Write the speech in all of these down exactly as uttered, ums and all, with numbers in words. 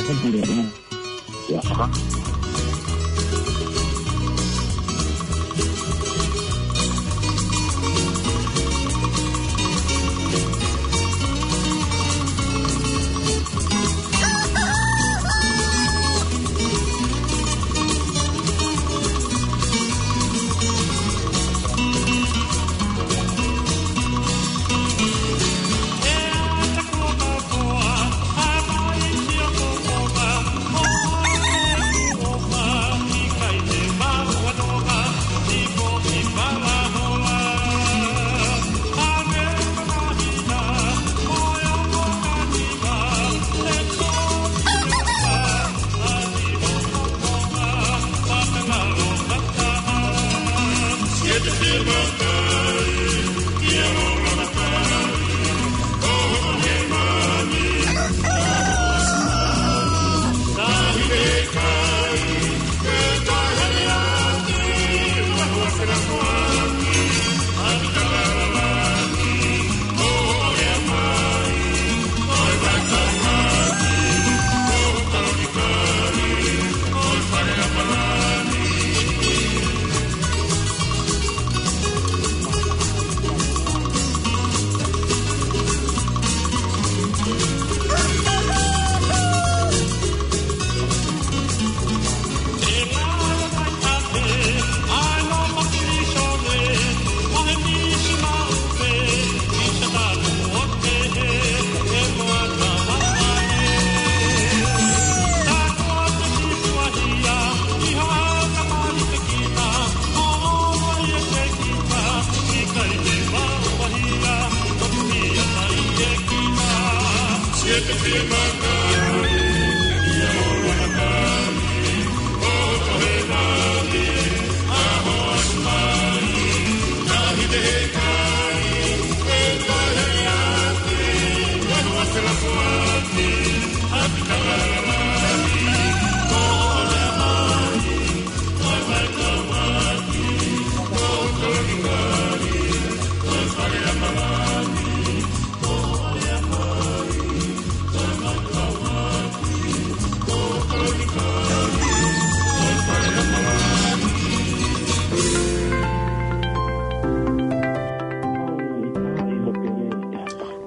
Ia.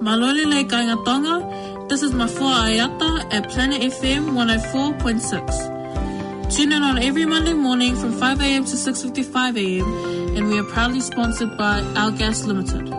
Mālō e lelei kāinga Tonga. This is Mafua Aiata at Planet F M one oh four point six. Tune in on every Monday morning from five a m to six fifty-five a m, and we are proudly sponsored by Our Gas Limited.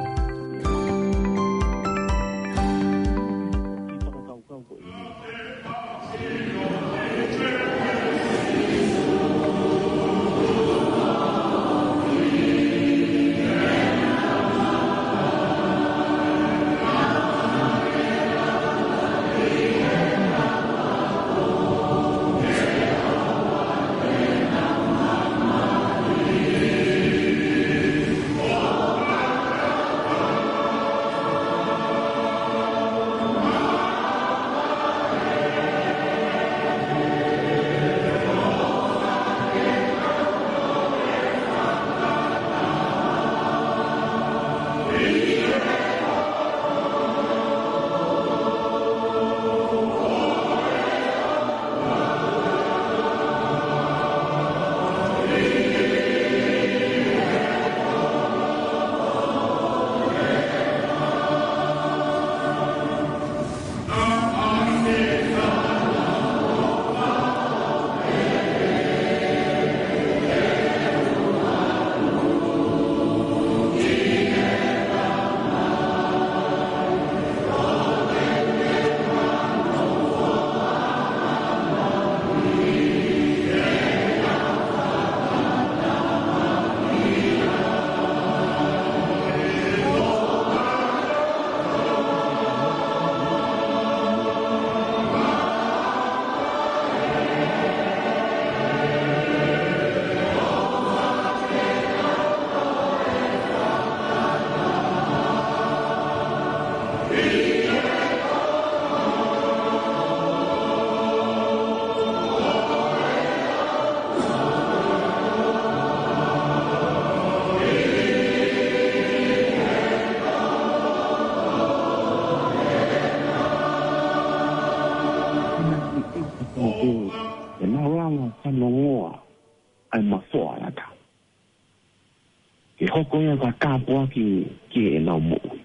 ko ia ka tāpuaki ki heʻenau moʻui.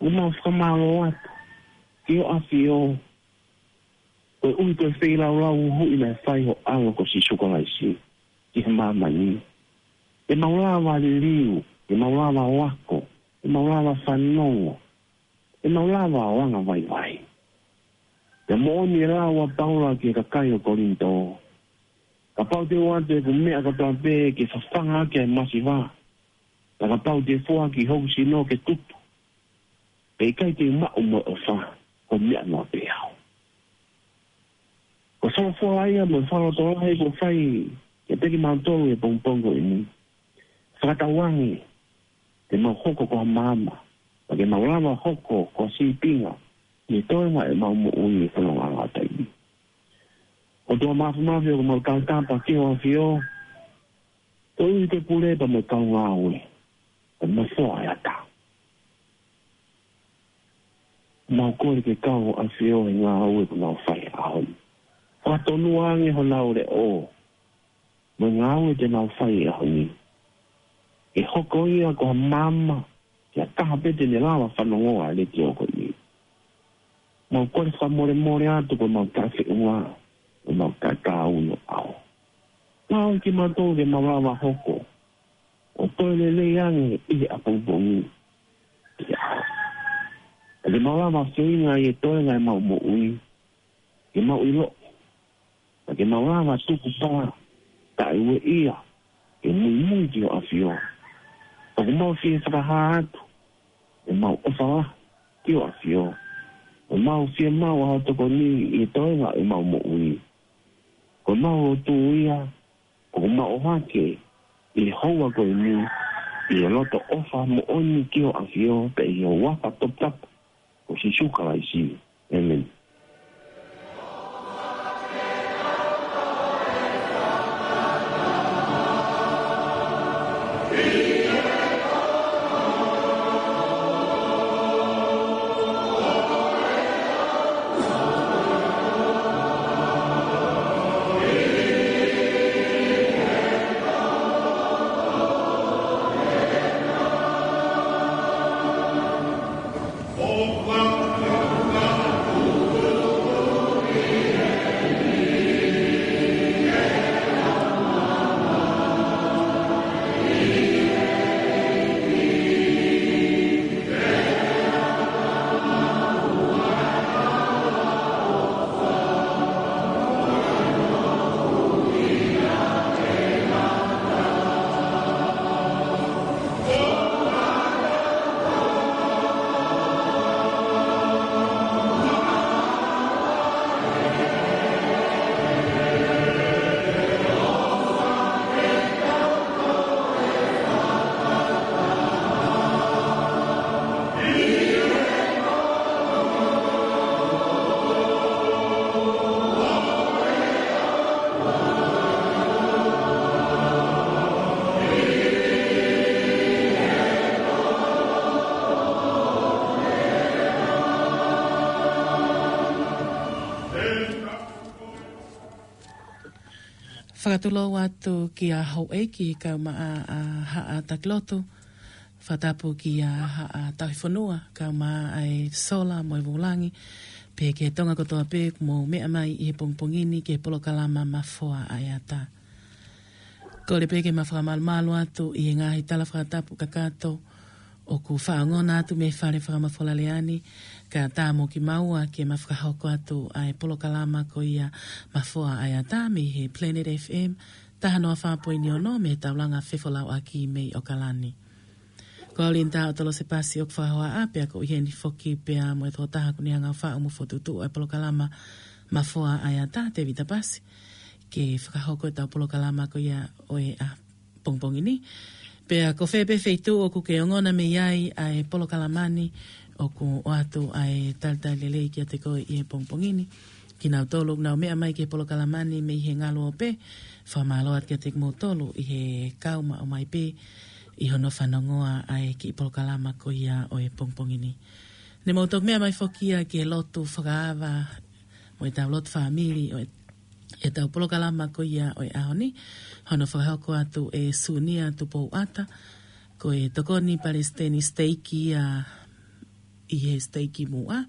ʻOku mau fakamālō atu ki hoʻo ʻAfio, koeʻuhi ko e feilaulau huhuʻi naʻe fai ho ʻAlo ko Sīsū Kalaisi ki he māmani. Ke mau lava liliu, ke mau lava ako, ke mau lava fanongo, ke mau lava ʻo angavaivai. Pea moʻoni e lau ʻa Paula ki he kakai ʻo Kolinitō: Kapau te u ʻoatu ʻeku meʻa kotoa pē ke fafanga ʻaki ʻa e masiva, pea kapau te u foaki hoku sino ke tutu, pea ʻikai te u maʻu mo e ʻofa, ko e meʻa noa pē au. Ko e folofola ia mo e fakalotolahi kuo fai kiate kimautolu he pongipongi ko eni. Fakatauange te mau hoko ko ha maama, pea ke mau lava hoko ko ha sīpinga ʻi he toenga ʻemau moʻui he fononga ngataʻanga ni. ʻOtua Māfimafi, ʻoku mau tautapa ki hoʻo ʻAfio, koeʻuhi ko e pule pea mo e kau ngāue ʻa e Mafoa ʻa e Ata. Mau kole ke kau hoʻo ʻAfio he ngāue kuo nau fai he ʻaho ni. Fakatonu ange honau leʻo mo e ngāue te nau fai he ʻaho ni, ke hoko ia ko ha maama ki ha taha pē te ne lava fanongo ʻa e letiō ko eni. Mau kole fakamolemole atu ko ʻemau taʻefeʻunga, ko ʻemau taʻetaau ʻi ho ʻao. Tauhi kimautolu ke mau lava hoko ʻo toe lelei ange ʻi he ʻapongipongi. Ke mau lava feinga ʻi he toenga ʻemau moʻui ke mau ʻilo, pea ke mau lava tukupā taʻeueʻia ke muimui ki hoʻo ʻAfio. ʻOku mau fie fakahā atu ʻemau ʻofa lahi ki hoʻo ʻAfio. ʻOku mau fiemaʻu ʻa hoʻo tokoni ʻi he toenga ʻemau moʻui. Ko ʻemau lotu ia ʻoku mau ʻohake ʻi he houa ko eni, ʻi he loto ʻofa moʻoni ki hoʻo ʻAfio, pea ʻi he huafa toputapu ko Sīsū Kalaisi. ʻĒmeni. Fakatulou atu kia Houʻeiki kae ʻumaʻā ʻa Haʻa Takilotu. Fakatapu kia Haʻa Tauhi Fonua kae ʻumaʻā ʻa e Sola mo e Vulangi. Pea ki he Tonga kotoa pē ʻoku mou meʻa mai ʻi he pongipongi ni ki he polokalama Mafoa ʻa e Ata. Kole pē ke ma fakamalumalu atu ʻi he ngaahi tala fakatapu kakato ʻoku faʻa ongona atu mei he fale fakamafola lea ni, kae ʻatā mo kimaua ke ma fakahoko atu ʻa e polokalama ko ia Mafoa ʻa e Ata mei he Planet F M, taha noa fā poini ono mei he taulanga fefolauʻaki mei ʻOkalani. Ko au Linda ʻOtolose Pasi ʻoku fakahohaʻa, pea ʻoku ʻi heni foki pea mo e tokotaha ʻoku ne hanga ʻo faʻu mo fokotuʻutuʻu ʻa e polokalama Mafoa ʻa e Ata, Tevita Pasi, ke fakahoko ʻetau polokalama ko ia ʻo e ʻapongipongi ni. Pea ko fē pē feituʻu ʻoku ke ongona mei ai ʻa e polokalama ni, ʻoku ʻoatu ʻa e talitali lelei kiate koe ʻi he pongipongi ni. Kinautolu ʻoku nau meʻa mai ki he polokalama ni mei he ngalu ope, fakamālō atu kiate kimoutolu ʻi he kau maʻu mai pē ʻi hono fanongoa ʻa e kiʻi polokalama ko ia ʻo e pongipongi ni. Ne mou toki meʻa mai foki ia ki he lotu fakaava mo ʻetau lotu fāmili ʻo e ʻetau polokalama ko ia ʻo e ʻaho ni, hono fakahoko atu ʻe Sunia Tupouata, ko e tokoni palesiteni siteiki ia ʻi he siteiki Muʻa,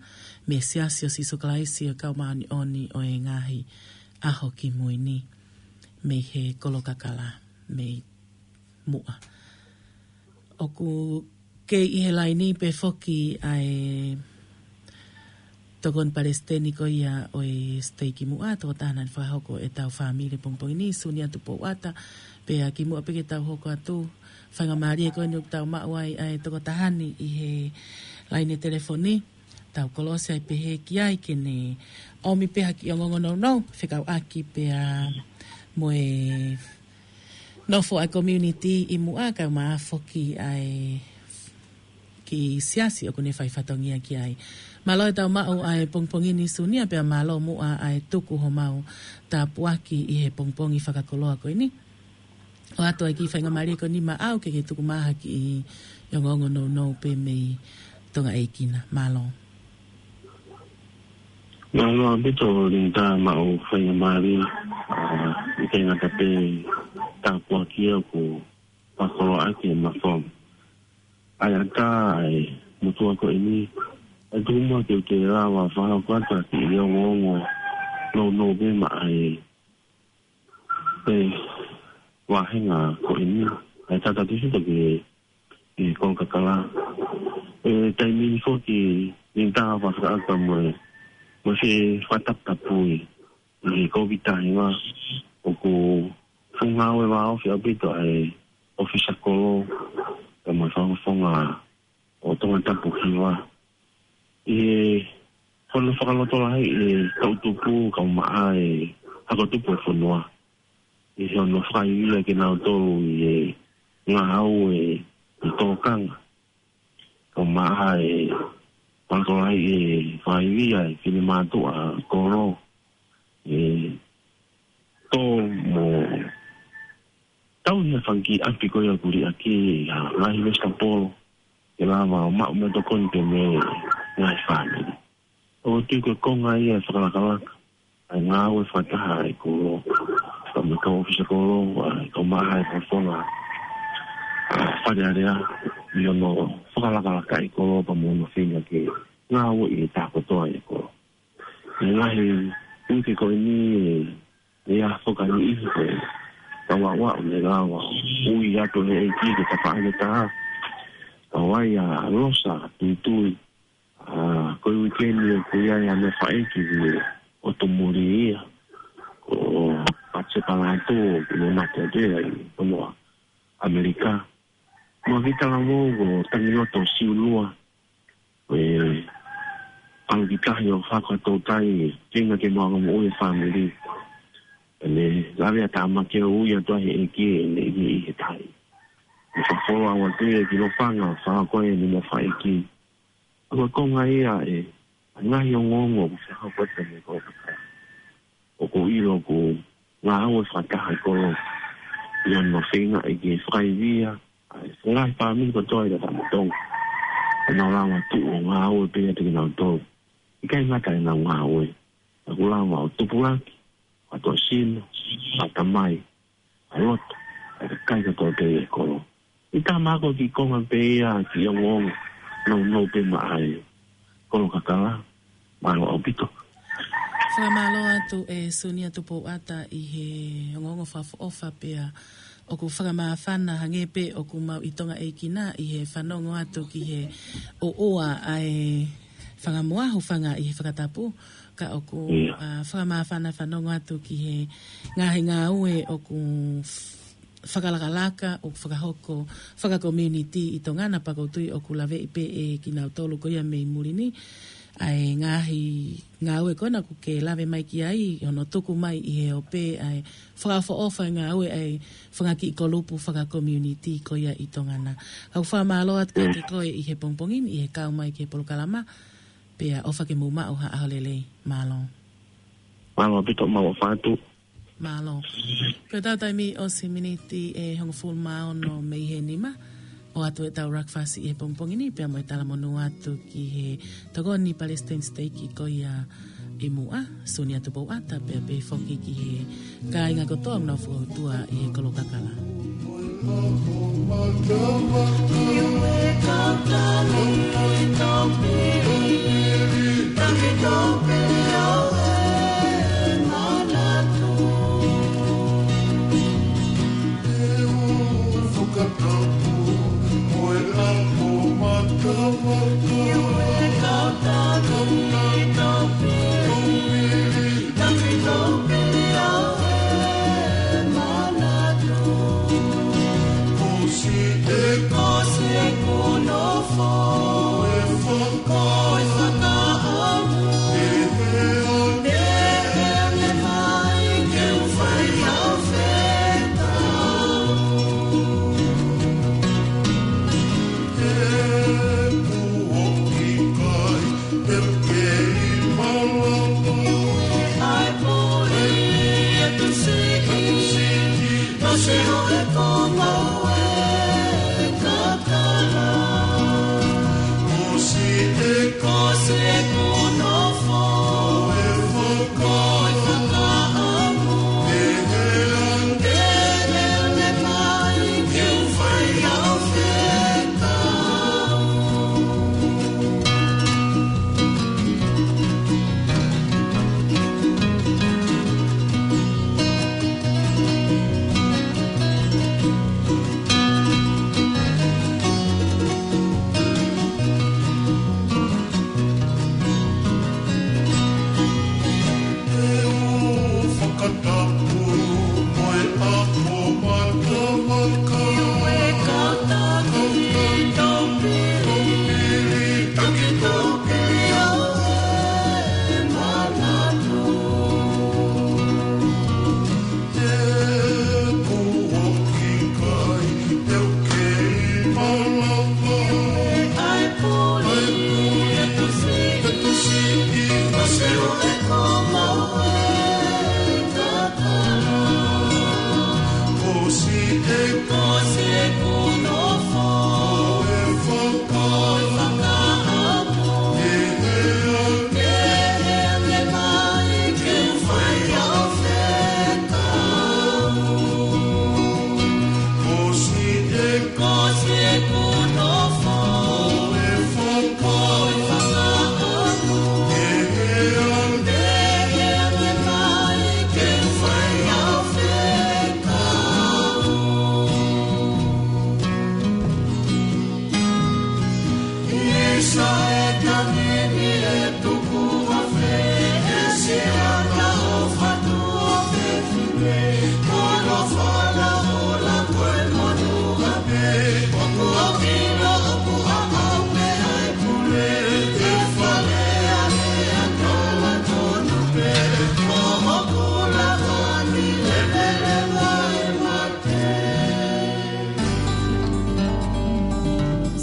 mei he Siasi ʻo Sīsū Kalaisi ʻo e Kau Māʻoniʻoni ʻo e Ngaahi ʻAho Kimui ni, mei he Kolo Kakala, mei Muʻa. ʻOku kei ʻi he laini pē foki ʻa e tokoni palesiteni ko ia ʻo e siteiki Muʻa, tokotaha naʻe fakahoko ʻetau fāmili pongipongi ni, Sunia Tupouata, pea kimuʻa pē ke tau hoko atu, faingamālie ko eni ʻoku tau maʻu ai ʻa e tokotaha ni ʻi he laini telefoni, tau kolosi ai pē he ki ai ke ne ʻomi pē ha kiʻi ongoongo nounou, fekauʻaki pea mo e nofo ʻa e community ʻi Muʻa kae ʻumaʻā foki ʻa e kiʻi siasi ʻoku ne fai fatongia ki ai. Mālō e tau maʻu ʻa e pongipongi ni Sunia pea mālō muʻa ʻa e tuku homau tāpuaki ʻi he pongipongi fakakoloa ko eni. ʻOatu ai kiʻi faingamālie ko eni maʻau ke ke tuku mai ha kiʻi ongoongo nounou pē mei Tonga ʻEiki na. Mālō. Mālō ʻaupito Linda maʻu faingamālie, ʻa, ʻikai ngata pē tāpuaki ʻoku fakakoloa ʻaki ʻe Mafoa. ʻA ia ka ʻa e motuʻa ko eni, ʻe tuku muʻa ke u toe lava fakahoko atu ha kiʻi ongoongo nounou pē maʻa e, e vāhenga ko eni, ʻa e tata tisi toki e Kolo Kakala. ʻI he taimi ni foki Linda fakataha mo e, mo e fakataputapui ʻi he Kōviti taha hiva ʻoku fuʻu ngāue vāofi ʻaupito ʻa e ʻōfisa kolo, kae ʻumaʻā e fakafofonga ʻo Tongatapu hiva. ʻI he hono fakalotolahiʻi e toʻutupu kae ʻumaʻā e hako tupu e fonua. ʻI hono fakaivia kinautolu ʻi he ngāue ʻi tōkanga. Kae ʻumaʻā e fakalotolahiʻi e fakaivia e finemātuʻa kolo. ʻE tō mo tau ia fanga kiʻi ʻapi ko ia ʻoku liʻaki ʻi ha ngaahi vesitapolo. Ke lava ʻo maʻu mo e tokoni pē mei he ngaahi fāmili. ʻOku ou tui ko e konga ia e fakalakalaka ʻa e ngāue fakataha ʻa e kolo, kae ʻumaʻā e kau ʻōfisa kolo, ʻa, kae ʻumaʻā e fakafofonga, ʻa, Fale Alea, ʻi hono fakalakalaka ʻa e kolo pea mo hono feinga ke ngāueʻi e taha kotoa ʻa e kolo. ʻI he ngaahi uike ko eni, ʻe ʻi ai foki ha niʻihi ko e kau aʻuaʻu ne lava ʻo ui atu he ʻEiki ke tapaʻaki taha. Kau ai ʻa Losa Tuitui, ʻa, ko e uike ni ʻoku ʻi ai haʻane faʻē ki he ʻotu muli ia, ko Patse Palatu, ʻoku ne mate atu ia ʻi Tonga, ʻAmelika. Mo Vita Lamou, ko Tangiloto Siulua, ko e ʻalu ki tahi ʻo fakatoutai, feinga ke maʻu ha moʻui e fāmili. Pea ne lave ʻa Tāmaki ʻo ui atu ai he ʻEiki ʻene ʻi he tahi. Ne fakafola atu ia ki Lofanga, fakahoko ʻene meʻa fakaʻeiki. Ko e konga ia e ngaahi ongoongo ʻoku fakahoko atu mei he kolo. ʻOku ou ʻilo ʻoku ngāue fakataha e kolo ʻi hono feinga ke fakaivia ʻa e ngaahi fāmili kotoa ʻi Lotama Tonga. ʻE nau lava tuʻu ʻo ngāue pē ʻiate kinautolu. ʻIkai ngata ʻenau ngāue, ka ʻoku lava ʻo tupulaki, ʻa e tō sino, ʻa e tamai, ʻa e loto, ʻa e kakai kotoa pē ʻi he kolo. ʻI he taimi ko ē ki he konga pē ia ki he ongoongo nounou pē maʻa e Kolo Kakala, mālō ʻaupito. Fakamālō atu ʻe Sunia Tupouata ʻi he ongoongo fakaʻofoʻofa pea ʻoku fakamāfana hangē pē ʻoku mau ʻi Tonga ʻEiki na ʻi he fanongo atu ki he ʻoʻoa ʻa e fanga moa, hūfanga ʻi he fakatapu, ka ʻoku, ʻIo. ʻa, fakamāfana fanongo atu ki he ngaahi ngāue ʻoku f-, fakalakalaka, ʻoku fakahoko fakakomiunitī ʻi Tonga na, pea ʻoku ou tui ʻoku laveʻi pē ʻe kinautolu ko ia mei muli ni ʻa e ngaahi ngāue ko ena ʻoku ke lave mai ki ai, hono tuku mai ʻi he ope ʻa e fakaʻofoʻofa e ngāue ʻa e fanga kiʻi kolupu fakakomiunitī ko ia ʻi Tonga na. Kau fakamālō atu kiate koe ʻi he pongipongi ni, ʻi he kau mai ki he polokalama, pea ʻofa ke mou maʻu ha ʻaho lelei. Mālō. Mālō ʻaupito, mau ʻofa atu. Mālō. Ko ʻetau taimi ʻosi miniti ʻe hongofulu mā ono mei he nima. ʻOatu ʻetau breakfast ʻi he pongipongi ni, pea mo e talamonū atu ki he tokoni palesiteni siteiki ko ia ʻi muʻa, Sonia Tupouata, pea pehē foki ki he kāinga kotoa ʻoku nau fakautua ʻi he kolo kakala.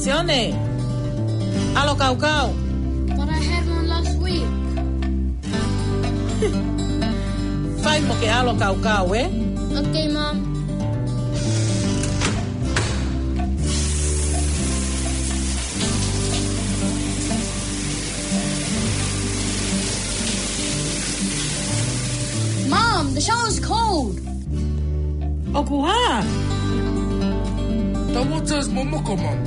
Sione, ʻalo kaukau. But I had one last week. Fai mo ke ʻalo kaukau, ē? Okay, Mom. Mom, the shower's cold. ʻOku hā? The water's momoko, Mom.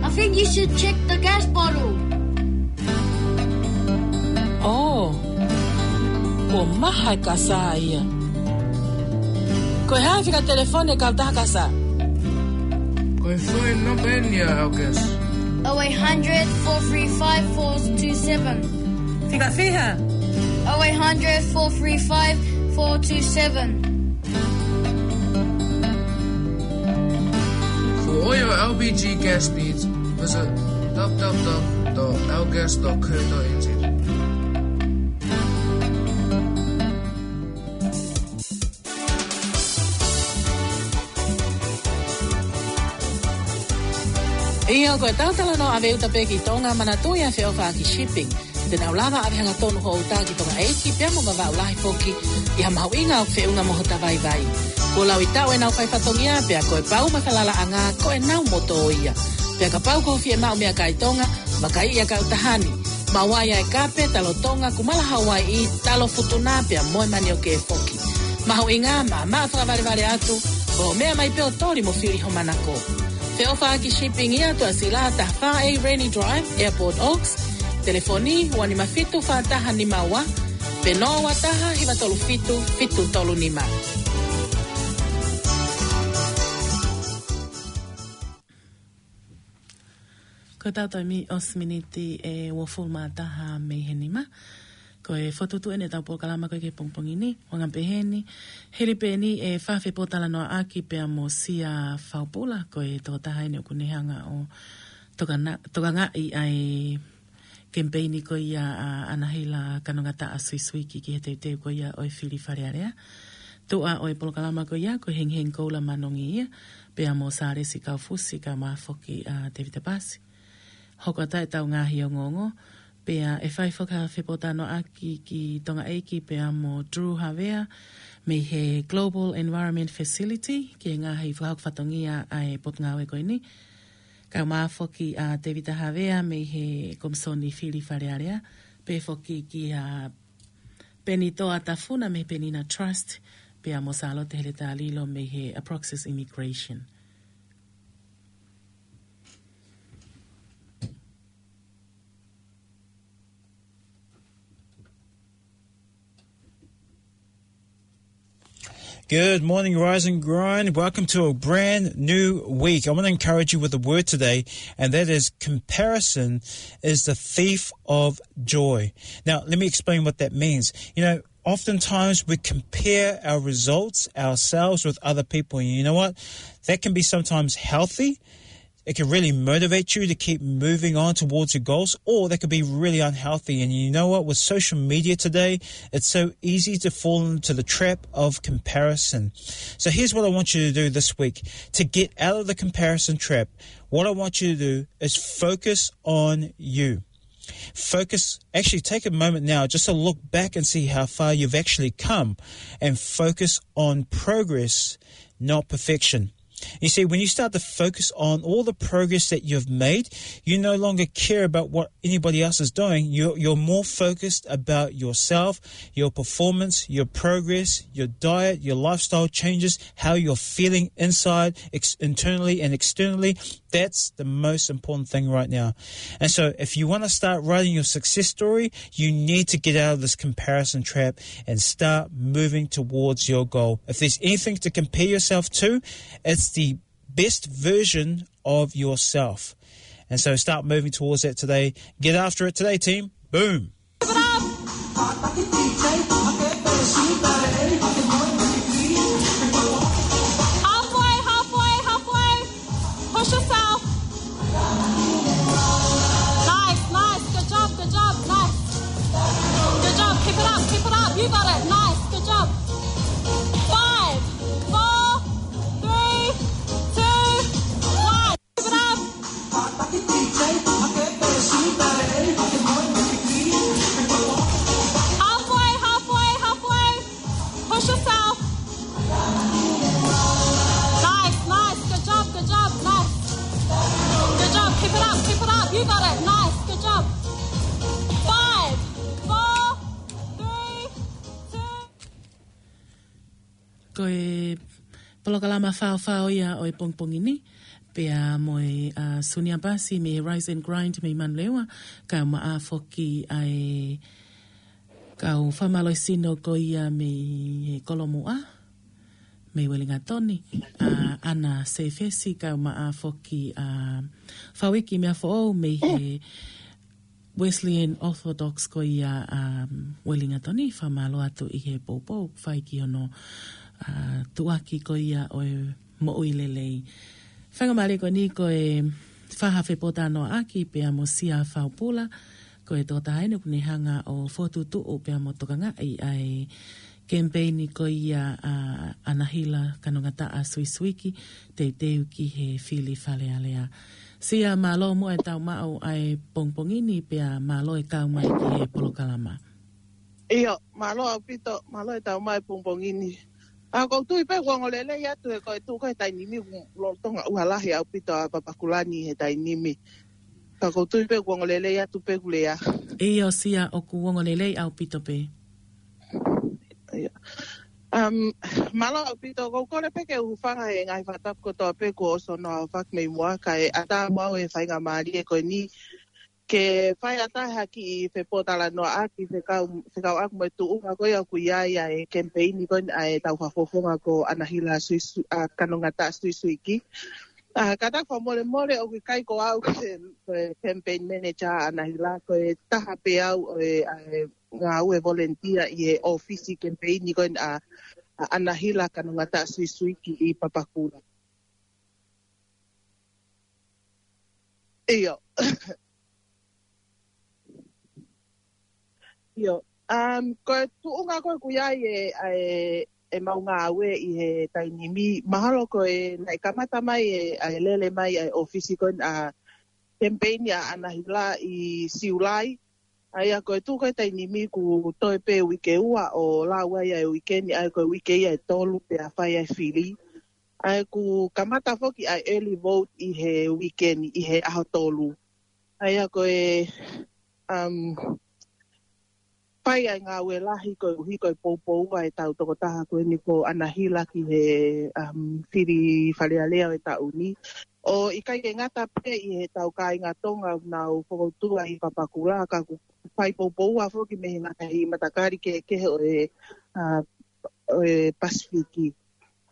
I think you should check the gas bottle. Oh, kuo maha e kasa ia. Ko e hā e fika telefoni e kautaha kasa? Ko e foʻi namba eni ia, Elkes. Oh eight hundred, four three five, four two seven. Fika fiha? Oh eight hundred, four three five, four two seven. For all your L P G gas needs, visit w w w dot l gas dot co dot n z. ʻIo, ko e tau talanoa ʻave uta pē ki Tonga, manatuʻi ʻa e feʻofaʻaki shipping. Te nau lava ʻave hangatonu hoʻo uta ki Tonga ʻEiki, pea mo Vavaʻu lahi foki, ʻi ha mahuʻinga ʻoku feʻunga mo hota vaivai. Kuo laui taʻu ʻenau fai fatongia, pea ko e pau mo e falalaʻanga, ko ʻenau moto ia. Pea kapau ko ho fiemaʻu meʻakai Tonga, vakaiʻi ʻa e kautaha ni. Maʻu ai ʻa e kape, talo Tonga, kumala Hawaiʻi, talo Futuna pea mo e manioke foki. Mahuʻinga, maʻamaʻa fakavalevale atu, ko e meʻa mai pē ʻo toli mo fili ho manako. Feʻofaʻaki shipping ia, tuʻasila taha fā A Rennie Drive, Airport Oaks. Telefoni, ua nima fitu fā taha nima ua, pe noa ua taha hiva tolu fitu fitu tolu nima. Ko e tau taimi ʻosi miniti ʻe uofulu mā taha mei he nima. Ko e fokotuʻutuʻu eni ʻetau polokalama ko ē ki he pongipongi ni, ʻuhinga pē heni, hili pē eni e fafepōtalanoaʻaki pea mo Sia Faupula, ko e tokotaha eni ʻoku ne hanga ʻo tokana-, tokangaʻi ʻa e kemipeini ko ia ʻa ʻAnahila Kanongataʻa Suisuiki ki he teuteu ko ia ʻo e fili Fale Alea. Tuʻa ʻo e polokalama ko ia, ko Hengihengi Koula Manongi ia, pea mo Sālesi Kaufusi, kaeʻumaʻā foki ʻa Tevita Pasi. Hoko atu ʻetau ngaahi ongoongo, pea ʻe fai foki ha fepōtalanoaʻaki ki Tonga ʻEiki pea mo Drew Havea, mei he Global Environment Facility, ki he ngaahi fakahoko fatongia ʻa e potungāue ko eni. Kaeʻumaʻā foki ʻa Tevita Havea mei he Komisoni Fili Fale Alea, pehē foki kia Penitoa Tafuna mei he Penina Trust, pea mo Sālote Heletalilo mei he Aproxis Immigration. Good morning, Rise and Grind. Welcome to a brand new week. I want to encourage you with a word today, and that is comparison is the thief of joy. Now, let me explain what that means. You know, oftentimes we compare our results, ourselves, with other people. And you know what? That can be sometimes healthy. It can really motivate you to keep moving on towards your goals, or that could be really unhealthy. And you know what? With social media today, it's so easy to fall into the trap of comparison. So here's what I want you to do this week. To get out of the comparison trap, what I want you to do is focus on you. Focus, actually take a moment now just to look back and see how far you've actually come, and focus on progress, not perfection. You see, when you start to focus on all the progress that you've made, you no longer care about what anybody else is doing. You're, you're more focused about yourself, your performance, your progress, your diet, your lifestyle changes, how you're feeling inside, ex-, internally and externally. That's the most important thing right now. And so if you want to start writing your success story, you need to get out of this comparison trap and start moving towards your goal. If there's anything to compare yourself to, it's the best version of yourself. And so start moving towards that today. Get after it today, team. Boom. Halfway, halfway, halfway. Push yourself. Nice, nice. Good job, good job. Nice. Good job. Keep it up, keep it up. You got it. Nice. Good job. Five, four, three, two, one. Keep it up. Halfway, halfway, halfway. Push yourself. Nice, nice. Good job, good job. Nice. Good job. Keep it up, keep it up. You got it. Nice. Good job. Five, four, three, two. Ko e polokalama faofao ia ʻo e pongipongi ni, pea mo e, ʻa, Sunia Pasi mei he Rise and Grind mei Manurewa, kaeʻumaʻā foki ʻa e kau fakamālohisino ko ia mei he Kolomuʻa, mei Uelingatoni, ʻa, ʻAna Sefesi, kaeʻumaʻā foki ʻa Fauiki Meafoʻou mei he Wesleyan Orthodox ko ia, um, Uelingatoni, fakamālō atu ʻi he poupou fai ki hono, uh, tuʻuaki ko ia ʻo e moʻui lelei. Faingamālie ko eni ko e fai ha fepōtalanoaʻaki pea mo Sia Faupula, ko e tokotaha eni ʻoku ne hanga ʻo fokotuʻutuʻu pea mo tokangaʻi ʻa e kemipeini ko ia ʻa ʻAnahila Kanongataʻa Suisuiki, teuteu ki he fili Fale Alea. Sia, mālō muʻa e tau maʻu ʻa e pongipongi ni pea mālō e kau mai ki he polokalama. ʻIo, mālō ʻaupito, mālō e tau mai pongipongi ni. ʻA, ʻoku ou tui pē kuo ongo lelei atu he ko e tuʻu ko ē he taimi ni, lolotonga ʻuha lahi ʻaupito ʻa Papakulani he taimi ni. Ka ʻoku ou tui pē kuo ongo lelei atu pē ʻeku lea. ʻIo, Sia, ʻoku ongo lelei ʻaupito pē. ʻIo. Um, mālō ʻaupito, ʻoku ou kole pē ke u hūfanga he ngaahi fakatapu kotoa pē kuo ʻosi hono fakahoko mei muʻa, kae ʻatā muʻa au e faingamālie ko eni ke fai ʻatā ha kiʻi fepōtalanoaʻaki fekau, fekauʻaki mo e tuʻunga ko ia ʻoku ʻi ai ʻa e kemipeini ko eni ʻa e tau fakafofonga ko ʻAnahila Suisu-, ʻa, Kanongataʻa Suisuiki. ʻA, kātaki fakamolemole ʻoku ʻikai ko au ko e, ko e campaign manager ʻa ʻAnahila, ko e taha pē au ʻo e, ʻa e ngāue volunteer ʻi he ʻōfisi kemipeini ko eni ʻa, ʻa ʻAnahila Kanongataʻa Suisuiki ʻi Papakura. ʻIo. ʻIo. Um, ko e tuʻunga ko ē ʻoku ʻi ai e, ʻa e, ʻemau ngāue ʻi he taimi ni, mahalo ko e naʻe kamata mai e, ʻa e lele mai ʻa e ʻōfisi ko eni ʻa e kemipeini ʻa ʻAnahila ʻi Siulai. ʻA ia ko e tuʻu ko ē taimi ni kuo toe pē uike ua ʻo lau ai ʻa e uike ni, ʻa ia ko e uike ia ʻe tolu pea fai ʻa e fili. ʻA ia kuo kamata foki ʻa e early vote ʻi he uike ni, ʻi he ʻaho tolu. ʻA ia ko e, um, fai ʻa e ngāue lahi koeʻuhi ko e poupou ʻa e tau tokotaha ko eni ko ʻAnahila ki he, um, fili Fale Alea ʻo e taʻu ni. ʻO ʻikai ke ngata pē ʻi he tau kāinga Tonga ʻoku nau fokoutua ʻi Papakura, ka kuo fai poupou ʻa foki mei he ngaahi matakali kehekehe ʻo e, uh, ʻo e Pasifiki.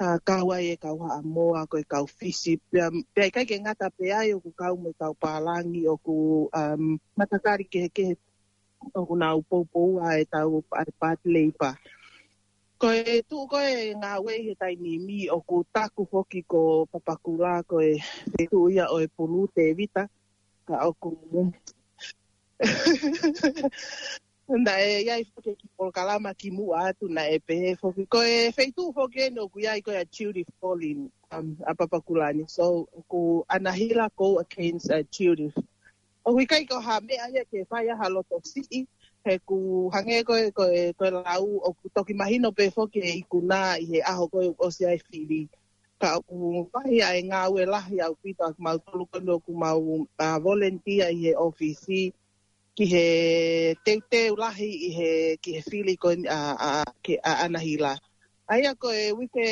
ʻA, kau ai e kau Haʻamoa, ko e kau Fisi, pea, pea ʻikai ke ngata pē ai ʻoku kau mo e kau pālangi ʻoku, um, matakali kehekehe ʻoku nau poupou ʻa e tau, ʻa e Part Labour. Ko e tuʻu ko ē ngāue ʻi he taimi ni ʻoku taku foki ko Papakura ko e feituʻu ia ʻo e Pulu Tevita, ka ʻoku naʻe ʻi ai foki ki polokalama ki muʻa atu naʻe pehē foki. Ko e feituʻu foki eni ʻoku ʻi ai ko ia Judy Folin, um, ʻa Papakura ni. So, ʻoku ʻAnahila ko against, uh, Judy. ʻOku ʻikai ko ha meʻa ia ke fai ʻa ha loto siʻi, he ʻoku hangē ko e, ko e, ko e lau, ʻoku toki mahino pē foki e ikuna ʻi he ʻaho ko ē ʻosi ʻa e fili. Ka ʻoku fai ʻa e ngāue lahi ʻaupito ʻa kimautolu ko eni ʻoku mau, uh, volunteer ʻi he ʻōfisi, ki he teuteu lahi ʻi he, ki he fili ko eni ʻa, ʻa, ke, ʻa ʻAnahila. ʻA ia ko e uike,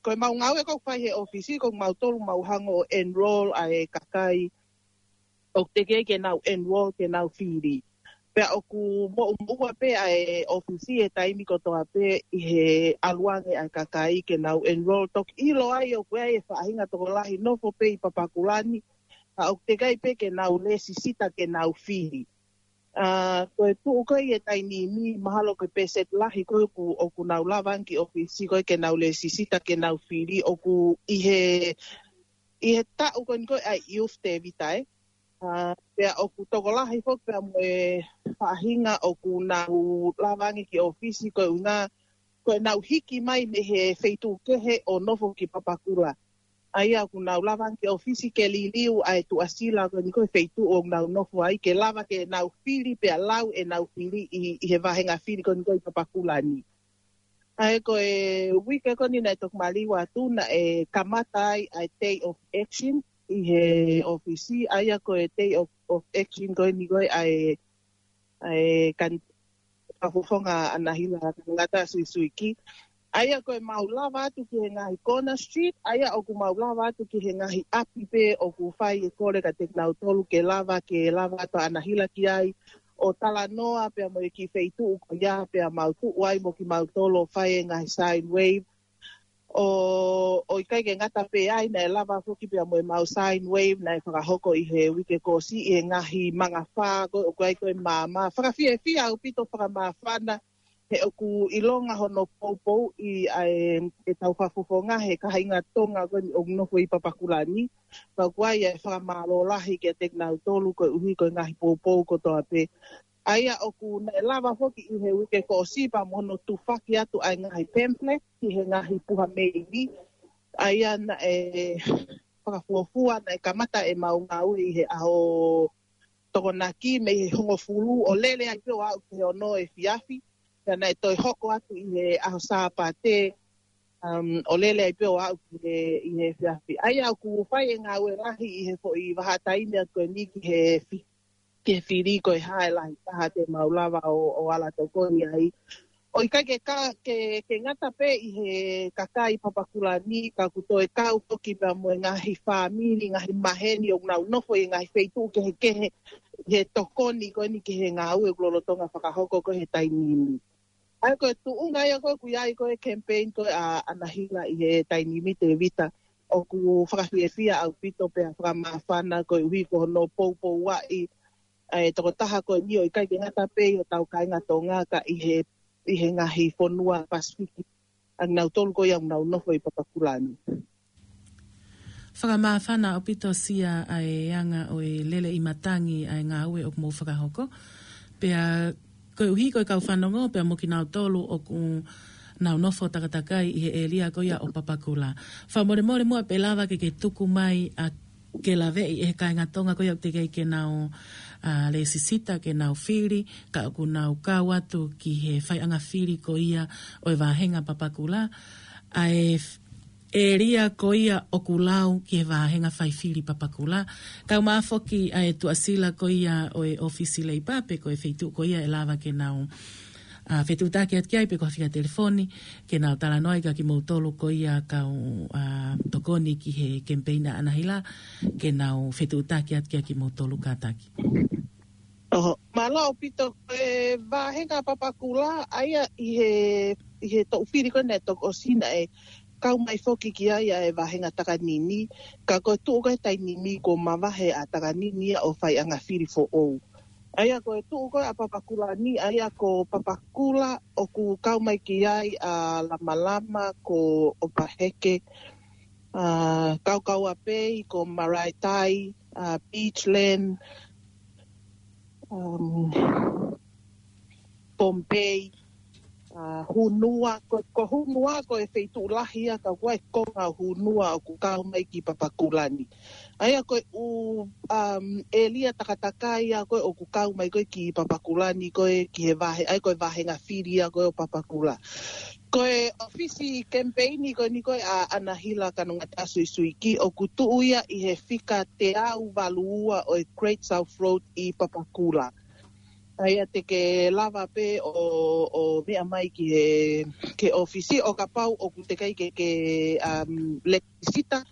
ko e mau ngāue ko ē ʻoku fai he ʻōfisi, ko mautolu mau hanga ʻo enroll ʻa e kakai ʻoku teʻeki ai ke nau enroll ke nau fili. Pea ʻoku moʻumoʻua pē ʻa e ʻōfisi he taimi kotoa pē ʻi he ʻalu ange ʻa e kakai ke nau enroll. Toki ʻilo ai ʻoku ʻi ai e faʻahinga tokolahi nofo pē ʻi Papakura ni, ka ʻoku teʻeki ai pē ke nau lēsisita ke nau fili. ʻA, ko e tuʻu ko ē ʻi he taimi ni, mahalo ko e pēseti lahi ko ē ʻoku, ʻoku nau lava ange ki ʻōfisi ko ē ke nau lēsisita ke nau fili, ʻoku ʻi he, ʻi he taʻu ko eni ko ē ʻa e Youth Tevita, ē. ʻA, pea ʻoku tokolahi foki pea mo e faʻahinga ʻoku nau lava ange ki ʻōfisi ko e ʻuhinga, ko ʻenau hiki mai mei he feituʻu kehe ʻo nofo ki Papakura. ʻA ia ʻoku nau lava ange ki ʻōfisi ke liliu ʻa e tuʻasila ko eni ko e feituʻu ʻoku nau nofo ai ke lava ke nau fili pea lau ʻenau fili ʻi, ʻi he vāhenga fili ko eni ko ē ʻi Papakura ni. ʻA ia ko e uike ko eni naʻe toki maliu atu naʻe kamata ai ʻa e Day of Action ʻi he ʻōfisi. ʻA ia ko e Day of, of Action ko eni ko ē ʻa e ʻa e kan-, fakafofonga ʻAnahila Kanongataʻa Suisuiki. ʻA ia ko e mau lava atu ki he ngaahi corner street, ʻa ia ʻoku mau lava atu ki he ngaahi ʻapi pē ʻoku fai e kole kiate kinautolu ke lava, ke lava atu ʻa ʻAnahila ki ai, ʻo talanoa pea mo e kiʻi feituʻu ko ia pea mau tuʻu ai mo kimautolu ʻo fai e ngaahi sine wave, ʻo, ʻo ʻikai ke ngata pē ai, naʻe lava foki pea mo e mau sine wave naʻe fakahoko ʻi he uike kuo ʻosi ʻi he ngaahi mangafā ko ē ʻoku ʻi ai ko ē maama. Fakafiefia ʻaupito fakamāfana, he ʻoku ʻilonga hono poupouʻi ʻa e, e tau fakafofonga he kāinga Tonga ko eni ʻoku nofo ʻi Papakura ni. Pea ʻoku ʻi ai e fakamālō lahi kiate kinautolu koeʻuhi ko e ngaahi poupou kotoa pē. ʻA ia ʻoku naʻe lava foki ʻi he uike kuo ʻosi pea mo hono tufaki atu ʻa e ngaahi pamphlet ki he ngaahi puha meili. ʻA ia naʻe fakafuofua, naʻe kamata ʻemau ngāue ʻi he ʻaho Tokonaki mei he hongofulu ʻo lele ai pē ʻo aʻu ki he ono efiafi. Pea naʻe toe hoko atu ʻi he ʻaho Sāpate, um, ʻo lele ai pē ʻo aʻu ki he, ʻi he efiafi. ʻA ia ʻoku fai e ngāue lahi ʻi he foʻi vahaʻa taimi atu ko eni ki he fi-, ke fili ko e hā e lahi taha te mau lava ʻo, ʻo ala tokoni ai. ʻO ʻikai ke ka, ke, ke ngata pē ʻi he kakai Papakura ni, ka ʻoku toe kau foki pea mo e ngaahi fāmili, ngaahi maheni ʻoku nau nofo ʻi he ngaahi feituʻu kehekehe, he tokoni ko eni ki he ngāue ʻoku lolotonga fakahoko ko ē he taimi ni. ʻA ia ko e tuʻunga ia ko ē ʻoku ʻi ai ko ē campaign ko ē ʻa ʻAnahila ʻi he taimi ni, Tēvita, ʻoku fakafiefia ʻaupito pea fakamāfana koeʻuhi ko hono poupouaʻi ʻa e tokotaha ko eni ʻo ʻikai ke ngata pē ʻi hotau kāinga Tonga ka ʻi he, ʻi he ngaahi fonua Pasifiki, ʻa kinautolu ko ia ʻoku nau nofo ʻi Papakura ni. Fakamāfana ʻaupito Sia ʻa e anga ʻo e lele ʻi matangi ʻa e ngāue ʻoku mou fakahoko. Pea koeʻuhi ko e kau fanongo, pea mo kinautolu ʻoku nau nofo takatakai ʻi he ʻēlia ko ia ʻo Papakura. Fakamolemole muʻa pe ʻe lava ke ke tuku mai ʻa ke laveʻi ʻe he kāinga Tonga ko ia ʻoku teʻeki ai ke nau, ʻa, lēsisita ke nau fili, ka ʻoku nau kau atu ki he faiʻanga fili ko ia ʻo e vāhenga Papakura. ʻA e f-, ʻēlia ko ia ʻoku lau ki he vāhenga faifili Papakura. Kae ʻumaʻā foki ʻa e tuʻasila ko ia ʻo e ʻōfisi Leipa pe ko e feituʻu ko ia ʻe lava ke nau, ʻa, fetuʻutaki atu ki ai pe ko ha fika telefoni, ke nau talanoa ai kia kimoutolu ko ia kau, ʻa, tokoni ki he campaign ʻa ʻAnahila, ke nau fetuʻutaki atu kia kimoutolu kātaki. ʻOho, mālō ʻaupito. Ko e vāhenga Papakura, ʻa ia ʻi he, ʻi he toʻu fili ko ē naʻe toki ʻosi naʻe kau mai foki ki ai ʻa e vāhenga Takanini, ka ko e tuʻu ko ē he taimi ni kuo mavahe ʻa Takanini ia ʻo faiʻanga fili foʻou. ʻA ia ko e tuʻu ko ē ʻa Papakura ni, ʻa ia ko Papakura ʻoku kau mai ki ai ʻa Lamalama, ko ʻOpaheke, ʻa, Kaukaua Bay, ko Maraetai, ʻa, Beachland, um, Pohnpei, ʻa, Hunua, ko, ko Hunua ko e feituʻu lahi ia, ka ʻoku ʻi ai e konga ʻo Hunua ʻoku kau mai ki Papakura ni. ʻA ia ko e ʻū, um, ʻēlia takatakai ia ko ē ʻoku kau mai ko ē ki Papakura ni ko ē ki he vāhe-, ʻa ia ko e vāhenga fili ia ko ē ʻo Papakura. Ko e ʻōfisi kemipeini ko eni ko ē ʻa ʻAnahila Kanongataʻa Suisuiki ʻoku tuʻu ia ʻi he fika teau valu ua ʻo e Great South Road ʻi Papakura. ʻA ia te ke lava pē ʻo, ʻo meʻa mai ki he, ki he ʻōfisi ʻo kapau ʻoku teʻeki ai ke, ke, um, lēsisita,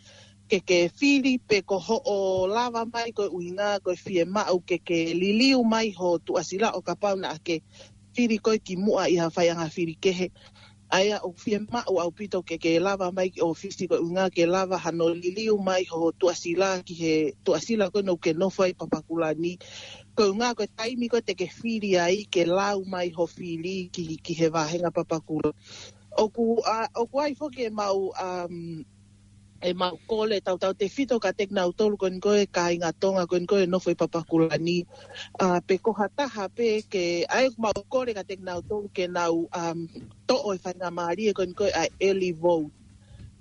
ke ke fili pe ko hoʻo lava mai ko e ʻuhinga ko e fiemaʻu ke ke liliu mai ho tuʻasila ʻo kapau naʻa ke fili ko ē ki muʻa ʻi ha faiʻanga fili kehe. ʻA ia ʻoku fiemaʻu ʻaupito ke ke lava mai ki ʻōfisi ko e ʻuhinga ke lava hano liliu mai ho tuʻasila ki he tuʻasila ko ē ʻoku ke nofo ai ʻi Papakura ni. Ko e ʻuhinga ko e taimi ko ē te ke fili ai ke lau mai ho fili ki, ki he vāhenga Papakura. ʻOku, ʻa, ʻoku ʻi ai foki ʻemau, um, ʻemau kole tautautefito kiate kinautolu ko eni ko ē kāinga Tonga ko eni ko ē nofo ʻi Papakura ni. ʻA, pe ko ha taha pē ke, ʻa ia ʻoku mau kole kiate kinautolu ke nau, um, toʻo e faingamālie ko eni ko ē ʻa e early vote.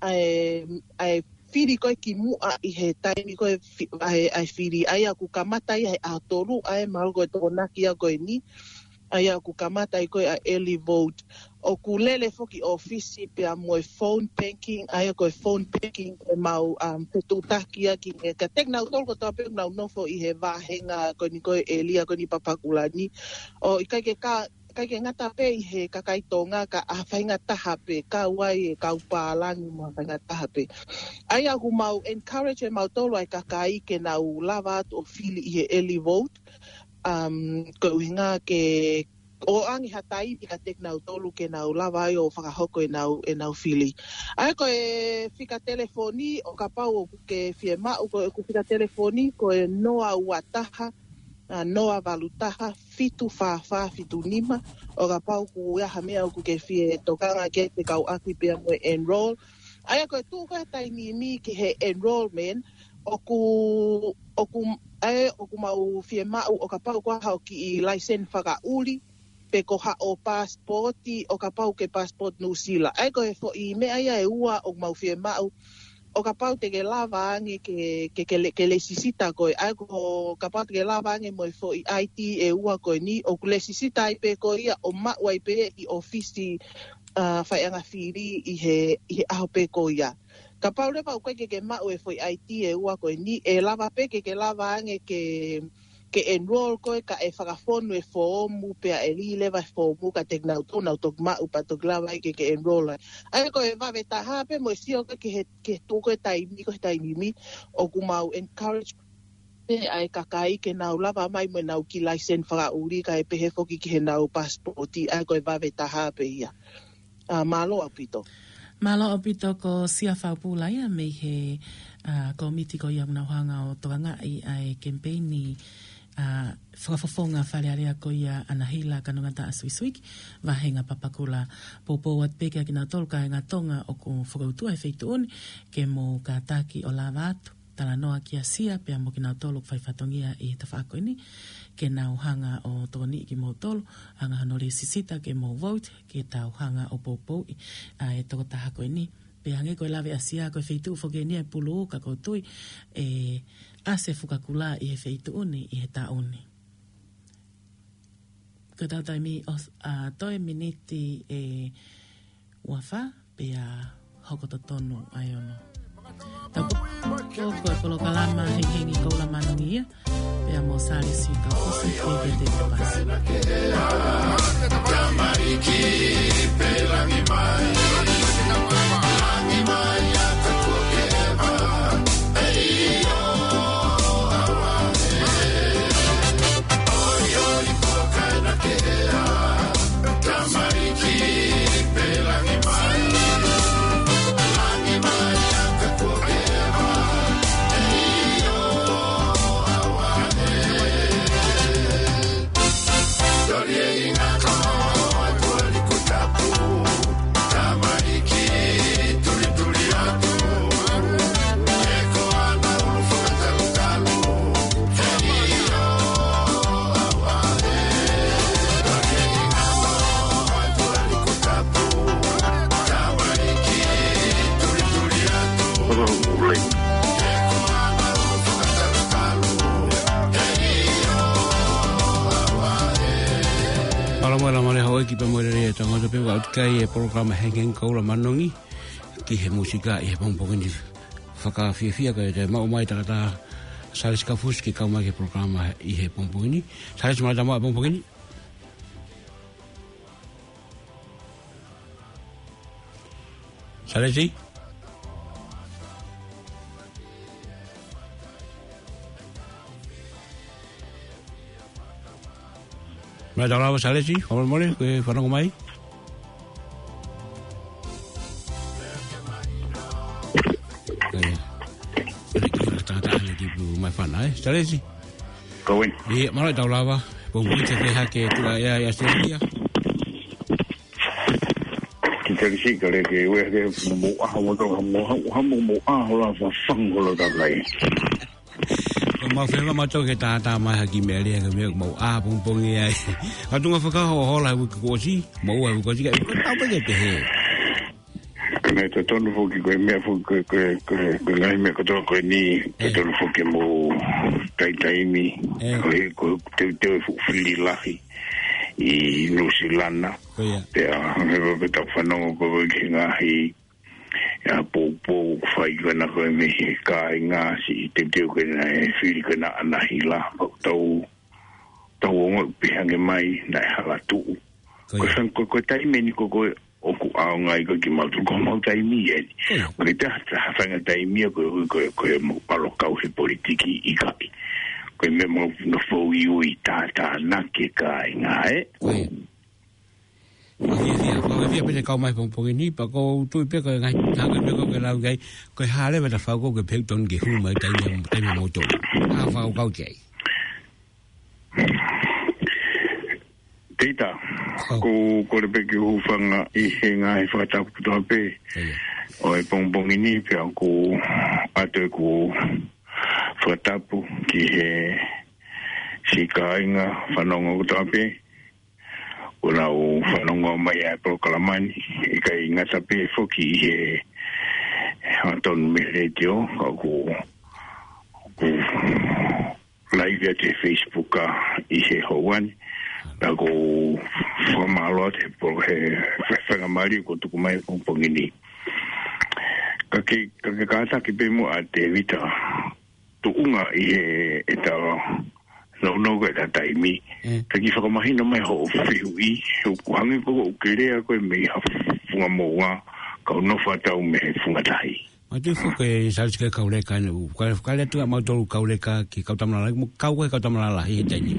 ʻA e, ʻa e fili ko ē ki muʻa ʻi he taimi ko ē fi-, ʻa e, ʻa e fili, ʻa ia ʻoku kamata ia he ʻaho tolu, ʻa e mahalo ko e Tokonaki ia ko eni, ʻa ia ʻoku kamata ai ko ē ʻa e early vote. ʻOku lele foki ʻōfisi pea mo e phone banking, ʻa ia ko e phone banking ʻemau, um, fetuʻutaki ʻaki kiate kinautolu kotoa pē ʻoku nau nofo ʻi he vāhenga ko eni ko ē ʻēlia ko eni Papakura ni. ʻO ʻikai ke ka, ʻikai ke ngata pē ʻi he kakai Tonga ka ʻa e faingataʻa pē, kau ai e kau pālangi mo e faingataʻa pē. ʻA ia ʻoku mau encourage ʻe mautolu ʻa e kakai ke nau lava atu ʻo fili ʻi he early vote, um, ko e ʻuhinga ke ʻoange ha taimi kiate kinautolu ke nau lava ai ʻo fakahoko ʻenau, ʻenau fili. ʻA ia ko e fika telefoni ʻo kapau ʻoku ke fiemaʻu ko ʻeku fika telefoni ko e noa ua taha, ʻa, noa valu taha, fitu fā fā fitu nima, ʻo kapau ʻoku ʻi ai ha meʻa ʻoku ke fie tokanga ki ai pea kau ʻaki pea mo e enroll. ʻA ia ko e tuʻu ko ē he taimi ni ki he enrollment, ʻoku, ʻoku, ʻa ia ʻoku mau fiemaʻu ʻo kapau ko ha kiʻi laiseni fakaʻuli, pe ko haʻo passport, ʻo kapau ke passport New Zealand. ʻA ia ko e foʻi meʻa ia ʻe ua ʻoku mau fiemaʻu, ʻo kapau te ke lava ange ke, ke, ke le-, ke lēsisita koe. ʻA ia ko kapau te ke lava ange mo e foʻi I D ʻe ua ko eni, ʻoku lēsisita ai pē koe ia ʻo maʻu ai pē ʻi ʻōfisi, ʻa, faiʻanga fili ʻi he, ʻi he ʻaho pē ko ia. Kapau leva ʻoku ʻikai ke ke maʻu e foʻi I D ʻe ua ko eni, ʻe lava pē ke ke lava ange ke, ke enroll koe, kae fakafonu e foomu, pea ʻe lī leva e foomu kiate kinautolu, nau toki maʻu pea toki lava ai ke, ke enroll ai. ʻA ia ko e vave taha pē mo e sio ko ē ki he, ki he tuʻu ko ē taimi, ko e taimi ni, ʻoku mau encourage pē ʻa e kakai ke nau lava mai mo ʻenau kiʻi laiseni fakaʻuli kae pehē foki ki heʻenau passport, ʻa ia ko e vave taha pē ia. ʻA, mālō ʻaupito. Mālō ʻaupito ko Sia Faupula ia mei he, ʻa, kōmiti ko ia ʻoku nau hanga ʻo tokangaʻi ʻa e kemipeini, ʻa, fakafofonga Fale Alea ko ia ʻa Nahila Kanongataʻa Suisuiki, Vahenga Papakura. Poupou atu pē kiate kinautolu kāinga Tonga ʻoku fokoutua he feituʻu ni, ke mou kātaki ʻo lava atu talanoa kia Sia pea mo kinautolu ʻoku fai fatongia ʻi he tafaʻaki ko eni, ke nau hanga ʻo tokoniʻi kimoutolu, hanga hono lēsisita ke mou vote, ke tau hanga ʻo poupouʻi ʻa e tokotaha ko eni. Pea hangē ko e lave ʻa Sia, ko e feituʻu foki eni ʻe pulu, ka ʻoku ou tui ʻe ʻasi e Fuka Kula ʻi he feituʻu ni ʻi he taʻu ni. Ko ʻetau taimi ʻosi, ʻa, toe miniti ʻe ua fā, pea hoko totonu ʻa e ono. Tau ko, ko e polokalama Hengihengi Koula Māʻoniʻoni ia, pea mo Salesi Kaufusi, Pivete Papasi. Mālō mo e lava mai hoʻo ʻeiki pea mo e lelei ʻa e tangata pea ʻoku ʻikai e polokalama Hengihengi Koula Māʻoniʻoni ki he mūsika ʻi he pongipongi ni. Fakafiefia ko e maʻu mai takataha Salesi Kaufusi ke kau mai ki he polokalama ʻi he pongipongi ni. Salesi, mālō e tau maʻu e pongipongi ni. Salesi? Mālō e tau lava Salesi, fakamolemole, ko e fanongo mai. Ko ia. Ko e kiʻi fakatātā ʻeni ki pu mai fana, ē? Salesi? Ko eni. ʻIa, mālō e tau lava. Pongipongi ni, fēfē hake tuʻa ʻia, ʻia Australia? Ki Salesi ka leke ue ke mo aha mo tau ha mo ha mo mo aha hola fa fang hola ta kai. Ko mau fela mau tau ke tātā mai ha kiʻi meʻa lea ke meʻa mau ʻā pongipongi ai. Ka tunga fakahoa hola he uike kuo ʻosi, mau ʻā he uike kuo ʻosi ka ʻi ko tau peke te he. Ka naʻe totonu foki ko e meʻa foki ko e, ko e, ko e, ko e ngaahi meʻa kotoa ko eni, ʻe totonu foki mo taitaimi. ʻE. Ko e, ko e teuteu e fuʻu fili lahi ʻi Nuʻusila na. Ko ia. Pea, he ko e tau fanongo ko e ki he ngaahi, ʻa, poupou fai ko ena ko e mei he kāinga siʻi teuteu ko ena e fili ko ena ʻa Nahila. Pea tau, tau ongoʻi pē hangē mai naʻe hala tuʻu. Ko ia. Ko e fang-, ko, ko e taimi eni ko, ko e ʻoku ʻaonga ai ko e kimautolu ko mau taimi eni. Ko ia. Ko e taha, taha fanga taimi ia ko, ko, ko e mau palo kau he politiki ʻikai. Ko e meʻa mau nofo ui ui tātā na ke kāinga, ē? Ko ia. Fakafiefia, fakafiefia pē te kau mai pongipongi ni, pea ʻoku ou tui pē ko e ngaahi, ngaahi meʻa ko ē ke lau ki ai, ko e hā leva ʻeta fakakaukau ke pehē ʻoku tonu ke hū mai taimi, taimi moutolu. ʻA fakakaukau ki ai. Tita, ko, ko le peki hūfanga ʻi he ngaahi fakatapu kotoa pē. ʻIo. ʻO e pongipongi ni pea ʻoku ʻoatu ʻeku fakatapu ki he siʻi kāinga fanongo kotoa pē. ʻOku nau fanongo mai ʻa e polokalama ni, ʻikai ngata pē foki ʻi he Hangatonume Letiō, ka ʻoku, ʻoku laivi atu he Facebook ʻa ʻi he houa ni, pea ʻoku ou fakamālō atu he polo-, he, he faingamālie kuo tuku mai he pongipongi ni. Ka ke, ka ke kātaki pē muʻa Tēvita, tuʻunga ʻi he ʻeta Nounou ko e taimi. Ka kiʻi fakamahino mai hoʻo fehuʻi, ʻoku hangē ko ʻeku lea ko e mei ha funga moʻunga, kau nofo atu au mei he funga tahi. Mātuʻa foki e Salesi ke kau leka ʻanai, ʻoku kau leka atu ʻa mautolu kau leka ki he kau tama lalahi, mo kau ko e kau tama lalahi he taimi.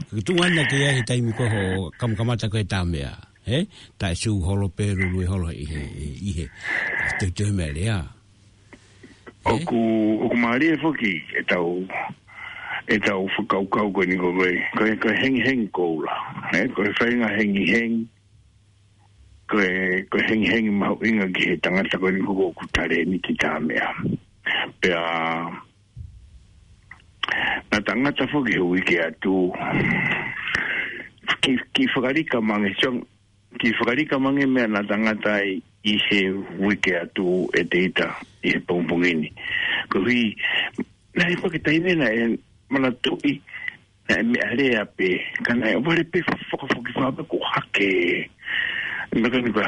Ke tuʻu ʻanai ke ʻi ai he taimi ko hoʻo kamakamata ko e tā meʻa. He? Taʻe sū holo pē lulu e holo ʻi he, ʻi he. Teu teu meʻa lea. ʻOku, ʻoku mālie foki ʻetau, ʻetau fakakaukau ko eni ko e, ko e, ko e hengihengi koula. He? Ko e faʻahinga hengihengi, ko e, ko e hengihengi mahuʻinga ki he tangata ko eni ko ʻoku talēniti tā meʻa. Pea, naʻa tangata foki he uike atu, kiʻi, kiʻi fakalika mange, so, kiʻi fakalika mange meʻa naʻa tangata ai ʻi he uike atu ʻe Teita ʻi he pongipongi ni. Koeʻuhi, naʻe ʻi ai pē ha taimi naʻe manatuʻi, naʻe meʻa lea pē, ka naʻe vale pē fakafokifā pē ko hake. Naʻa ka ni ka,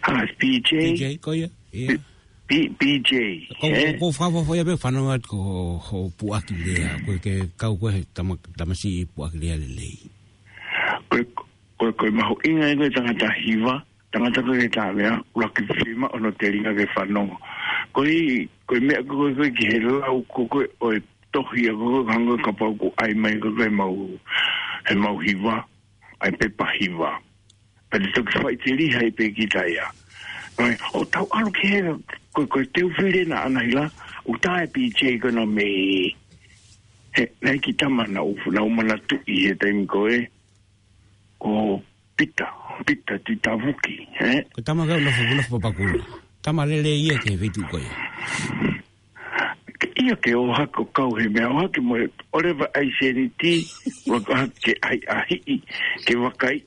ha, P J. P J, ko ia, ia. P-, P J, Ko, eh? ko, ko fakafoʻofoʻo ia pē fanongo atu ko ho, ho puʻaki lea, ko e ke kau ko e tama-, tamasiʻi puʻaki lea lelei. Ko e, ko e, ko e mahuʻinga ia ko e tangata hiva, tangata ko e tā meʻa, ʻuluaki fiemaʻu hono telinga ke fanongo. Ko e, ko e meʻa ko e, ko e ki he lau ko e, ko e ʻo e tohi ʻa ko e hangē kapau ʻoku ʻai mai ko e, ko e mau, he mau hiva, ʻai pepa hiva. Pea te toki faʻiteliha ai pē kita ia. Ko e, ʻo tau ʻalu ki he, ko e, ko e teu fili naʻa na hila, ʻoku tā e P J ko ena mei, he, naʻe ʻi ai e kiʻi tama naʻa ku, naʻa ku manatuʻi he taimi ko ē, ko Pita, Pita Titavuki, he? Ko e tama ko ē ʻoku nofo, nofo Papakura. Tama lelei ia ki he feituʻu ko ia. Ke ia ke ō hake ʻo kau he meʻa, ō hake mo e, ʻoleva ʻai sēniti, ua ko hake ʻai ʻahiʻi, ke vakai,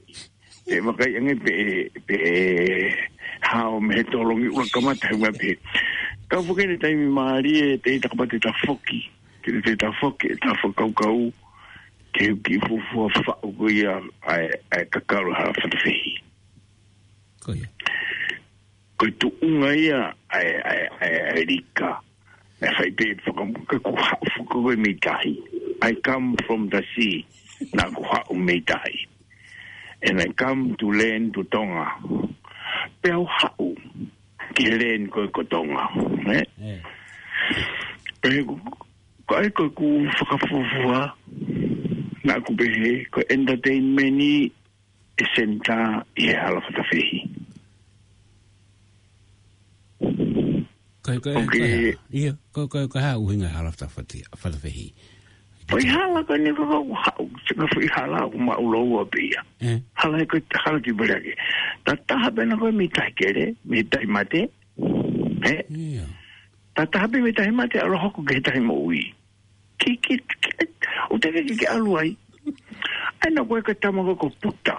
ke vakai ange pē, pē hao mei he tolongi, ua kamata he meʻa pē. Kau foki he taimi mālie, te i takapate ta foki, ke te ta foki, ta fakakaukau, ke u kiʻi fuofua faʻu ko ia ʻa e, ʻa e kakalu hala fatafehi. Ko ia. Ko e tuʻunga ia ʻa e, ʻa e, ʻa e, ʻa e lika. Naʻe fai pē fakamuka ku haʻu foki ko e mei tahi. I come from the sea. Naʻa ku haʻu mei tahi. And I come to land to Tonga. Pea u haʻu ki he land ko e ko Tonga. Eh? Eh. Pea ko, ko ai ko ku fakafuafua. Naʻa ku pehē, ko e entertainment ni e senitā ʻi he hala fatafehi. Ko e, ko e, Ok. ko e hā? Ia, ko e, ko e, ko e hā ʻuhinga hala fata-, fati-, fatafehi? Ko e hala ko eni ko, ko haʻu, se ka foʻi hala ʻoku maʻu lōua pē ia. Eh. Hala ē ko e hala ki Valeake. Ta taha pē naʻa ko e mei tahi kele, mei tahi mate. Eh? Ia. Ta taha pē mei tahi mate, ʻalu hoko ki he tahi moʻui. Ki, ki, ki, ʻoku teʻeki ke ke ʻalu ai. ʻAi naʻa ko e ka tama ko e ko Puta.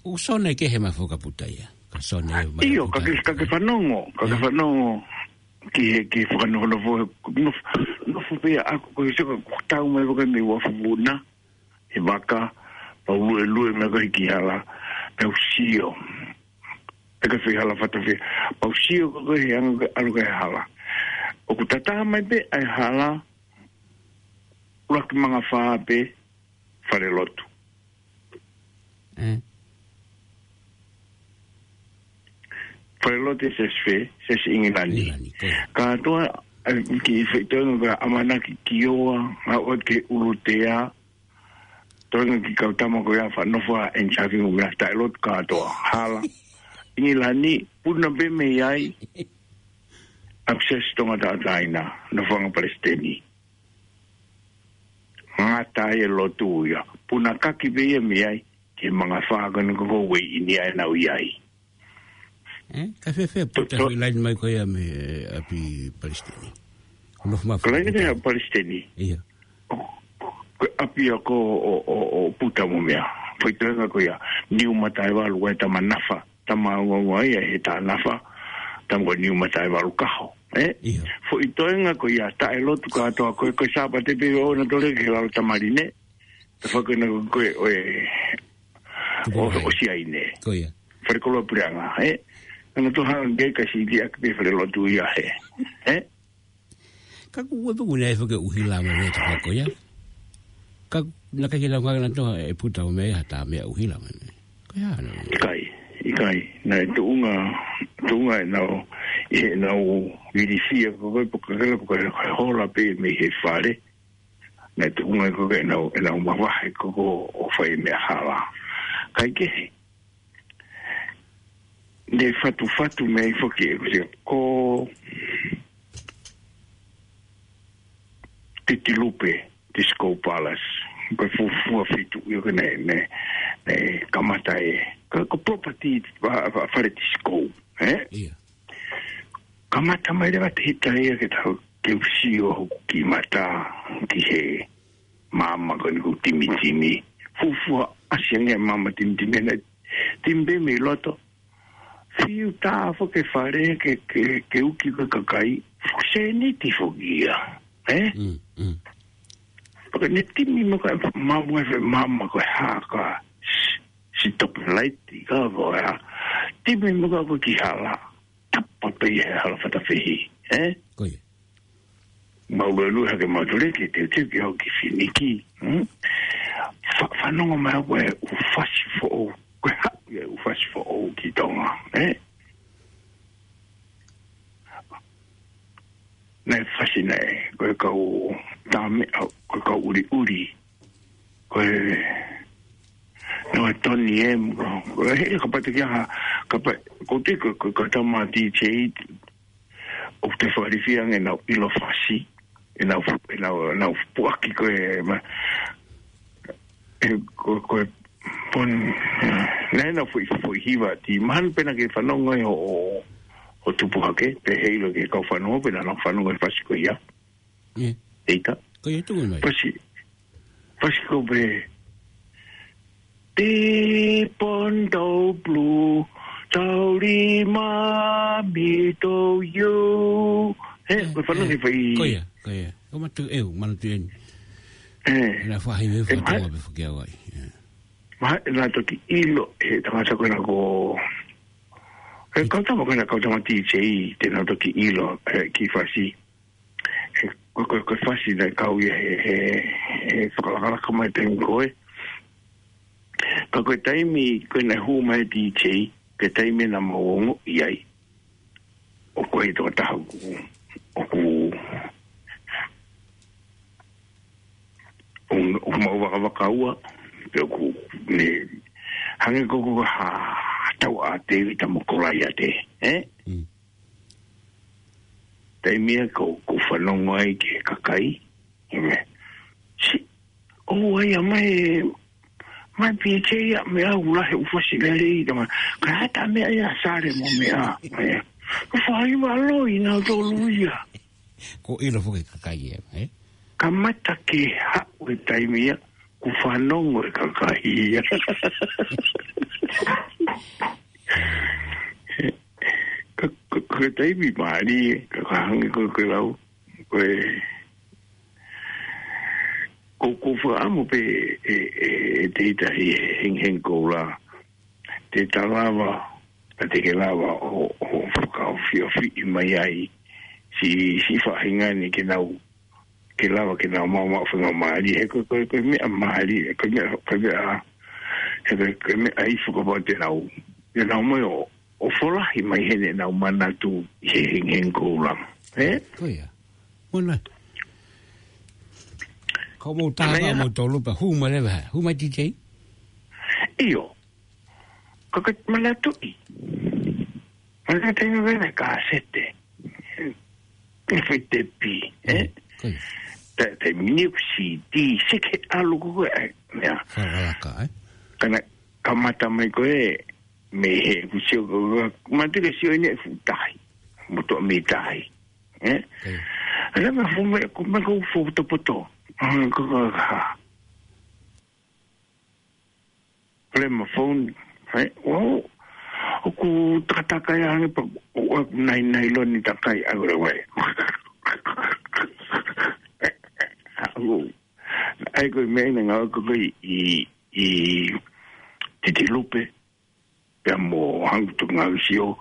ʻOku sone kehe mai foki ʻa Puta ia. Ka sone mai ʻIo, Puta. ka ke, ka ke fanongo, ka ke Ia. fanongo. Ki he, ki he fakanofonofo, nofo, nofo pē ia ʻaku ko e seka, ko e tau mai ko e mei Uafuvuna, he vaka, pea u luelue mai ko e ki hala, pea u sio. ʻE ka fei hala fatafehi, pea u sio ko e he anga ko e ʻalu ko e hala. ʻOku tataha mai pē ʻa e hala, ʻuluaki mangafā pē, falelotu. Eh. Falelotu ʻe Siasi fē, Siasi ʻIngilani. ʻIngilani, ko ia. Kātoa, ʻa e kiʻi feituʻu ko e ʻamanaki ki ʻOa, ʻa ʻOa ki ʻUlutea, toenga ki kau tama ko ia fanongo ʻa e ʻEnisaki mo e meʻa taʻelotu kātoa, hala. ʻIngilani, puna pē mei ai, ʻa Siasi Tonga Taʻataina, nofoʻanga palesiteni. Ngata ai e lotu ia. Puna kaki pē ia mei ai, ki he mangafā ko eni ko e uei ʻi ni ai naʻa u ʻi ai. Eh? Ka fēfē Puta To, to. hoʻi laine mai ko ia mei, eh, ʻapi palesiteni. Ko nofo mai Ko laine fakaputa. mei ʻapi palesiteni. Ia. Ko e ʻapi ʻa ko ʻo, ʻo, ʻo Puta mo meʻa. Foʻi toenga ko ia. Niu Mataevalu ko e tama nafa. Tama ua ua ia he tā nafa. Tama ko Niu Mataevalu Kaho. Eh? Ia. Foʻi toenga ko ia taʻelotu kātoa ko e, ko e Sāpate pē ʻoua naʻa tole ki he lalo tamaline. Te faka na ko e, ʻo e, Tupu ʻo, mai. ʻo Siaine. Ko ia. Fale koloa puleʻanga, eh? Ana to hanga ke ka si ki ʻapi pē falelotu ia he. Eh? Ka ku ua tuku nei faka ʻuhila mai me te faka ko ia. Ka, naʻe ʻikai ke lau ngā ngana toa e puta o mea ha tā meʻa ʻuhila mane. Ko ia, no. ʻIkai, ʻikai. Naʻe tuʻunga, tuʻunga ʻenau, ʻenau vilisia ko koe, pea ka kela ko koe, ko e hola pē mei he fale. Naʻe tuʻunga ko koe ʻenau, ʻenau mavahe ko koe ʻo fai meʻa hala. Kaikehe, ne fatufatu mei ai foki e kusia ko Titilupe, Disco Palace. Ko e fuofua fitu, ʻio ko ē ne, ne, ne kamata e, ko, ko property, fa-, fa-, fale Disco, eh? Ia. Kamata mai leva te hita ia ke tau, ke u sio hoku kiʻi mata ki he maama ko eni ʻoku timitimi. Fuofua ʻasi ange maama timitimi, naʻe timi pē mei loto. Fiu tā foki e fale ke, ke, ke uki ko e kakai. Fuʻu sēniti foki ia. Eh? Mm, mm. Pea ne timi mo ka maama e fe-, maama ko e hā ka s-, si tope laiti ka ko e hā. Timi mo ka ko e kiʻi hala. Tapa pē ia he hala fatafehi. Eh? Ko ia. Mau lue lue hake mau tule ke teuteu ke au ki Finiki. Hmm? Fa-, fanongo mai au ko e ʻū fasi foʻou. Ko e haʻu ia e ʻū fasi foʻou ki Tonga. Eh? Naʻe fasi naʻe, ko e kau tā meʻa, ko e kau ʻuliʻuli. Ko e, no e Tony M, ko e, he, kapau te kia ha, kapau, ko te, ko, ko, ko tama D J, ʻoku te fakalifia ange ʻenau ʻilo fasi, ʻenau, ʻenau, ʻenau puaki ko e, ma, e, ko, ko e pon, naʻe ʻenau foʻi, foʻi hiva, ti mahalo pē naʻa ke fanongo ai ʻo, ʻo, ʻo tupu hake, pe heilo ke kau fanongo, pe naʻa nau fanongo e fasi ko ia. Ia. Eita. Ko ia tuku mai. Fasi, fasi ko pē. Te pon tau blue, tau lima mi tau you. Eh, ko e fanongo ke fai. Ko ia, ko ia. Ko matu eu, manatu eni. Eh. Naʻe fahi me e fatonga ma-, pe fake au ai. Eh. Ma, naʻa toki ʻilo, he tangata ko ena ko. He kau tama ko ena kau tama D J, te naʻa toki ʻilo, eh, ki fasi. He, ko, ko, ko e fasi naʻe kau ia he, he, he fakalakalaka mai taimi ko ē. Ka ko e taimi, ko ē naʻe hū mai D J, ko e taimi naʻa mau ongoʻi ai. ʻO ko e tokotaha ʻoku, ʻoku, ʻoku, ʻoku mau vakavakaua, pe ʻoku ne, hangē ko, ko ha, ha tau a Tēvita mo Kolaiate, eh? Mm. Taimi ia ko, ko fanongo ai ki he kakai. Ime. Si, ʻo ai a mai, mai P J ia me au la he ʻū fasi lelei, tama. Ka hata meʻa ia sale mo meʻa. Ia. Ko fai valo i nau tolu ia. Ko ʻilo foki e kakai ia, eh? Kamata ke haʻu e taimi ia, ko fanongo e kakai ia. Ka, ka, ka taimi mālie, ka, ka hangē ko, ko e lau, ko e, ko, ko fakaʻamu pē e, e, e te ita he hengihengi koula. Te ta lava, ka te ke lava ʻo, ʻo fakaofiofi mai ai, si, si faʻahinga ni ke nau ke lava ke nau maʻu maʻu faingamālie, he ko, ko, ko e meʻa mālie, ko e meʻa, ko e meʻa, he ko, ko e meʻa ʻi he fakapapau te nau, te nau mai ʻo, ʻo folahi mai heni ʻenau manatu ʻi he hengihengi koula. Eh? Ko ia. Mona. Ko mau taha mau tolu pē, hū mai leva, hū mai D J? ʻIo. Ka ke manatuʻi. Manatuʻi taimi vena ka sete. Ke fai tepi, eh? Ko ia. Te, te mini ku C D, se ke ʻalu ko e, ai, mea. Fakalaka, eh? Ka naʻe kamata mai ko e, mei he, ku sio ko, ma te ke sio ʻene fuʻu tahi. Mo toʻa mei tahi. Eh? Ko ia. Ala me fu me, ko me ko fu poto poto. Ah, ko, ko, ha. Pole ma phone, eh, ʻo, ʻoku takataka ia ange pea, ʻo, ʻo, nai, nai loni takai, ʻa, ʻo, ʻo, ʻo. ʻAi ko e meʻa ʻi he ngāue ko ē ʻi, ʻi Titilupe, pea mo Hangu Tuʻungāue Sio,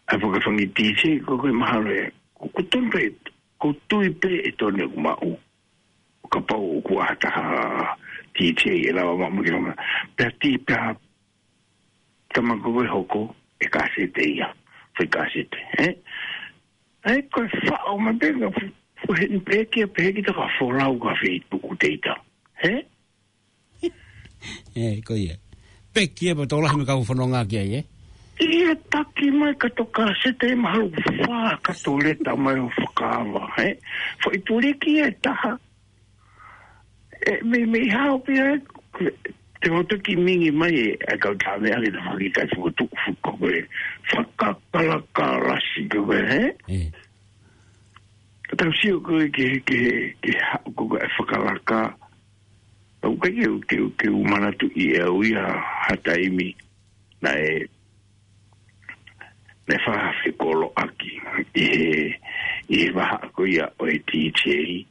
ʻa e fakafangi D J ko ē mahalo ē, ko, ko tonu pē, ko tui pē ʻe tonu ʻeku maʻu. kapau ʻoku ʻi ai ha taha T J ʻe lava maʻu mai ki lalo. Pea ti pea tama ko ē hoko e kasete ia. Foʻi kasete, ē? ʻAi ko e faʻo mai pē ka fu-, fuheni pē kia pē ki ta ka folau ka fei tuku teita. Ē? Ē, ko ia. Peki e pa tō lahi me ka u fononga ki ai, ē? Ia taki mai ka tō kasete mahalo fā ka tō leta mai ʻo fakaava, ē? Foʻi tuliki e taha. E, mei, mei hao pia, te o toki mingi mai e, a kau tā mea ke ta faki kai fukutu, fuko ko e, fakakalakalasi ko e, ē? Ē. Ka tau sio ko e ke, ke, ke ha, ko e fakalaka. Au kai ke, ke, ke u manatu ʻi e au ia ha taimi. Naʻe, naʻe faha fekoloʻaki ʻi he, ʻi he vaha ko ia ʻo e D J.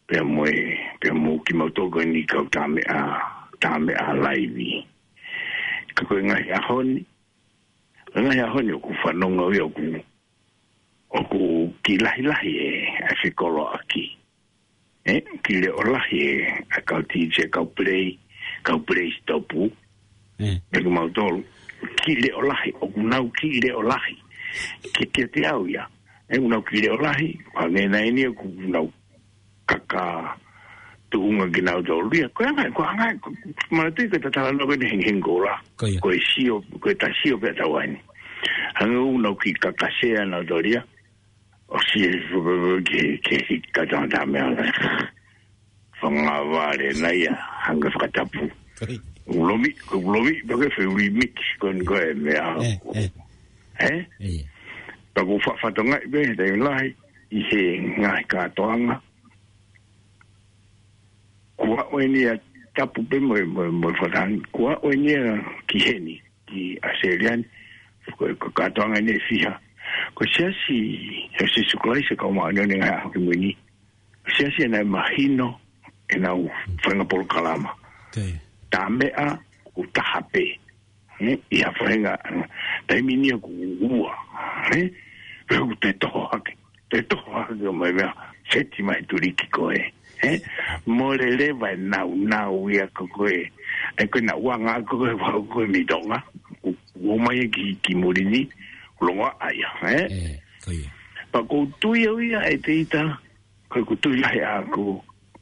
Pea mo e, pea mo kimautolu ko eni kau tā meʻa, tā meʻa laivi. Ka ko e ngaahi ʻaho ni, ko e ngaahi ʻaho ni ʻoku fanongo ia ʻoku, ʻoku kiʻi lahilahi e, e fekoloʻaki. Ē, kiʻi leʻo lahi e, e kau D J, kau play, kau play stop. Ē. Pea kimautolu, kiʻi leʻo lahi, ʻoku nau kiʻi leʻo lahi. Ke, ke te au ia. Ē, ʻoku nau kiʻi leʻo lahi, ʻa nge nai ni ʻoku nau kaka tuʻunga kinautolu ia. Ko e anga, ko e anga, ko, manatu ki he tatala no ke ne heng heng kola. Ko ia. Ko e sio, ko e ta sio pē tau ai ni. Hanga ʻo nau kiʻi kakasea nautolu ia. ʻO si e ke, ke, ke kata tā meʻa. Fanga vale na ia, hanga fakatapu. Ko ia. Ulomi, ko ulomi, pake fe remix, ko e, ko e meʻa. Ē, ē. Ē? Ē. Pea ko fa-, fatonga i pē, tai lahi, ʻi he ngaahi kātoanga. Kua ʻoe ni a tapu pē mo, mo, mo fatan. Kua ʻoe ni a ki heni, ki ʻAositelēlia ni. Ko, ko kātoanga ni e fiha. Ko e siasi, ʻo Sīsū Kalaisi ʻo e Kau Māʻoniʻoni ʻi he Ngaahi ʻAho Kimui Ni. Siasi ʻe nau mahino, ʻenau faʻahinga polokalama. Ok. Tā meʻa, ʻoku taha pē. Ē, ʻi ha faʻahinga, taimi ni ʻoku ua. Ē, pea ʻoku te toho hake. Te toho hake ʻo mai meʻa, seti mai tuliki ko ē. Ē, mole leva e nau, nau ia ko ē. ʻE ko e nau anga ko ē, ua ko ē mei Tonga. ʻO, ʻo mai ki, ki muli ni, ʻo longo ai ia, ē? Ē, ko ia. Pea ʻoku ou tui au ia ʻe te ita, ko ʻeku tui lahi ʻaʻaku,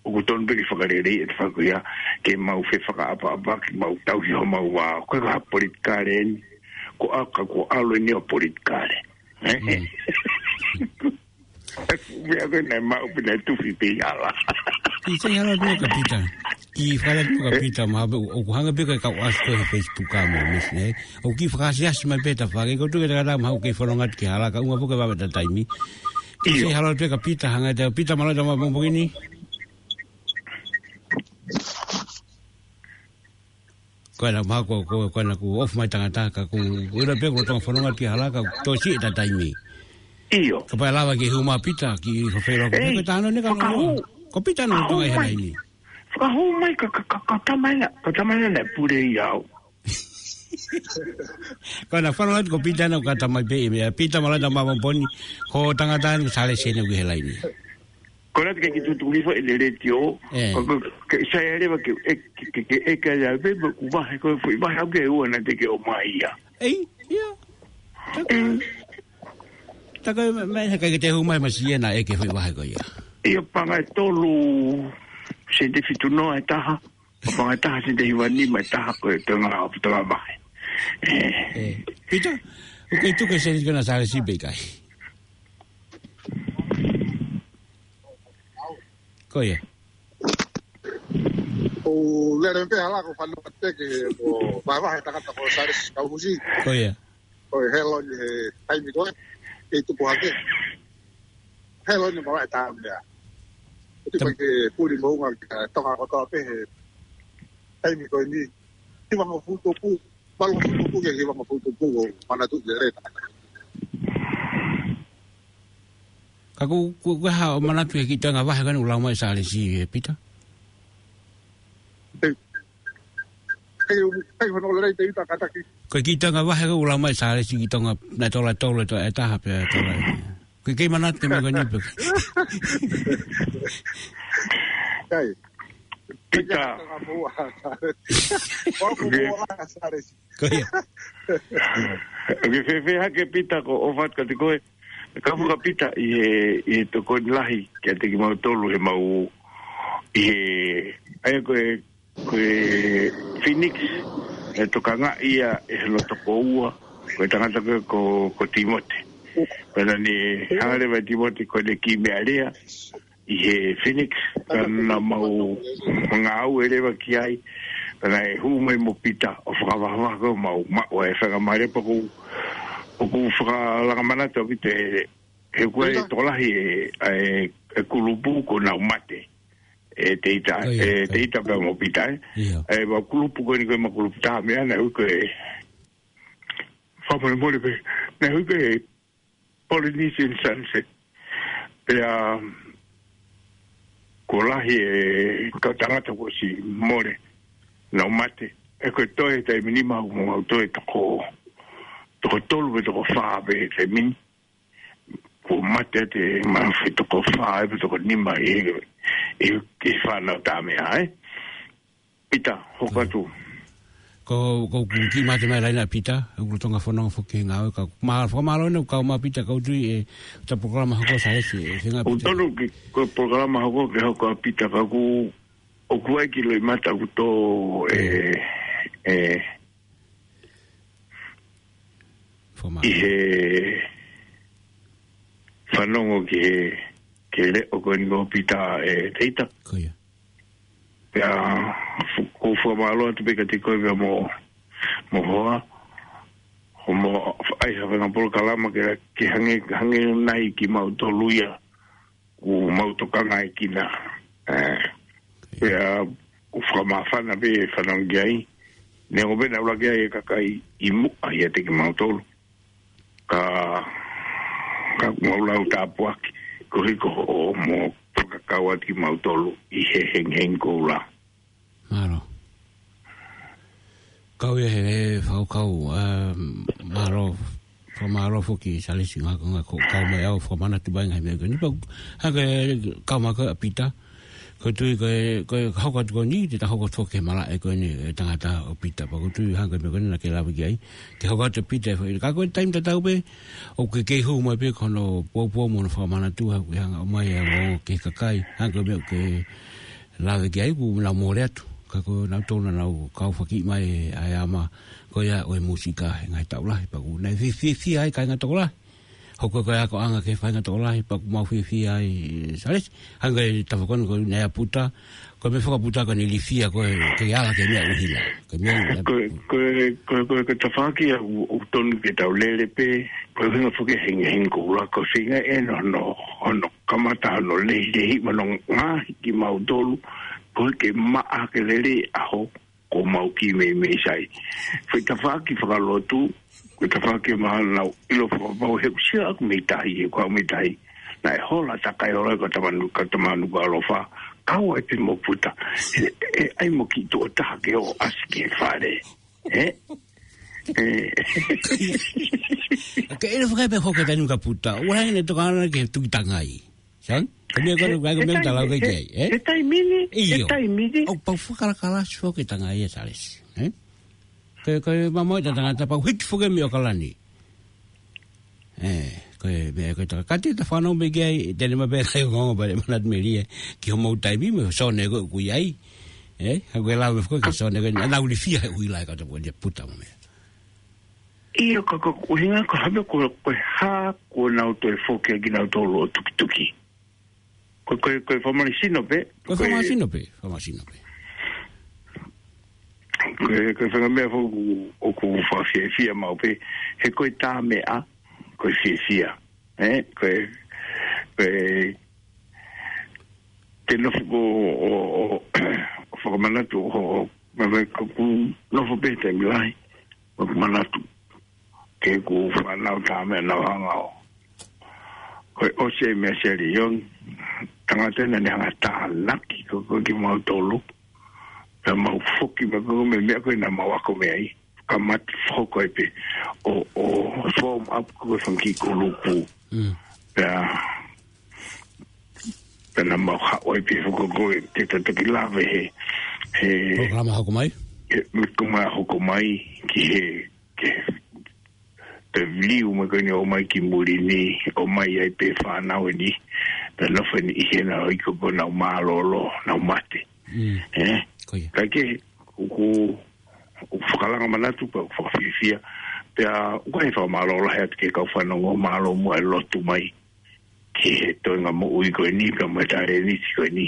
ʻoku tonu pē ke fakaleleiʻi e tafaʻaki ko ia, ke mau fefakaʻapaʻapa, ke mau tauhi homau vā, ko e ka politikale eni, ko ʻa ka ko ʻalu eni ʻo politikale. Ē? Mm. Meʻa ko ē naʻe maʻu pē naʻe tufi pē ʻi hala. Kiʻi sai hala pē ka Pita. Kiʻi fakaleleiʻi ka Pita, mahalo pē ʻoku hanga pē ka kau ʻasi ko ē he Facebook ka mo, miss, nē? ʻOku kiʻi fakaasiasi mai pē tafaʻaki, ko e tuʻu ke ta kata mahalo kei fononga atu ki hala, ka ʻoua pē ke vave ʻeta taimi. Kiʻi sai hala pē ka Pita, hanga ʻe Pita mālō e tama mo pokini. Ko ena mahalo ko, ko, ko ena kuo ofi mai tangata ka ʻoku, ʻoku ʻilo pē ʻoku tau fononga atu ki hala ka ʻoku toe siʻi ʻeta taimi. ʻIo. Kapau ʻe lava ke hū mai Pita, kiʻi fafelo ko. Ei, ko e tano ne ka fakahū. Ko Pita naʻe Tonga ʻi he laini. Fakahū mai ka, ka, ka, ka tamai na, ka tamai na naʻe pule ʻi au. Ko ena fononga atu ko Pita naʻe ka tamai pē ʻi meʻa, Pita mālō e tama mo pokini, ko e tangata ni ko Sālesi eni ʻoku ʻi he laini. Ko ena te ke ki tutuki fo e le letiō. Ē. Ko, ko, ke sai leva ke, e, ke, ke, ke, e, ke, ia, pe, pe, ku vahe, ko, foʻi vahe au ke ua naʻa te ke ʻomai ia. Ei, ia. Taka. Mm. Taka, me, me, he kai ke te hū mai masiʻi ena ʻe ke foʻi vahe ko ia. Ia panga e tolu, sente fitu noa e taha. Panga e taha, sente hiva nima e taha, ko e tonga, tonga vahe. Ē. Ē. Pita, ʻoku ke tuku e sēniti ko ena Sālesi pe ʻikai? Ko ia. ʻO lele pē hala ko fano te ke ko vahevahe tangata ko Sālesi Kaufusi. Ko ia. Ko e helo ni he taimi ko ē, kei tupu hake. Helo ni mālō e tā meʻa. Ko e tipa ke puli mounga ki he Tonga kotoa pē he taimi ko eni. Hiva ngofulu tupu, valu ngofulu tupu ke hiva ngofulu tupu ʻo manatu lelei. Ka ʻoku, ʻoku, ʻoku hā ʻo manatu he kiʻi toenga vahe ko ena ʻoku lau mai Sālesi ē Pita? Ei, ei, ei, hono lelei te ita kataki. Ko e kiʻi toenga vahe ko ē ʻoku lau mai Sālesi ki Tonga, naʻe tola tolu e tola ʻe taha pea tola. Ko e kei manatu ke meʻa ko eni pē. Kai. Pita. Ka ka mua, Sale. Ko aku mua, Sale. Ko ia. Ke fēfē hake Pita ko ʻofa atu kiate koe. Ka fuka Pita ʻi he, ʻi he tokoni lahi kiate kimautolu he mau ʻi he, ʻa ia ko e, ko e Phoenix, ʻe tokanga ia ʻe he loto ko ua, ko e tangata ko, ko, ko Timote. Pea naʻa ne hanga leva ʻe Timote ko ʻene kiʻi meʻa lea, ʻi he Phoenix, ka naʻa mau ngāue leva ki ai, ka naʻe hū mai mo Pita ʻo fakavahavaha ko mau maʻu e faingamālie pea ʻoku, ʻoku fakalanga manatu ʻaupito ʻe, he kuo ʻi ai e tokolahi e, e, e kulupu ko Naumate, ʻe Teita, ʻe Teita pea mo Pita, ʻe. ʻIo. ʻE, ʻa e kulupu ko eni ko e ʻema kulupu taʻemeʻa naʻe ui ko e, fakamolemole pē, naʻe ui ko e Polynesian Sunset. Pea, kuo lahi e kau tangata kuo ʻosi mole, Naumate. ʻE ko e toe taimi ni mau, mau toe toko, toko tolu pe toko fā pe taimi ni. Kuo mate ʻa e, mau fai toko fā pe toko nima ʻi, ʻi, ʻi he fānau taʻemeʻa, ʻe. Pita, hoko atu. Ko, ko, ko kiʻi mate mai laina Pita, ʻoku lolotonga fononga foki he ngāue ka. Ma, fakamālō ʻena ʻoku kau mai Pita, ʻoku ou tui ʻe, ta polokalama hoko Sale, ʻe, ʻe ngā ʻOku Pita. tonu ki, ko e polokalama hoko ke hoko ʻa Pita ka ʻoku, ʻoku ʻi ai e kiʻi loʻimata ʻoku tō, ʻe, ʻe, Fakamālō. ʻI he fanongo ki he, ki he leʻo ko eni ko Pita ʻe Teita. Ko ia. Pea, fu-, ʻoku ou fakamālō atu pē kiate koe pea mo, mo hoa. Ko mo, ʻai ha faʻahinga polokalama ke, ke hangē, hangē nai kimautolu ia ʻoku mau tokangaʻi kinaua. ʻE, pea ʻoku fakamāfana pē fanongo ki ai. Neongo pē naʻa ʻuluaki ʻi ai e kakai ʻi muʻa ʻiate kimautolu. Ka, ka ʻoku mau lau tāpuaki, koeʻuhi ko hoʻomo fakakau atu kimautolu ʻi he hengihengi koula. Mālō. Kau ia he, he fakakaukau, ā, mālō, fakamālō foki Sale siʻi ngaahi konga ko e kau mai ʻo fakamanatu mai ngaahi meʻa ko eni. Pea, hangē ko e kau mai ko ē ʻa Pita. ʻOku ou tui ko e, ko e hoko atu ko eni, te ta hoko atu foki he malaʻe ko eni, e tangata ʻo Pita. Pea ʻoku ou tui hangē ko e meʻa ko eni naʻa ke lave ki ai. Ke hoko atu Pita, ʻe, ka ko e taimi tatau pē, ʻoku kei hū mai pē ko hono poupou mo hono fakamanatu, ʻoku ʻi ai hanga ʻo ʻomai ʻa e ongoongo ki he kakai, hangē ko e meʻa ʻoku ke lave ki ai ʻoku nau mole atu. Ka ko nautolu naʻa nau kau fakakiʻi mai ʻa e ama ko ia ʻo e mūsika he ngaahi taʻu lahi pea ʻoku nau fie-, fie-, fiefia ai kāinga tokolahi. Hoko ko e akoʻanga ki he faʻahinga tokolahi pea ʻoku mau fiefia ai, ʻe, Sale. Hangē ko e tafaʻaki ko eni ʻa Puta, ko e meʻa fakaputa ko eni lifia ko e, ke ala ki he meʻa ʻuhila. Ko e meʻa ʻuhila. Ko e, ko e, ko e, ko e, ko e tafaʻaki ʻoku, ʻoku tonu ke tau lele pē, ko e hinga foki hengihengi koula ko e feinga ʻena hono, hono kamata hono lehilehi mo hono ngaohi kimautolu, koeʻuhi ke maʻa ke lele ʻa ho, ko mau kiʻi meimei sai. Ko e tafaʻaki fakalotu, ko e tafaʻaki mahalo naʻa ku ʻilo fakapapau he ʻoku ʻikai ko au mei tahi, he ko au mei tahi. Naʻe hola takai hola ko Tamanu, ko Tamanu ko Alofa. Kau ai pē mo Puta. ʻE, ʻe, ʻai mo kiʻi tuʻo taha ke ō ʻasi ki he fale. ʻE? ʻE. Ke ʻilo fakaʻepeʻe hoko taimi ka Puta. Ua hangē naʻe tokanga ki he tuki tangai. Sai? Ko e meʻa ko ena, ko e meʻa ʻoku ta lau ki ai, ʻe? He taimi ni, he taimi ni. ʻOku pau fakalakalasi foki tangai ʻe Sale. ʻE? Ko e, ko e mamaʻo ʻeta tangata pau hiki foki mei ʻAokalani. ʻE, ko e meʻa ko e tangata. Ka te ta fanongo mai ki ai, te ne mape ʻai ongoongo pea te manatu melie. Ki hoʻomou taimi mo e sone ko ē ʻoku ʻi ai. ʻE, ka ko e lau meʻa foki ki he sone ko ē, naʻa nau lifia he ʻuhila ʻa e kau tau ko eni Puta mo e meʻa. ʻIo ka ko e ʻuhinga ko e hā pē ko, ko e hā kuo nau toe foki ai kinautolu ʻo tukituki. Ko, ko, ko e fakamālohisino pē. Ko e fakamālohisino pē, fakamālohisino pē. Ko e, ko e faʻahinga meʻa foki ʻoku fakafiefia maʻu pē, he ko e taʻemeʻa, ko e fiefia. ʻE, ko e, ko e, te nofo ko, ʻo, ʻo, ʻo fakamanatu, ʻo, ʻo, ma, ma, ko ʻeku nofo pē taimi lahi, ʻo manatu ki heʻeku fānau taʻemeʻa naʻa nau hanga ʻo. Ko e ʻosi e meʻa Sale ʻi ʻolunga, tangata naʻa ne hanga tānaki ko, ko kimautolu, pea mau foki mai ko e meʻa ko ē naʻa mau ako mei ai. Ka mau hoko ai pē, ʻo, ʻo form up ko e fanga kiʻi kulupu. Mm. Pea, Pea naʻa mau haʻu ai pē foki ko ē ke tau toki lave he, he Polokalama hoko mai. He, me ko ma hoko mai ki he, ki he pē viliu mai ko eni ʻo mai ki muli ni, ʻo mai ai pē fānau eni, pea nofo eni ʻi hena ʻo ʻikai ko ʻenau mālōlō, nau mate. Mm. Eh? Ko ia. Ka ke, ʻoku, ʻoku fakalanga manatu pea ʻoku fakafiefia, pea ʻoku ʻi ai e fakamālō lahi atu ki he kau fanongo, mālō muʻa e lotu mai ki he toenga moʻui ko eni, pea mo e talēniti ko eni.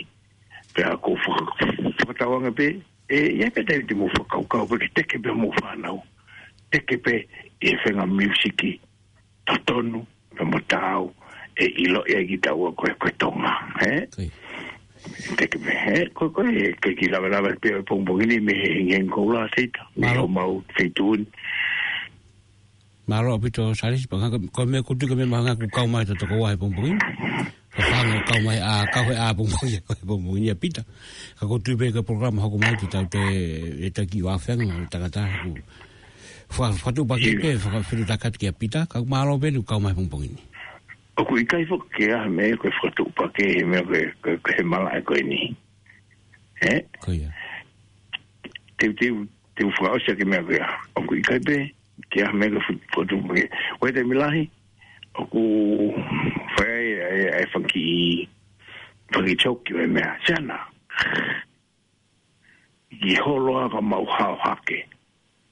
Pea ʻoku faka-, fakatauange pē, ʻe, ʻi ai pē taimi te mou fakakaukau pē ke teke pē hoʻomou fānau. Teke pē ʻi he fenga miusiki totonu, pea mo taau, ʻe ʻiloʻi ai kitaua ko e, ko e Tonga, ē? Ko ia. Teke pē, ē? Ko, ko e, ke kiʻi lavelave pē ʻo e pongipongi ni mei he Hengihengi Koula, Seita. Mei Mālō. Homau feituʻu ni. Mālō ʻaupito, Salesi, pea ko, ko e meʻa ʻoku ou tui ko e meʻa mahuʻinga ʻoku kau mai ʻa e tokoua he pongipongi ni. Ko e fanga kau mai ʻa, kau he ʻapongipongi, kau he pongipongi ni ʻa Pita. Ka ʻoku ou tui pē ko e polokalama hoko mai te tau toe, ʻe taki ua fenga, tangata, ʻoku fa-, fakatuʻupakē pē, fakafetuʻutaki atu kia Pita, ka mālō pē ʻene kau mai he pongipongi ni. ʻOku ʻikai foki ke ʻi ai ha meʻa ko e fakatuʻupakē he meʻa ko e, ko e, ko e malaʻe ko eni. Ē? Ko ia. Te, te, te u fakaʻosi ʻaki e meʻa ko ia. ʻOku ʻikai pē ke ʻi ai ha meʻa ko e fo-, fotu ke. Ko e taimi lahi, ʻoku fai ai, ai, ai fanga kiʻi, fanga kiʻi joke ʻo e meʻa. Siana. Ki holo ā ka mau hao hake.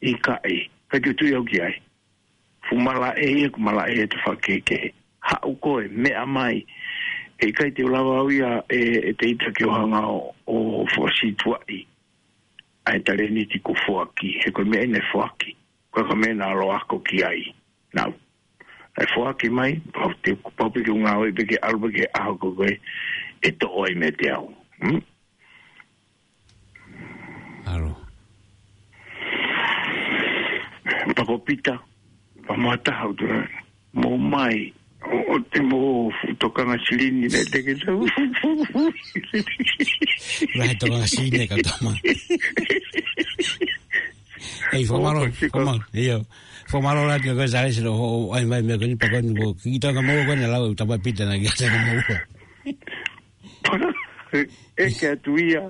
ʻIkai, ka ke tui au ki ai. Fuʻu malaʻe ia, ʻoku malaʻe ia ʻete fakakehekehe. Haʻu koe, meʻa mai. ʻE ʻikai te u lava au ia ʻe, ʻe Teita ke u hanga ʻo, ʻo fakasītuʻaʻi ʻa e talēniti kuo foaki, he ko e meʻa eni naʻe foaki. Ko e ka meʻa naʻa ku ako ki ai. Naʻa ku, naʻe foaki mai, pau te, pau pē ke u ngāue pē ke ʻalu pē ki he ʻaho ko ē, ʻe toʻo ai meiate au. Hmm? Alo. Pea ko Pita, pea mo ha taha ʻo tala, mou mai, ʻo, ʻoua te mou fuʻu tokanga silini naʻe teke tau. Lahi e tokanga silini ka tama. Ei, fakamālō, ʻo, ko e siko. Fakamālō, ʻio. Fakamālō lahi kia koe Salesi ʻo, ʻo, ʻai mai meʻa ko eni pea ko eni mo, kiʻi tokanga mo ko eni lau, tama Pita naʻe kiʻi tokanga mo. ʻEke atu ia,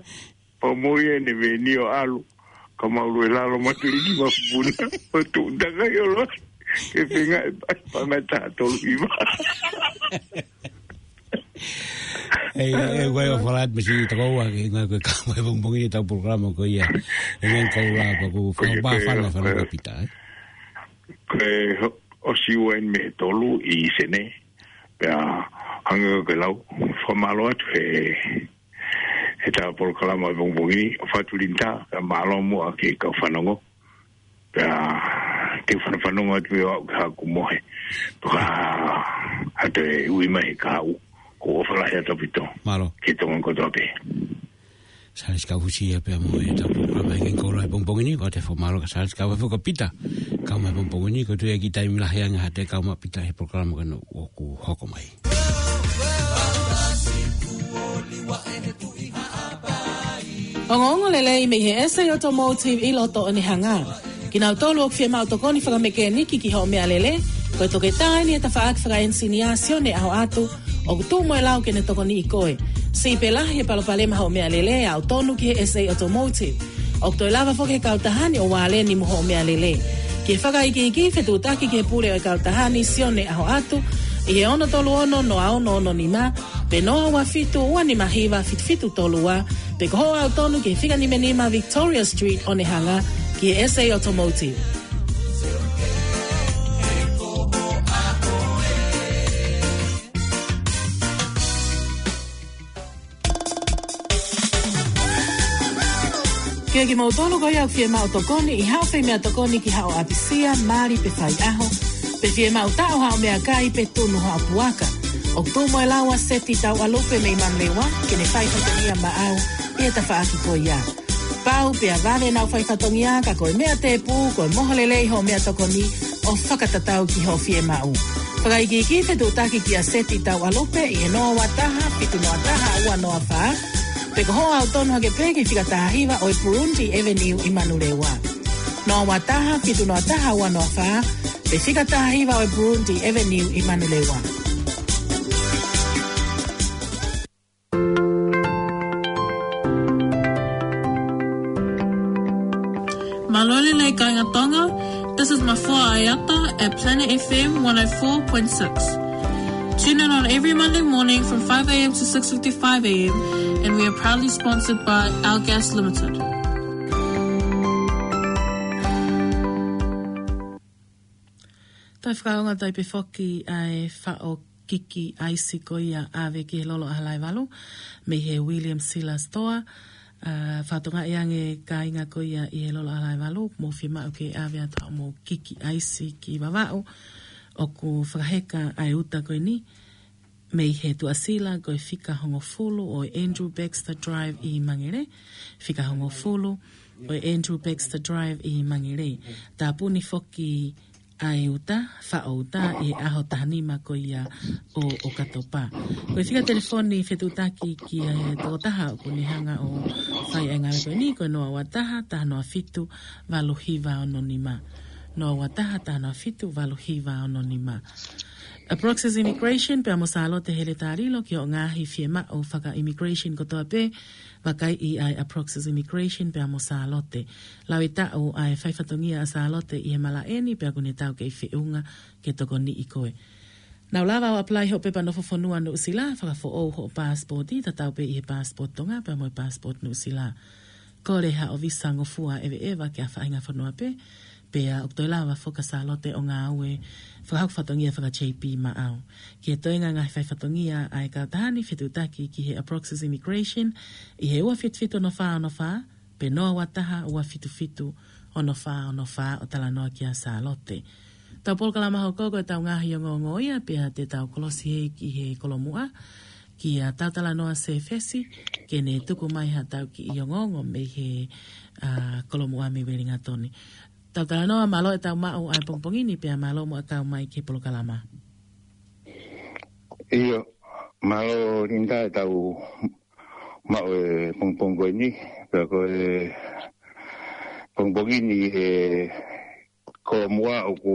pea mo ia ʻene veni ʻo ʻalu, ka mau lue lalo matuliki mafupuna, ʻo tuʻu takai ʻo loa, ke fenga e pa-, pangata tolu hiva. Ei, ei, ʻoku ou fakaʻamu pē siʻi tokoua ke ngāue ko e kau mai he pongipongi ni ʻetau polokalama ko ia. Hengihengi Koula pea ʻoku, ko ia, fakapā ko e, fana, fana ko e, ko Pita, ē? Ko e ho-, ʻosi ua eni mei he tolu ʻi Senē. Pea hangē ko e lau, fakamālō atu he, heʻetau polokalama he pongipongi ni, ʻo Fatu Linita, pea mālō muʻa ki he kau fanongo. Pea te u fanafanongo atu ʻe au ki haʻaku mohe. Pea ka ʻoua te u ui mai he kahaʻu, ʻoku ou ʻofa lahi atu ʻaupito. Mālō. Ki he Tonga kotoa pē. Salesi Kaufusi ia pea mo ʻetau polokalama Hengihengi Koula he pongipongi ni, ʻoku ou fakamālō kia Salesi kae ʻumaʻā foki ʻa Pita, kau mai he pongipongi ni, ʻoku ou tui ʻe kiʻi taimi lahi ange haʻate kau mai ʻa Pita he polokalama ko eni ʻoku hoko mai. Ongoongo lelei mei he S A Automotive ʻi loto Onehunga. Kinautolu ʻoku fiemaʻu tokoni fakamekēniki ki hoʻo meʻalele, ko e toketā eni ʻa e tafaʻaki fakaʻenisinia Sione ʻAhoʻatu, ʻoku tuʻu mo e lau ke ne tokoniʻi koe. Siʻi pē lahi e palopalema hoʻo meʻalele, aʻu tonu ki he S A Automotive. ʻOku toe lava foki he kautaha ni ʻo vāleni mo hoʻo meʻalele. Ki he fakaikiiki, fetuʻutaki ki he pule ʻo e kautaha ni Sione ʻAhoʻatu, ʻi he ono tolu ono noa ono ono nima, pe noa ua fitu ua nima hiva fitu fitu tolu ua, pe ko hoʻo aʻu tonu ki he fika nima nima Victoria Street Onehunga ki he S A Automotive. Kiate kimoutolu ko ia ʻoku fiemaʻu tokoni ʻi haʻo fai meʻatokoni ki haʻo ʻapisia, mali pe faiʻaho, pe fiemaʻu taʻo haʻo meʻakai pe tunu haʻo puaka. ʻOku tuʻu mo e lau ʻa Seti Tauʻalupe mei Manurewa, ke ne fai fatongia maʻau ʻi he tafaʻaki ko ia. Pau pea vave ʻenau fai fatongia ka ko e meʻa tēpū, ko e moho lelei hoʻo meʻatokoni ʻo fakatatau ki hoʻo fiemaʻu. Fakaikiiki fetuʻutaki kia Seti Tauʻalupe ʻi he noa ua taha fitu noa taha ua noa fā, pe ko hoʻo aʻu tonu hake pē ki he fika taha hiva ʻo e Burundi Avenue ʻi Manurewa. Noa ua taha fitu noa taha ua noa fā, pe fika taha hiva ʻo e Burundi Avenue ʻi Manurewa. Tonga, this is Mafua Ayata at Planet F M one oh four point six. Tune in on every Monday morning from five a m to six fifty-five a m, and we are proudly sponsored by Our Gas Limited. Tau fakaonga tai pē foki ʻa e faʻo kiki ʻaisi ko ia ʻave ki he Lolo ʻAhalaevalu mei he William Sila Store. ʻA, fatongia ange kāinga ko ia ʻi he Lolo ʻAhalaevalu, mou fiemaʻu ke ʻave atu haʻamou kiki ʻaisi ki Vavaʻu. ʻOku fakaheka ʻa e uta ko eni mei he tuʻasila ko e fika hongofulu ʻo e Andrew Baxter Drive ʻi Mangere. Fika hongofulu ʻo e Andrew Baxter Drive ʻi Mangere. Tāpuni foki ʻa e uta, faʻo uta, ʻi he ʻaho taha nima ko ia ʻo ʻOkatopa. Ko e fika telefoni fetuʻutaki ki he tokotaha ʻoku ne hanga ʻo fai ʻa e ngāue ko eni, ko e noa ua taha, taha noa fitu, valu hiva ono nima. Noa ua taha, taha noa fitu, valu hiva ono nima. ʻA Proxies Immigration pea mo Sālote Heletā Lilo ki hoʻo ngaahi fiemaʻu faka-immigration kotoa pē, vakaiʻi ʻa e ʻa Proxies Immigration pea mo Sālote. Lau e taʻu ʻa e faifatongia ʻa Sālote ʻi he malaʻe ni pea ʻoku ne tau kei feʻunga ke tokoniʻi koe. Nau lava ʻo apply hoʻo pepa nofo fonua Nuʻusila, fakafoʻou hoʻo passport, tatau pē ʻi he passport Tonga pea mo e passport Nuʻusila. Kole haʻo visa ngofua ʻeveʻeva ki ha faʻahinga fonua pē, pea ʻoku toe lava foki ʻa Sālote ʻo ngāue fakahoko fatongia faka-J P maʻau. Ki he toenga ngaahi faifatongia ʻa e kautaha ni, fetuʻutaki ki he ʻa Proxies Immigration ʻi he ua fitu fitu ono fā ono fā, pe noa ua taha ua fitu fitu ono fā ono fā ʻo talanoa kia Sālote. Tau polokalama hoko ko e tau ngaahi ongoongo ia, pea te tau kolosi hē ki he kolomuʻa, kia Tautalanoa Sefesi, ke ne tuku mai ha tau kiʻi ongoongo mei he, ʻa, kolomuʻa mei Wellington. Tautalanoa, mālō e tau maʻu ʻa e pongipongi ni pea mālō muʻa kau mai ki he polokalama. ʻIo, mālō Linda e tau maʻu e pongipongi ko eni, pea ko e pongipongi ni he kolomuʻa ʻoku,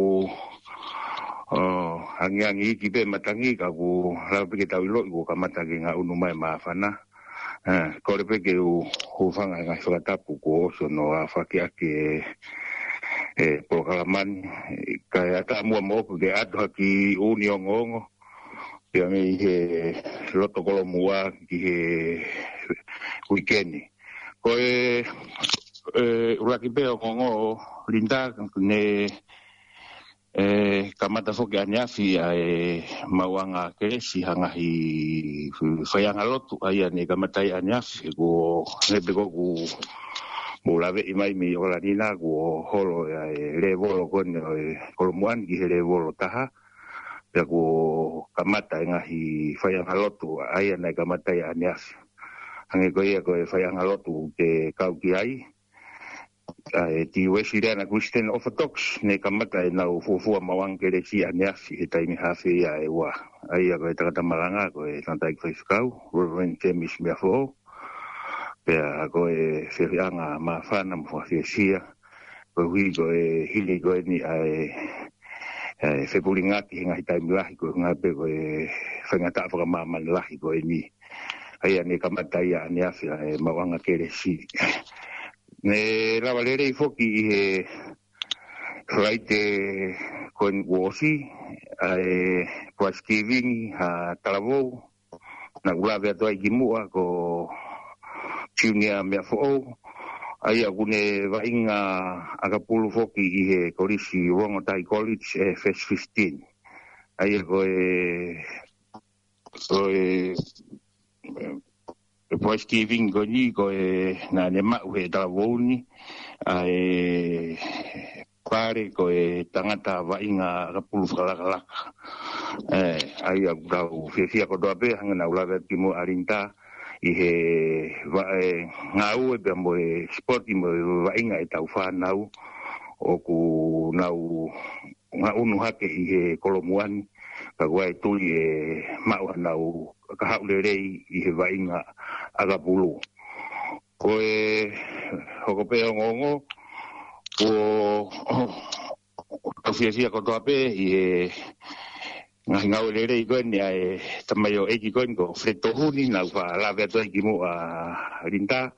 ʻo, angiangi iki pē matangi ka ʻoku lava pē ke tau ʻiloʻi kuo kamata ke ngaʻunu mai māfana. ʻE, kole pē ke u, u hūfanga he ngaahi fakatapu kuo ʻosi hono aofaki ʻaki e, e polokalama ni. Kae ʻatā muʻa moʻoku ke ʻatu ha kiʻi ʻū ongoongo. Pea mei he loto kolomuʻa ki he uike ni. Ko e, e, ʻuluaki pē ongoongo Linda ne, e, kamata foki ʻaneafi ʻa e maʻuʻanga kelesi ha ngaahi faiʻanga lotu ʻa ia ne kamata ʻi ʻaneafi he kuo ne pe ko ʻoku mou laveʻi mai mei ʻOkalani na kuo holo ʻa e lēvolo ko eni ʻo e kolomuʻa ni ki he lēvolo taha. Pea kuo kamata e ngaahi faiʻanga lotu ʻa ia naʻe kamata ʻi ʻaneafi. Hangē ko ia ko e faiʻanga lotu te kau ki ai. ʻA e Uēsiliana Christian Orthodox, ne kamata ʻenau fuofua maʻuʻanga kelesi ʻaneafi he taimi haafe ia ʻe ua. ʻA ia ko e tangata malanga, ko e tangataʻeiki faifekau, Reverend James Meafoʻou. Pea ko e feohiʻanga māfana mo fakafiesia. Koeʻuhi ko e hili ko eni ʻa e, ʻa e fepulingaki he ngaahi taimi lahi ko e ngaahi pē ko e faingataʻa fakamāmani lahi ko eni. ʻA ia ne kamata ia ʻaneafi ʻa e maʻuʻanga kelesi. Ne lava lelei foki ʻi he Falaite ko eni kuo ʻosi, ʻa e Prize Giving ha talavou, naʻa ku lave atu ai ki muʻa ko Junior Meafoʻou, ʻa ia ʻoku ne vaʻinga ʻakapulu foki ʻi he kolisi Rongotai College ʻe First Fifteen. ʻA ia ko e, ko e, e Prize Giving ko eni ko e naʻa ne maʻu he talavou ni, ʻa e pale ko e tangata vaʻinga ʻakapulu fakalakalaka. ʻE, ʻa ia ʻoku tau fiefia kotoa pē, hangē naʻa ku lave atu ki muʻa Linda, ʻi he va-, e, ngāue pea mo e sipoti mo e vaʻinga ʻetau fānau, ʻoku nau ngaʻunu hake ʻi he kolomuʻa ni, ka ʻoku ʻi ai e tui ʻe maʻu hanau kahaʻu lelei ʻi he vaʻinga ʻakapulu. Ko e hoko pē ongoongo, ko, tau fiefia kotoa pē ʻi he ngaahi ngāue lelei ko eni ʻa e tamaioʻeiki ko eni ko Fred Tohuni, naʻa ku faʻa lave atu ai ki muʻa Linda.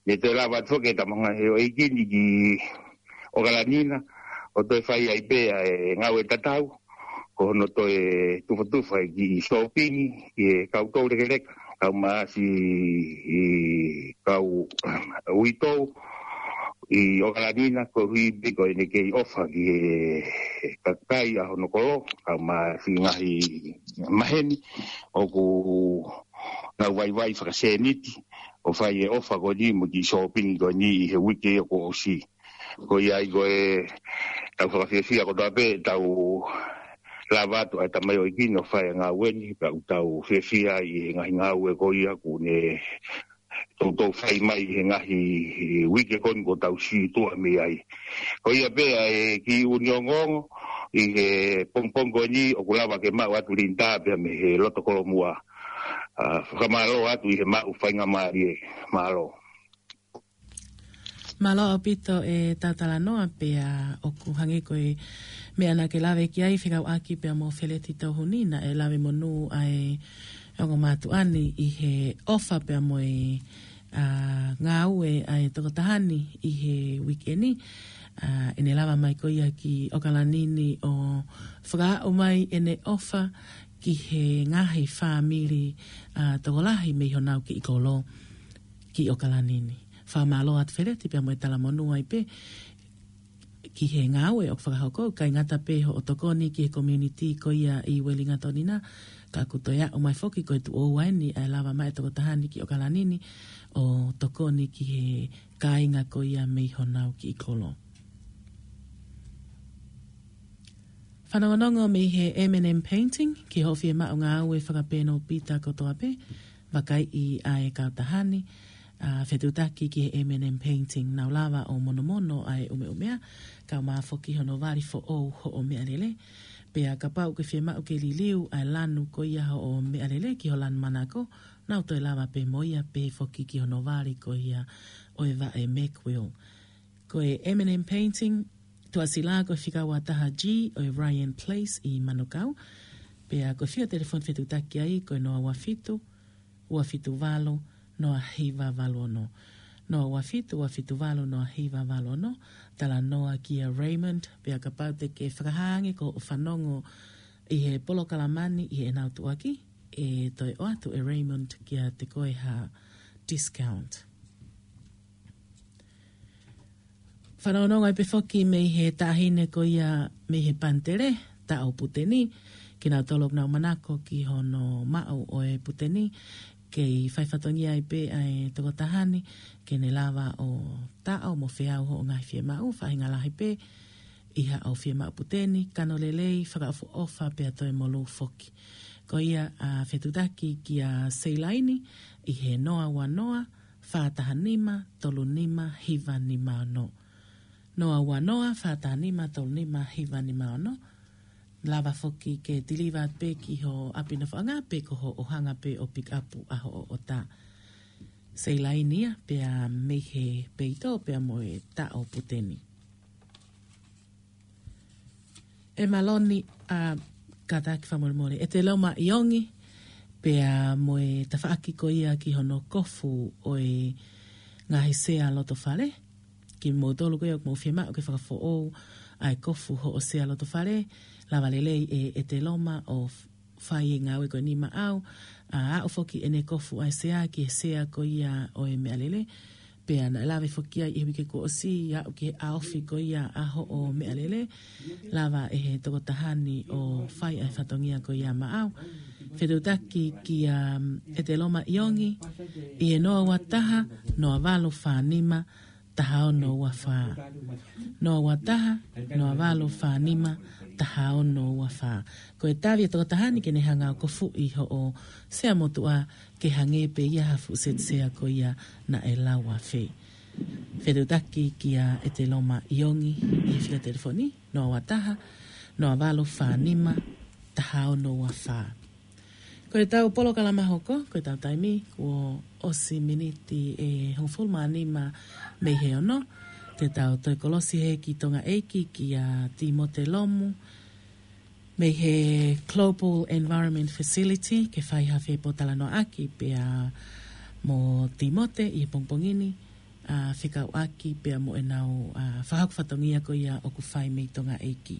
Ne toe lava atu foki e tamaioʻeiki ni ki ʻOkalani na, ʻo toe fai ai pē ʻa e ngāue tatau, ko hono toe tufatufa e kiʻi sōpingi ki he kau toulekeleka, kau masi ʻi kau uitou ʻi ʻOkalani na, koeʻuhi pē ko ʻene kei ʻofa ki he kakai ʻa hono kolo, kau masi ngaahi maheni ʻoku nau vaivai fakasēniti ʻo fai e ʻofa ko eni mo e kiʻi sōpingi ko eni ʻi he uike ia kuo ʻosi. Ko ia ai ko e tau fakafiefia kotoa pē, tau lava atu ʻa e tamaioʻeiki ni ʻo fai e ngāue ni, pea ʻoku tau fiefia ʻi he ngaahi ngāue ko ia kuo ne toutou fai mai he ngaahi uike ko eni kuo tau situʻa mei ai. Ko ia pē ʻa e kiʻi ʻuhinga ongoongo ʻi he pongipongi ko eni ʻoku lava ke maʻu atu Linda pea mei he loto Kolomua. ʻA, fakamālō atu ʻi he maʻu faingamālie. Mālō. Mālō ʻaupito e tau talanoa pea ʻoku hangē ko e meʻa naʻa ke lave ki ai fekauʻaki pea mo Feleti Touhuni naʻe lave monū ʻa e ongo mātuʻa ni ʻi he ʻofa pea mo e, ʻa, ngāue ʻa e tokotaha ni ʻi he uike ni. ʻA, ʻene lava mai ko ia ki ʻOkalani ni ʻo fakaaʻu mai ʻene ʻofa ki he ngaahi fāmili, ʻa, tokolahi mei honau kiʻi kolo ki ʻOkalani ni. Fakamālō atu Feleti pea mo e talamonū ai pē ki he ngāue ʻoku fakahoko, ʻikai ngata pē hoʻo tokoni ki he community ko ia ʻi Uelingatoni na, ka ʻoku toe aʻu mai foki ko e tuʻo ua eni ʻa e lava mai e tokotaha ni ki ʻOkalani ni ʻo tokoni ki he kāinga ko ia mei honau kiʻi kolo. Fanongonongo mei he M and M Painting, ki hoʻo fiemaʻu ngāue fakapēnopita kotoa pē, vakaiʻi ʻa e kautaha ni, ʻa, fetuʻutaki ki he M and M Painting, nau lava ʻo monomono ʻa e ʻumeʻumea, kae ʻumaʻā foki hono vali foʻou hoʻo meʻalele. Pea kapau ʻoku ke fiemaʻu ke liliu ʻa e lanu ko ia hoʻo meʻalele ki ho lanu manako, nau toe lava pē mo ia pehē foki ki hono vali ko ia ʻo e vaʻe Mequil. Ko e M and M Painting, Tuʻasila ko e fika ua taha G ʻo e Ryan Place ʻi Manukau. Pea ko e fika telefoni fetuʻutaki ai ko e noa ua fitu, ua fitu valu, noa hiva valu ono. Noa ua fitu, ua fitu valu, noa hiva valu ono. Talanoa kia Raymond, pea kapau te ke fakahā ange ko hoʻo fanongo ʻi he polokalama ni ʻi heʻenau tuʻuaki, ʻe toe ʻoatu ʻe Raymond kiate koe ha discount. Fanongonongo ai pē foki mei he taʻahine ko ia mei he Pantere, Taʻo Puteni, kinautolu ʻoku nau manako ki hono maʻu ʻo e puteni, kei fai fatongia ai pē ʻa e tokotaha ni, ke ne lava ʻo taʻo mo feau hoʻo ngaahi fiemaʻu, faʻahinga lahi pē, ʻi haʻo fiemaʻu puteni, kano lelei, fakaʻofoʻofa pea toe molū foki. Ko ia ʻa fetuʻutaki kia Seilaini, ʻi he noa ua noa, fā taha nima, tolu nima, hiva nima ono. Noa ua noa, fā taha nima, tolu nima, hiva nima ono. Lava foki ke tiliva pē ki ho ʻapi nofoʻanga pe ko hoʻo hanga pē ʻo pick up ʻa hoʻo ʻota. Seilaini ia, pea mei he peito, pea mo e Taʻo Puteni. ʻE mālō ni, ʻa, kātaki fakamolemole. ʻEteloma ʻIongi, pea mo e tafaʻaki ko ia ki hono kofu ʻo e ngaahi sea loto fale. Kimoutolu ko ia ʻoku mou fiemaʻu ke fakafoʻou ʻa e kofu hoʻo sea loto fale. Lava lelei ʻe ʻEteloma ʻo f-, fai e ngāue ko eni maʻau, ʻa, aʻu foki ʻene kofu ʻa e sea ki he sea ko ia ʻo e meʻalele. Pea naʻe lave foki ai ʻi he uike kuo ʻosi, aʻu ki he ʻaofi ko ia ʻa hoʻo meʻalele, lava ʻe he tokotaha ni ʻo fai ʻa e fatongia ko ia maʻau. Fetuʻutaki kia, um, ʻEteloma ʻIongi, ʻi he noa ua taha, noa valu fā nima, taha ono ua fā. Noa ua taha, noa valu fā nima, taha ono ua fā. Ko e tavi e tokotaha ni ke ne hanga ʻo kofuʻi hoʻo sea motuʻa ke hangē pē ia ha fuʻu seti sea ko ia naʻe lau afe. Fetuʻutaki kia ʻEteloma ʻIongi ʻi he fika telefoni, noa ua taha, noa valu fā nima, taha ono ua fā. Ko e tau polokalama hoko, ko e tau taimi, kuo ʻosi miniti ʻe hongofulu mā nima mei he ono, te tau toe kolosi hē ki Tonga ʻEiki kia Timote Lomu, mei he Global Environment Facility, ke fai ha fepōtalanoaʻaki pea mo Timote ʻi he pongipongi ni, ʻa, fekauʻaki pea mo ʻenau, ʻa, fakahoko fatongia ko ia ʻoku fai mei Tonga ʻEiki.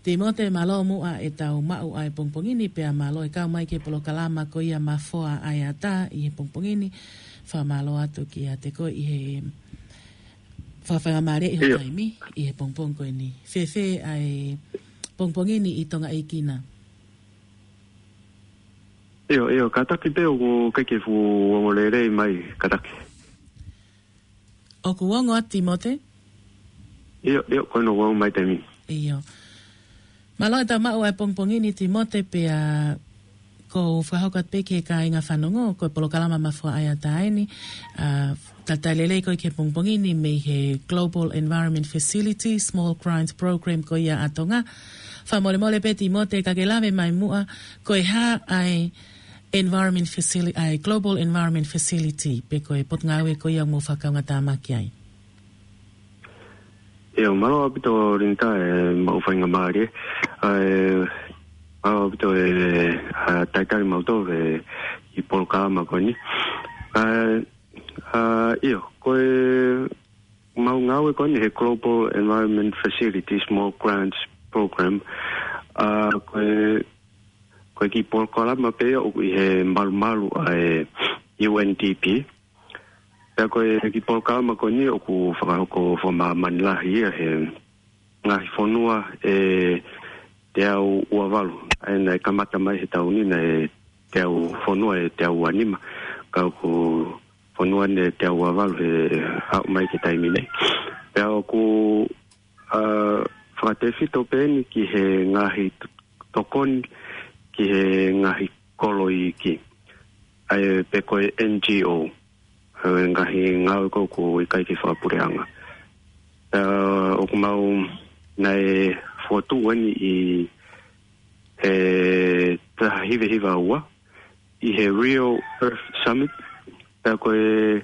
Timote, mālō muʻa ʻetau maʻu ʻa e pongipongi ni, pea mālō e kau mai ki he polokalama ko ia Mafoa ʻAeata ʻi he pongipongi ni. Fakamālō atu kiate koe ʻi he fakafaingamālie ʻi ho taimi ʻi he pongipongi ko eni. Fēfē ʻa e pongipongi ni ʻi Tonga ʻEiki na? ʻIo, ʻio, kātaki pē ʻoku ʻikai ke fuʻu ongo lelei mai, kātaki. ʻOku ongo atu Timote? ʻIo, ʻio, ko ena ʻoku ongo mai taimi. ʻIo. Mālō ʻetau maʻu ʻa e pongipongi ni Timote pea ʻoku ou fakahoko atu pē ki he kāinga fanongo, ko e polokalama Mafoa ʻAeata eni, ʻa, talitali lelei koe ki he pongipongi ni mei he Global Environment Facility, Small Grants Program ko ia ʻa Tonga. Fakamolemole pē Timote ka ke lave mai muʻa, ko e hā ʻa e Environment Facility, ʻa e Global Environment Facility, pe ko e potungāue ko ia ʻoku mou fakakaungātāmaki ai? ʻIo, mālō ʻaupito Linita e maʻu faingamālie. ʻA e, mālō ʻaupito e, ʻa, talitali mautolu e, ʻi he polokalama ko eni. ʻA, ʻa, ʻio, ko e mau ngāue ko eni he Global Environment Facility Small Grants Program. ʻA, ko e, ko e kiʻi polokalama pē ia ʻoku ʻi he malumalu ʻa e U N D P. Pea ko e kiʻi polokalama ko eni ʻoku fakahoko fakamāmani lahi ia he ngaahi fonua ʻe teau ua valu. ʻA ia naʻe kamata mai he taʻu ni naʻe teau fonua ʻe teau ua nima. Ka ʻoku fonua ni ʻe teau ua valu he aʻu mai ki he taimi ni. Pea ʻoku, ʻa, fakatefito pē eni ki he ngaahi t-, tokoni ki he ngaahi kolo iiki. ʻA e pe ko e N G O. ʻA e ngaahi ngāue ko ē ʻoku ʻikai ke fakapuleʻanga. ʻA, ʻoku mau naʻe fokotuʻu eni ʻi he taha hiva hiva ua ʻi he Rio Earth Summit. Pea ko e,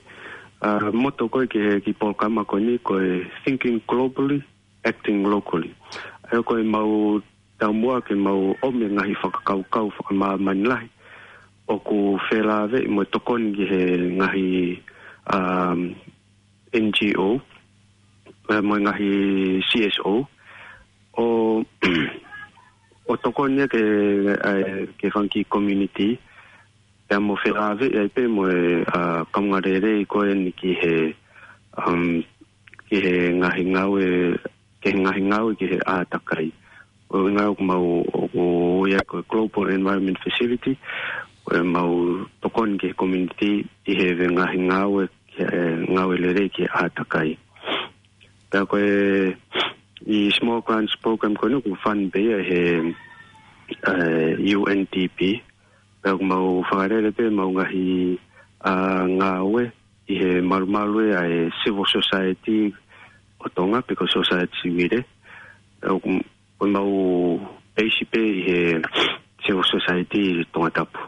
ʻa, moto ko ē ki he kiʻi polokalama ko eni ko e Thinking Globally, Acting Locally. ʻA ia ko e mau taumuʻa ke mau ʻomi e ngaahi fakakaukau fakamāmani lahi ʻoku felāveʻi mo e tokoni ki he ngaahi, um, N G O, ʻa, mo e ngaahi C S O, ʻo, ʻo tokoni ia ke, ʻa, ke fanga kiʻi community, pea mo felāveʻi ai pē mo e, ʻa, kaungā lelei ko eni ki he, um, ki he ngaahi ngāue, ki he ngaahi ngāue ki he ʻātakai. ʻO ngāue ʻoku mau, ʻo, ʻo ia ko e Global Environment Facility, ʻo e mau tokoni ki he community ʻi he ngaahi ngāue, ki he ngāue lelei ki he ʻātakai. Pea ko e ʻi Small Grants Program ko eni ʻoku fund pē ia he, ʻe, U N D P. Pea ʻoku mau fakalele pē mau ngaahi, ʻa, ngāue ʻi he malumalu ʻa e civil society ʻo Tonga pe ko e society civil. Pea ʻoku, ʻoku mau peisi pē ʻi he civil society ʻi Tongatapu.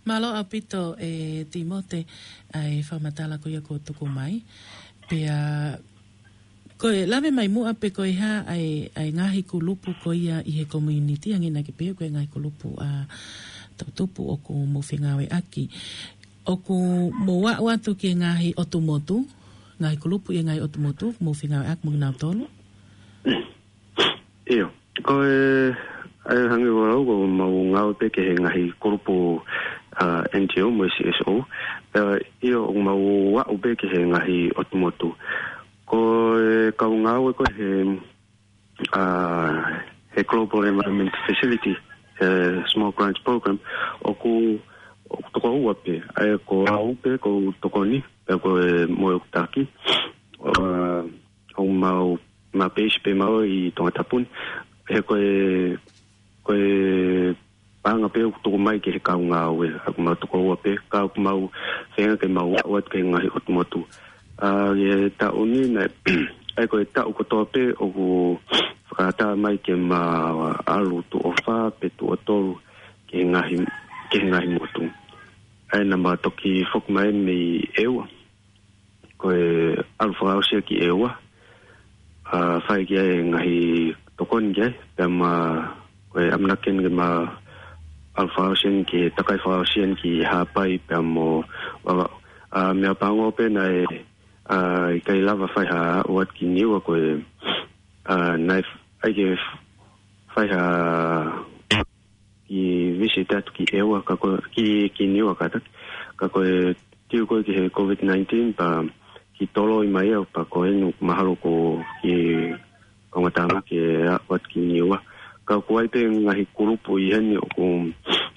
Mālō ʻaupito e Timote ʻa e fakamatala ko ia kuo tuku mai. Pea ko e lave mai muʻa pe ko e hā ʻa e, ʻa e ngaahi kulupu ko ia ʻi he community, hangē naʻa ke pehē ko e ngaahi kulupu ʻa toʻutupu ʻoku mou fengāueʻaki. ʻOku mou aʻu atu ki he ngaahi ʻotu motu, ngaahi kulupu ʻi he ngaahi ʻotu motu, mou fengāueʻaki mo kinautolu? ʻIo, ko e, ʻa e hangē ko ʻeku lau ko ʻemau ngāue pē ki he ngaahi kulupu, ʻa, N G O mo e C S O. Pea ʻio, ʻoku mau aʻu pē ki he ngaahi ʻotu motu. Ko e kau ngāue ko ē he, ʻa, he Global Environment Facility, he Small Grants Program, ʻoku, ʻoku toko ua pē, ʻa ia ko au pē ʻoku tokoni, pea ko e mo ʻeku taki. ʻA, ʻoku mau, mau peisi pē mau ʻi Tongatapu ni. He ko e, ko e paʻanga pē ʻoku tuku mai ki he kau ngāue, ʻoku mau toko ua pē, ka ʻoku mau feinga ke mau aʻu atu ki he ngaahi ʻotu motu. ʻA, ʻi he taʻu ni naʻe, ʻa ia ko e taʻu kotoa pē ʻoku fakaʻatā mai ke mau ʻalu tuʻo fā pe tuʻo tolu ki he ngaahi, ki he ngaahi motu. ʻA ia naʻa mau toki foki mai mei ʻEua. Ko e ʻalu fakaʻosi ia ki ʻEua, ʻa, fai ki ai e ngaahi tokoni ki ai, pea mo, ko e ʻamanaki eni ke mau ʻalu fakaʻosi eni ki he takai fakaʻosi eni ki Haʻapai pea mo Vavaʻu. ʻa, meʻapango pē naʻe, ʻa, ʻikai lava fai ha ʻoatu ki Niua ko e, ʻa, naʻe f-, ʻai ke f-, fai ha kiʻi visit atu ki ʻEua, ka ko, ki, ki Niua kātaki. Ka ko e tiu ko ē ki he COVID nineteen, pea kiʻi toloi mai ia, pea ko eni mahalo ko e kiʻi ongo tāmaki ʻoatu ki Niua. Ka ʻoku ʻi ai pē ngaahi kulupu ʻi heni ʻoku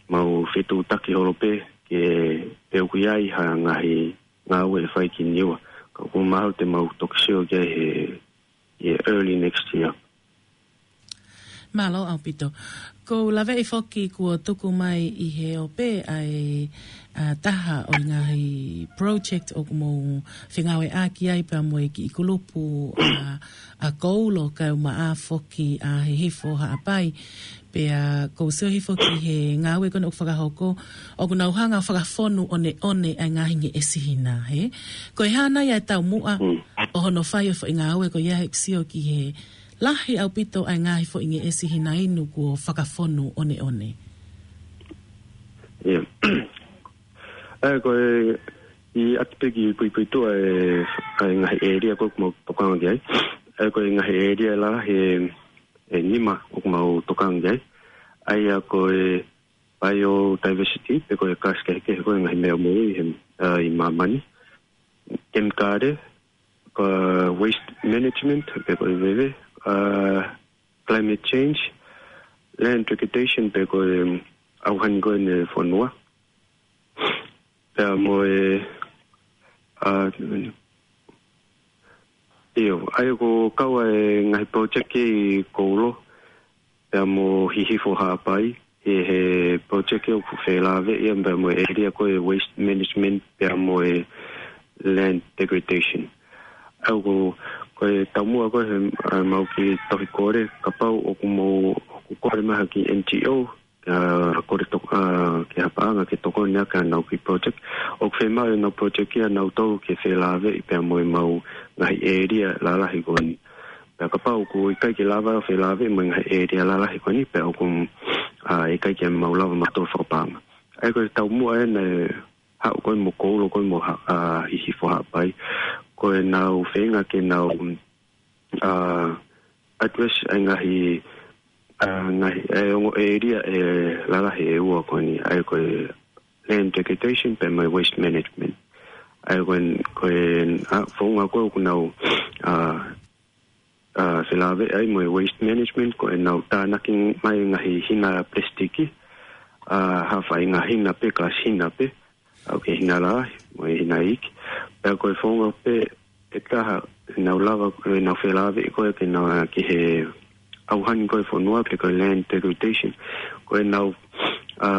mau fetuʻutaki holo pē ke, pe ʻoku ʻi ai ha ngaahi ngāue ʻe fai ki Niua. Ka ʻoku mahalo te mau toki sio ki ai he, he early next year. Mālō ʻaupito. ʻOku ou laveʻi foki kuo tuku mai ʻi he ope ʻa e, ʻa, taha ʻo e ngaahi project ʻoku mou fengāueʻaki ai pea mo e kiʻi kulupu ʻa, ʻa Koulo kae ʻumaʻā foki ʻa Hihifo Haʻapai. Pea ʻoku ou sio hifo ki he ngāue ko eni ʻoku fakahoko, ʻoku nau hanga ʻo fakafonu ʻoneʻone ʻa e ngaahi ngeʻesi hina, hē? Ko e hā nai ʻa e taumuʻa Mm. ʻo hono fai ʻo e foʻi ngāue ko ia he ʻoku sio ki he lahi ʻaupito ʻa e ngaahi foʻi ngeʻesi hina inu kuo fakafonu ʻoneʻone? ʻIo. ʻA ia ko e, ʻi atu pē ki puipuituʻa e, ʻa e ngaahi ʻēlia ko ē ʻoku mau tokanga ki ai. ʻA ia ko e ngaahi ʻēlia lalahi ʻe, ʻe nima ʻoku mau tokanga ki ai. ʻA ia ko e biodiversity, pe ko e kasi kehekehe ko ē ngaahi meʻa moʻui he, ʻa, ʻi māmani. Kemikale, ko e waste management, pe ko e veve, ʻa, climate change, land degradation, pe ko e ʻauhani ko eni e fonua. Pea mo e, ʻa, ʻio, ʻa ia ʻoku kau ai e ngaahi project ʻi Koulo, pea mo Hihifo Haʻapai, he, he project ʻoku felāveʻi ia, pea mo e ʻēlia ko e waste management, pea mo e land degradation. ʻA ia ko, ko e taumuʻa ko ē he, ʻa, mau kiʻi tohi kole, kapau ʻoku mau, ʻoku kole mai ha kiʻi N G O, ʻa, kole tok-, ʻa, ki ha paʻanga ke tokoni ʻaki ʻenau kiʻi project. ʻOku fiemaʻu ʻenau project ia ʻanautolu ke felāveʻi pea mo e mau ngaahi ʻēlia lalahi ko eni. Pea kapau ʻoku ʻikai ke lava ʻo felāveʻi mo e ngaahi ʻēlia lalahi ko eni, pea ʻoku, ʻa, ʻikai ke mau lava mautolu fakapaʻanga. ʻA ia ko e taumuʻa ena ʻe haʻu ko ē mo Koulo ko ē mo ha-, ʻa, Hihifo Haʻapai. Ko ʻenau feinga ke nau, ʻa, address ʻa e ngaahi, ʻa, ngaahi, ʻa e ongo ʻēlia ʻe lalahi ʻe ua ko eni, ʻa ia ko e land degradation pea mo e waste management. ʻA ia ko e, ko e, ʻa, founga ko ē ʻoku nau, ʻa, ʻa, felāveʻi ai mo e waste management ko ʻenau tānaki mai ngaahi hina plastic, ʻa, ha faʻahinga hina pē, kalasi hina pē, ʻa, ʻoku ke hina lahi, mo e hina iiki. Pea ko e founga pē ʻe taha, ʻenau lava, ʻenau felāveʻi ko ē ke nau, ʻa, ki he ʻauhani ko ē fonua pe ko e land degradation. Ko ʻenau, ʻa,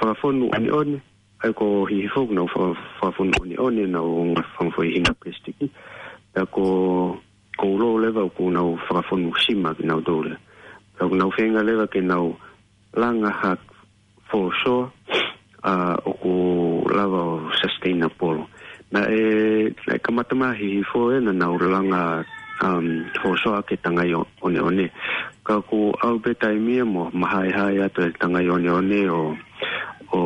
fakafonu ʻoneʻone, ʻa ia ko Hihifo ʻoku nau fa-, fakafonu ʻoneʻone, nau fanga foʻi hina plastic. Pea ko Koulo leva ʻoku nau fakafonu sima kinautolu. Pea ʻoku nau feinga leva ke nau langa ha fōsoa, ʻa, ʻoku lava ʻo sustainable. Naʻe, naʻe kamata mai Hihifo ʻena nau langa, um, fōsoa ke tangai ʻo-, ʻoneʻone. Ka kuo ʻalu pē taimi ia mo mahaehae atu e tangai ʻoneʻone ʻo, ʻo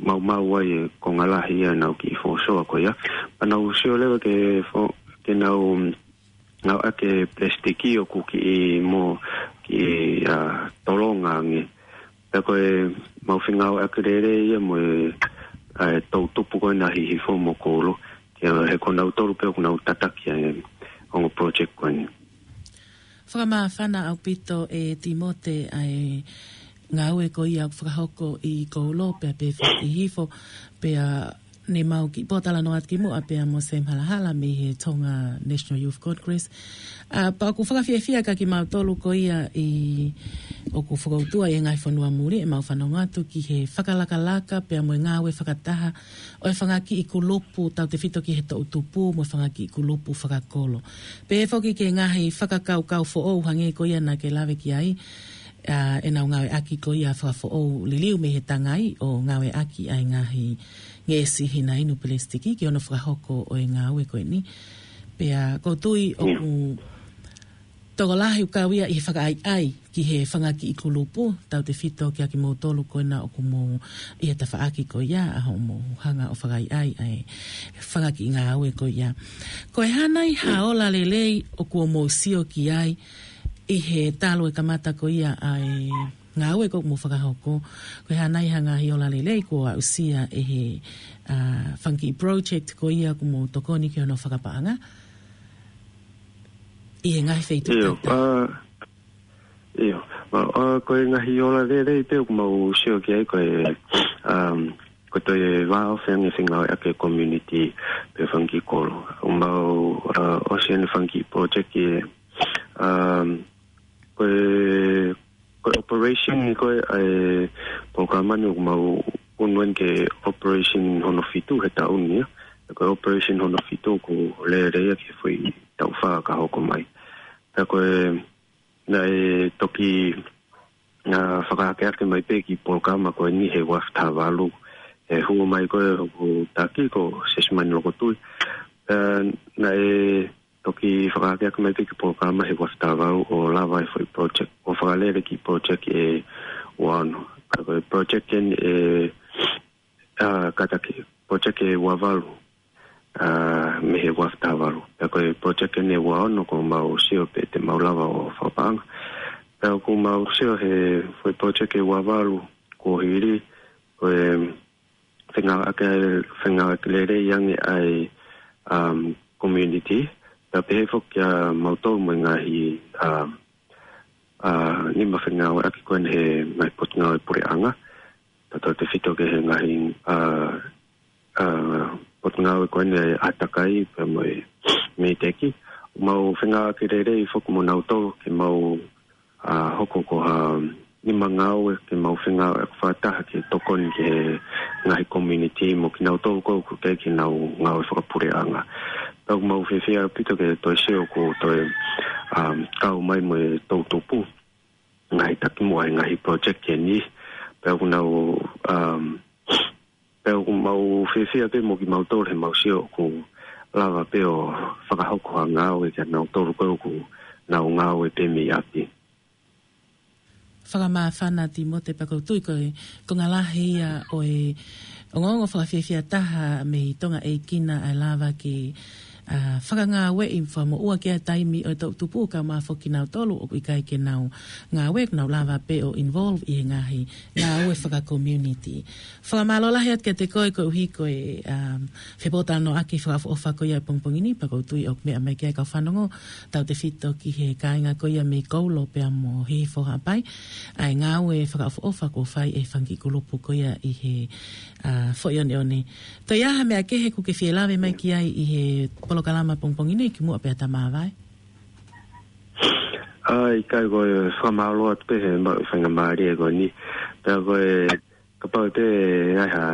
maumau ai e konga lahi ia ʻenau kiʻi fōsoa ko ia. Pea nau sio leva ke fo-, ke nau, um, ngāueʻaki e plastic ʻoku kiʻi mo kiʻi, ʻa, tolonga ange. Pea ko e mau fengāueʻaki lelei ia mo e, ʻa, e toʻutupu ko ena Hihifo mo Koulo. Ke he ko nautolu pē ʻoku nau tataki ʻa e ongo project ko eni. Fakamāfana ʻaupito ʻe Timote ʻa e ngāue ko ia ʻoku fakahoko ʻi Koulo pea pehē foki ʻi Hihifo, pea ne mau kiʻi pōtalanoa atu kimuʻa pea mo Sam Halahala mei he Tonga National Youth Congress. ʻA, pea ʻoku fakafiefia kia kimautolu ko ia ʻi, ʻoku fakautua ʻi he ngaahi fonua muli ʻemau fanongo atu ki he fakalakalaka pea mo e ngāue fakataha ʻo e fanga kiʻi kulupu tautefito ki he toʻutupu mo e fanga kiʻi kulupu fakakolo. Pehē foki ki he ngaahi fakakaukau foʻou hangē ko ia naʻa ke lave ki ai, ʻa, ʻenau ngāueʻaki ko ia fakafoʻou liliu mei he tangai ʻo ngāueʻaki ʻa e ngaahi ngeʻesi hina inu plastic ki hono fakahoko ʻo e ngāue ko eni. Pea ʻoku ou tui ʻoku tokolahi ʻoku kau ia ʻi he fakaʻaiʻai ki he fanga kiʻi kulupu, tautefito kiate kimoutolu ko ena ʻoku mou ʻi he tafaʻaki ko ia ʻa hoʻomou hanga ʻo fakaʻaiʻai ʻa e fanga kiʻi ngāue ko ia. Ko e hā nai ha ola lelei ʻoku mou sio ki ai ʻi he talu e kamata ko ia ʻa e ngāue ʻoku mou fakahoko? Ko e hā nai ha ngaahi ola lelei kuo aʻusia ʻe he, ʻa, fanga kiʻi project ko ia ʻoku mou tokoni ki hono fakapaʻanga ʻi he ngaahi feituʻu ʻIo, tata? ʻa, ʻio, ma, ʻa, ko e ngaahi ola lelei pē ʻoku mau sio ki ai ko e, um, ko e toe vāofi ange fengāueʻaki e community pe fanga kiʻi kolo. ʻOku mau, ʻa, ʻosi ʻene fanga kiʻi project ē, um, ko e, ko e operation ni ko e, ʻa e polokalama ni ʻoku mau unu eni ki he operation hono fitu he taʻu ni, ʻa. Ko e operation hono fitu ʻoku lele ia ki he foʻi taʻu fā ka hoko mai. Pea ko e, naʻe toki, ʻa, fakaakeake mai pē e kiʻi polokalama ko eni he ua afe taha valu. ʻE hū mai ko e hoku taki ko Sesimani Lokotui. Pea naʻe toki fakaakeake mai pē e kiʻi polokalama he ua afe taha valu ʻo lava e foʻi project, ʻo fakalele e kiʻi project ʻe ua ono. Ka ko e project eni ʻe, ʻa, kātaki, project ʻe ua valu, ʻa, mei he ua afe taha valu. Pea ko e project eni ʻe ua ono ʻoku mau sio pē te mau lava ʻo fakapaʻanga. Pea ʻoku mau sio he foʻi project ʻe ua valu kuo hili, ko e fengāueʻaki, fengāueʻaki lelei ange ʻa e, um, community. Pea pehē foki kiate kimautolu mo e ngaahi, um, ʻa, nima fengāueʻaki ko eni he ngaahi potungāue puleʻanga. Tautefito ki he ngaahi, ʻa, ʻa, potungāue ko eni ʻa e ʻātakai pea mo e MEIDECC. ʻOku mau fengāueʻaki lelei foki mo nautolu ke mau, ʻa, hoko ko ha nima ngāue ke mau fengāueʻaki fakataha ke tokoni ki he ngaahi community mo kinautolu ko ē ʻoku teʻeki ke nau ngāue fakapuleʻanga. Pea ʻoku mau fiefia ʻaupito ke toe sio ʻoku toe, um, kau mai mo e toʻutupu ngaahi takimuʻa he ngaahi project ko eni. Pea ʻoku nau, um, pea ʻoku mau fiefia pē mo kimautolu he mau sio ʻoku lava pē ʻo fakahoko ha ngāue kiate kinautolu ko ē ʻoku nau ngāue pē mei ʻapi. Fakamāfana Timote, pea ʻoku ou tui ko e konga lahi ia ʻo e ongoongo fakafiefia taha mei Tongaʻeiki na ʻa e lava ke, ʻa, fakangāueʻi fakamoʻua ki ai e taimi ʻo e toʻutupu kae ʻumaʻā foki kinautolu ʻoku ʻikai ke nau ngāue, ʻoku nau lava pē ʻo involve ʻi he ngaahi ngāue fakacommunity. Fakamālō lahi atu kiate koe koeʻuhi ko e, um, fepōtalanoaʻaki fakaʻofoʻofa ko ia ʻo e pongipongi ni, pea ʻoku ou tui ʻoku meʻa mai ki ai e kau fanongo, tautefito ki he kāinga ko ia mei Koulo pea mo Hihifo Haʻapai, ʻa e ngāue fakaʻofoʻofa kuo fai ʻe he fanga kiʻi kulupu ko ia ʻi he, ʻa, Foʻi ʻOneʻone. Toe ʻi ai ha meʻa kehe ʻoku ke fie lave mai ki ai ʻi he polokalama pongipongi ni kimuʻa pea ta māvae? ʻA, ʻikai, ko e fakamālō atu pē he maʻu e faingamālie ko eni. Pea ko e kapau ʻe toe ʻi ai ha,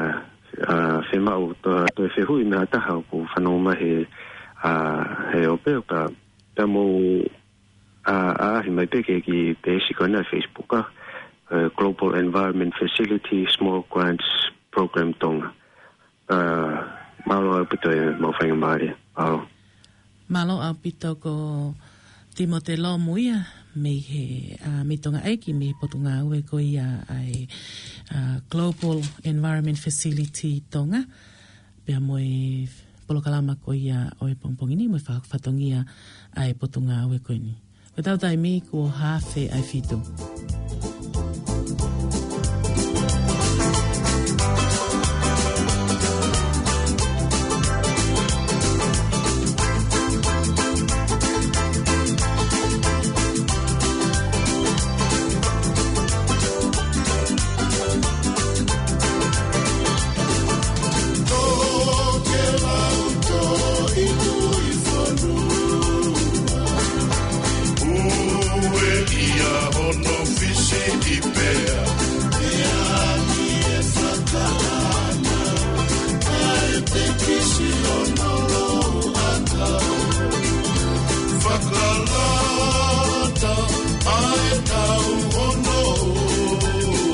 ʻa, fiemaʻu toe, toe fehuʻi mei ha taha ʻoku fanongo mai he, ʻa, he ope, pea, pea mou, ʻa, ʻaʻahi mai pē ki he kiʻi peesi ko ena ʻa e Facebook, ʻa, ʻa e Global Environment Facility Small Grants Program Tonga. ʻA, mālō ʻaupito e maʻu faingamālie. Mālō. Mālō ʻaupito ko Timote Lomu ia mei he, ʻa, mei Tongaʻeiki, mei he potungāue ko ia ʻa e, ʻa, Global Environment Facility Tonga, pea mo e polokalama ko ia ʻo e pongipongi ni, mo e fakafatongia ʻa e potungāue ko eni. Ko ʻetau taimi kuo haafe ʻa e fitu. Fakalata ʻa e tau ono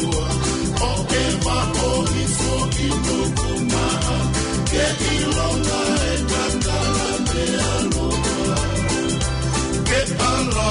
ua, ʻo e maʻo hifo ki nuku maʻa, ke ʻilonga e kakala meʻa loa. Ke ala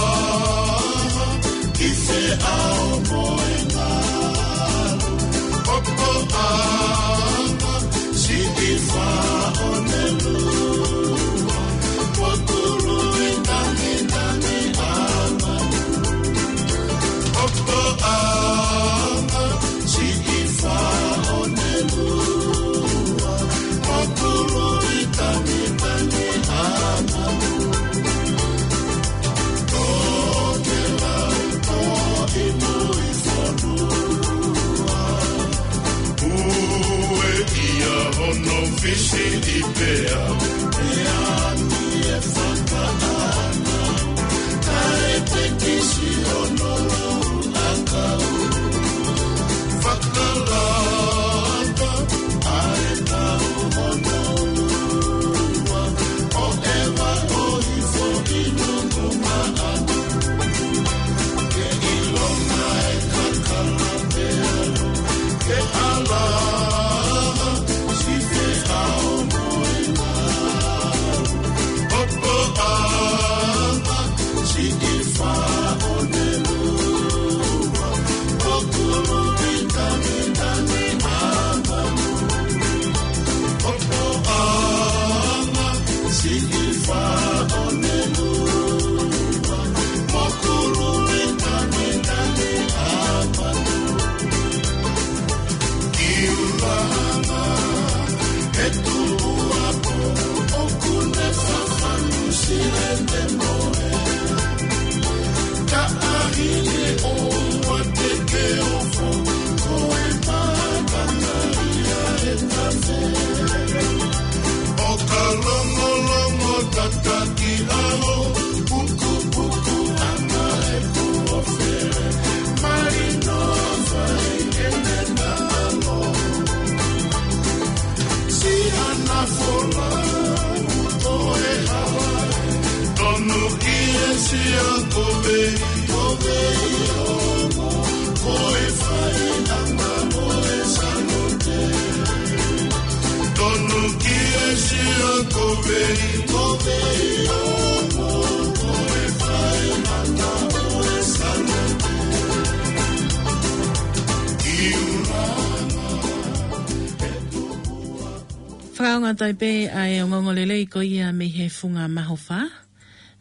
Fakaongo atu ai pē ʻa e ongoongolelei ko ia mei he Funga Mahofa,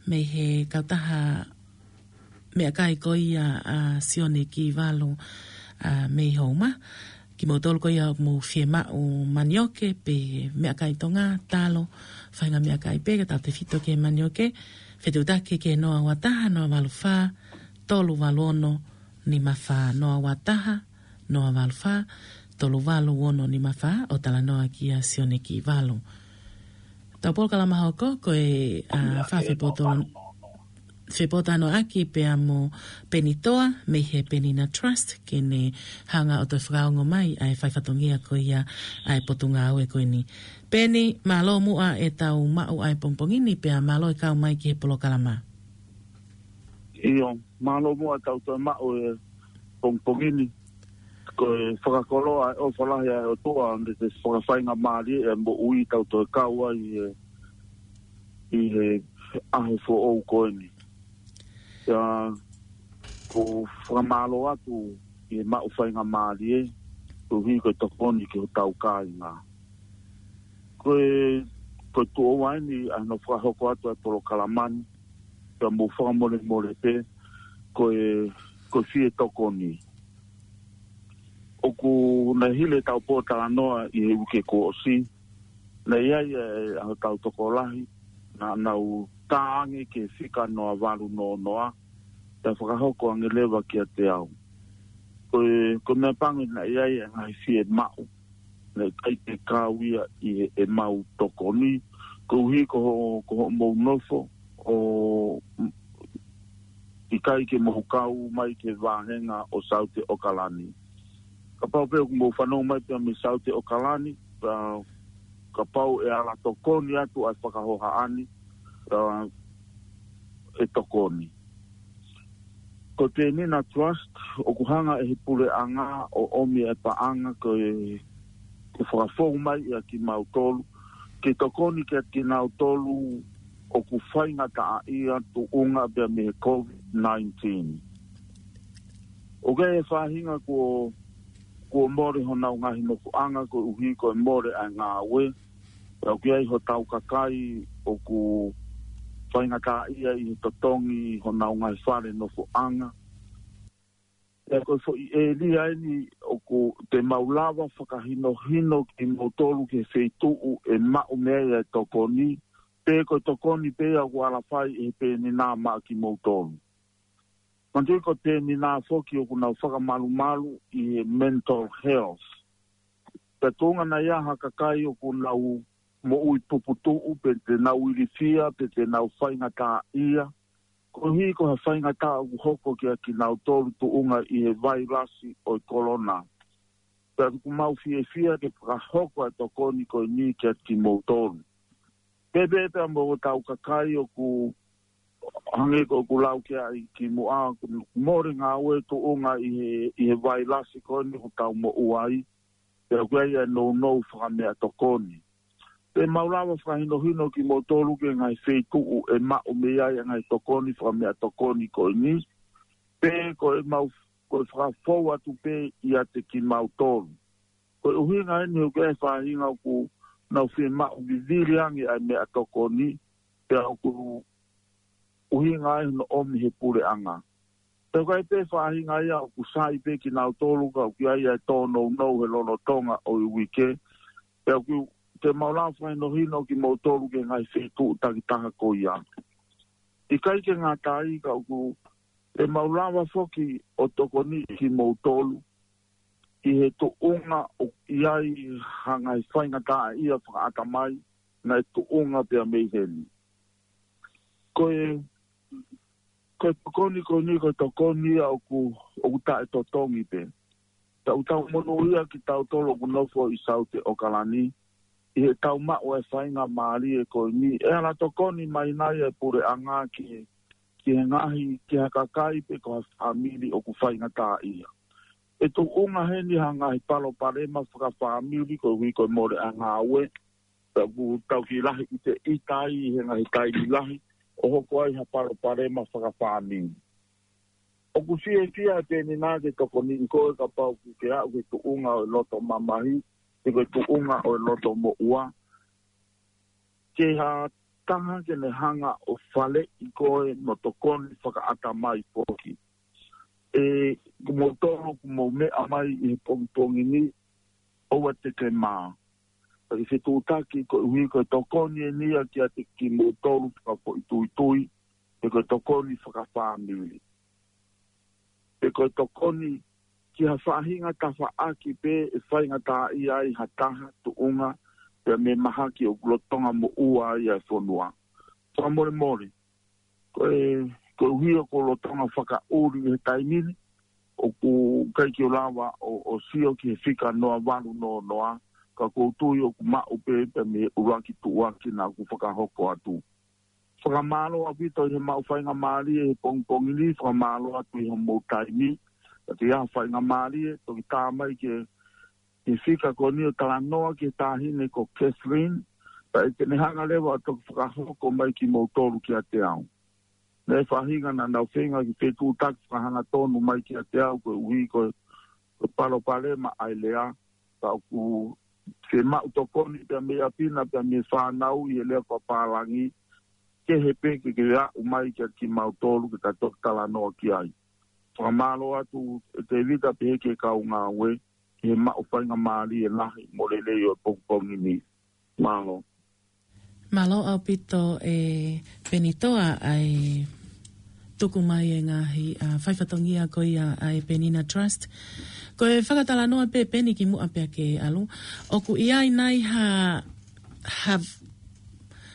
mei he kautaha meʻakai ko ia ʻa Sione Kivalu, ʻa, mei Houma. Kimoutolu ko ia ʻoku mou fiemaʻu manioke pe meʻakai Tonga, talo, faʻahinga meʻakai pē, ka tautefito ki he manioke, fetuʻutaki ki he noa ua taha, noa valu fā, tolu valu ono, nima fā, noa ua taha, noa valu fā, tolu valu ono nima fā, ʻo talanoa kia Sione Kivalu. Tau polokalama hoko, ko e, ʻa, fā fepoto-, fepotuʻanoʻaki pea mo Peni Toa, mei he Penina Trust, ke ne hanga ʻo toe fakaongo mai ʻa e fai fatongia ko ia ʻa e potungāue ko eni. Peni, mālō muʻa e tau maʻu ʻa e pongipongi ni pea mālō e kau mai ki he polokalama. ʻIo, mālō muʻa tau toe maʻu e pongipongi ni. Ko e fakakoloa e ʻofa lahi ʻa e ʻOtua, ʻa e fakafaingamālie e moʻui tau toe kau ai ʻi he, ʻi he ʻaho foʻou ko eni. ʻIo, ʻoku ou fakamālō atu ʻi he maʻu faingamālie, koeʻuhi ko e tokoni ki hotau kāinga. Ko e, ko e tuʻo ua eni ʻa hono fakahoko atu ʻa e polokalama ni, ka mou fakamolemole pē, ko e, ko e fie tokoni. ʻOku nau hili ʻetau pōtalanoa ʻi he uike kuo ʻosi, naʻe ʻi ai e, ʻa hotau tokolahi, naʻa nau tā ange ki he fika noa valu noa noa, pea fakahoko ange leva kiate au. Ko e, ko e meʻa pango naʻe ʻi ai e ngaahi fiemaʻu, naʻe ʻikai ke kau ia ʻi he, ʻemau tokoni, koeʻuhi ko ho, ko hoʻomou nofo, ʻo, ʻikai ke mou kau mai ki he vāhenga ʻo Saute ʻAokalani. Kapau pē ʻoku mou fanongo mai pē mei Saute ʻAokalani, ka, kapau ʻe ala tokoni atu ʻa e fakahohaʻa ni, ka ʻe tokoni. Ko e Penina Trust, ʻoku hanga ʻe he puleʻanga ʻo ʻomi e paʻanga ko e, ko e fakafou mai ʻia kimautolu, ke tokoni kiate kinautolu ʻoku faingataʻaʻia tuʻunga pea mei he COVID nineteen. ʻOku ʻi ai e faʻahinga kuo, kuo mole honau ngaahi nofoʻanga koeʻuhi ko e mole ʻa e ngāue. Pea ʻoku ʻi ai hotau kakai ʻoku faingataʻaʻia ʻi he totongi honau ngaahi fale nofoʻanga. Pea ko e foʻi ʻēlia eni ʻoku te mau lava fakahinohino kimoutolu ki he feituʻu ʻe maʻu mei ai e tokoni, pe ko e tokoni pē ia ʻoku ala fai ʻe he Penina maʻa kimoutolu. Manatuʻi ko e Penina foki ʻoku nau fakamalumalu ʻi he mental health. Pea tuʻunga naʻe ʻi ai ha kakai ʻoku nau moʻui puputuʻu, pe te nau ilifia, pe te nau faingataʻaʻia. Koeʻuhi ko ha faingataʻa ʻoku hoko kiate kinautolu tuʻunga ʻi he vailasi ʻo e kolona. Pea ʻoku mau fiefia ke fakahoko e tokoni ko eni kiate kimoutolu. Pea pehē pea mo hotau kakai ʻoku hangē ko ʻeku lau ki ai kimuʻa, ʻoku mole ngāue tuʻunga ʻi he, ʻi he vailasi ko eni ʻoku tau moʻua ai. Pea ʻoku ʻi ai e nounou fakameʻatokoni. Te mau lava fakahinohino kimoutolu ki he ngaahi feituʻu ʻe maʻu mei ai e ngaahi tokoni fakameʻatokoni ko eni. Pe ko e mau, ko e fakafou atu pē ʻiate kimautolu. Ko e ʻuhinga eni ʻoku ʻi ai e faʻahinga ʻoku nau fiemaʻu vivili ange ʻa e meʻatokoni, pea ʻoku ʻuhinga ai hono ʻomi he puleʻanga. Pea ʻoku ʻi ai pē faʻahinga ia ʻoku sai pē kinautolu ka ʻoku ʻi ai e tōnounou he lolotonga ʻo e uike. Pea ʻoku te mau lava fakahinohino kimoutolu ki he ngaahi feituʻu takitaha ko ia. ʻIkai ke ngata ai ka ʻoku te mau lava foki ʻo tokoniʻi kimoutolu ʻi he tuʻunga ʻoku ʻi ai ha ngaahi faingataʻaʻia fakaʻatamai naʻe tuʻunga pea mei heni. Ko e, ko e tokoni ko eni, ko e tokoni ia ʻoku, ʻoku taʻetotongi pē. Tau tau monūʻia kitautolu ʻoku nofo ʻi Saute ʻAokalani, ʻi heʻetau maʻu e faingamālie ko eni, ʻe ala tokoni mai nai e puleʻanga ki, ki he ngaahi, ki ha kakai pe ko ha fāmili ʻoku faingataʻaʻia. ʻE tuʻunga heni ha ngaahi palopalema fakafāmili koeʻuhi ko e mole ʻa e ngāue. Pea ʻoku tau kiʻi lahi ʻiteʻita ai he ngaahi taimi lahi ʻo hoko ai ha palopalema fakafāmili. ʻOku fiefia e Penina ke tokoniʻi koe kapau ʻoku ke aʻu ki he tuʻunga ʻo e loto mamahi, pe ko e tuʻunga ʻo e loto moʻua, ke ha taha ke ne hanga ʻo faleʻi koe mo tokoni fakaʻatamai foki. ʻE, ko moutolu ʻoku mou meʻa mai ʻi he pongipongi ni, ʻoua te ke mā. Pea ke fetuʻutaki koeʻuhi ko e tokoni eni ia kiate kimoutolu fakafoʻituitui, pe ko e tokoni fakafāmili, pe ko e tokoni ki ha faʻahinga tafaʻaki pē ʻe faingataʻaʻia ai ha taha, tuʻunga, pea mo e mahaki ʻoku lolotonga moʻua ai e fonua. Fakamolemole, ko e, koeʻuhi ʻoku ou lolotonga fakaʻuli he taimi ni, ʻoku ʻikai ke u lava ʻo, ʻo sio ki he fika noa valu noa noa, ka ʻoku ou tui ʻoku maʻu pē pea mo e ʻuluaki tuʻuaki naʻa ku fakahoko atu. Fakamālō ʻaupito ʻi he maʻu faingamālie he pongipongi ni, fakamālō atu ʻi hoʻomou taimi, ka te ʻi ai ha faingamālie, toki tā mai ke, ke fika ko eni ʻo talanoa ki he taʻahine ko Kathleen, pea ʻe te ne hanga leva ʻo toki fakahoko mai kimoutolu kiate au. Naʻe faʻahinga naʻa nau feinga ke fetuʻutaki fakahangatonu mai kiate au koeʻuhi ko e, ko e palopalema ʻa e lea, ka ʻoku fiemaʻu tokoni pea mei ʻapi na pea mei he fānau ʻi he lea fakapālangi, kehe pē ke ke aʻu mai kiate kimautolu ke ta toki talanoa ki ai. Fakamālō atu ʻe Tēvita pehē ki he kau ngāue, ki he maʻu faingamālie lahi mo lelei ʻo e pongipongi ni. Mālō. Mālō ʻaupito ʻe Penitoa ʻa e tuku mai e ngaahi, ʻa, faifatongia ko ia ʻa e Penina Trust. Ko e fakatalanoa pē Peni kimuʻa pea ke ʻalu. ʻOku ʻi ai nai ha, ha,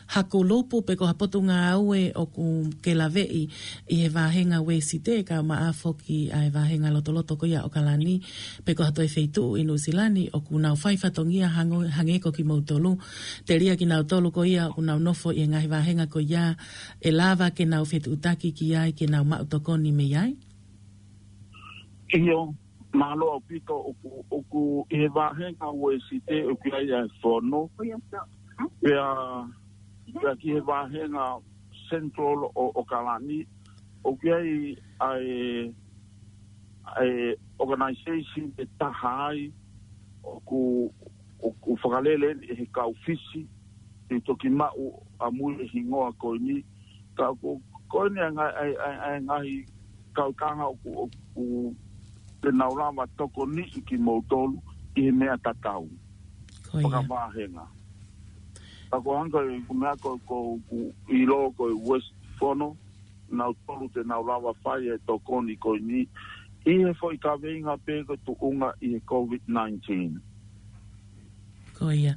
ha kulupu pe ko ha potungāue ʻoku ke laveʻi ʻi he vāhenga Uēsite kae ʻumaʻā foki ʻa e vāhenga lotoloto ko ia ʻOkalani, pe ko ha toe feituʻu ʻi Nuʻusila ni ʻoku nau faifatongia hango-, hangē ko kimoutolu. Telia kinautolu ko ia ʻoku nau nofo ʻi he ngaahi vāhenga ko ia ʻe lava ke nau fetuʻutaki ki ai ke nau maʻu tokoni mei ai. ʻIo, mālō ʻaupito ʻoku, ʻoku ʻi he vāhenga Uēsite ʻoku ʻi ai ʻa e fono. Pea, pea ki he vāhenga Central ʻo, ʻOkalani, ʻoku ʻi ai ʻa e, ʻa e organization ʻe taha ai, ʻoku, ʻoku fakalele ʻe he kau Fisi, ʻe toki maʻu ʻamui e hingoa ko eni, ka ko, ko eni ʻa e ngaahi, ʻa e, ʻa e ngaahi kautaha ʻoku, ʻoku te nau lava tokoniʻi kimoutolu ʻi he meʻa tatau. Ko ia. Fakavāhenga. Ka ko e hangē ko e meʻa ko, ko, ʻoku ʻilo ko e West Fono, nautolu te nau lava fai e tokoni ko eni, ʻi he foʻi kaveinga pē ko e tuʻunga ʻi he COVID nineteen. Ko ia.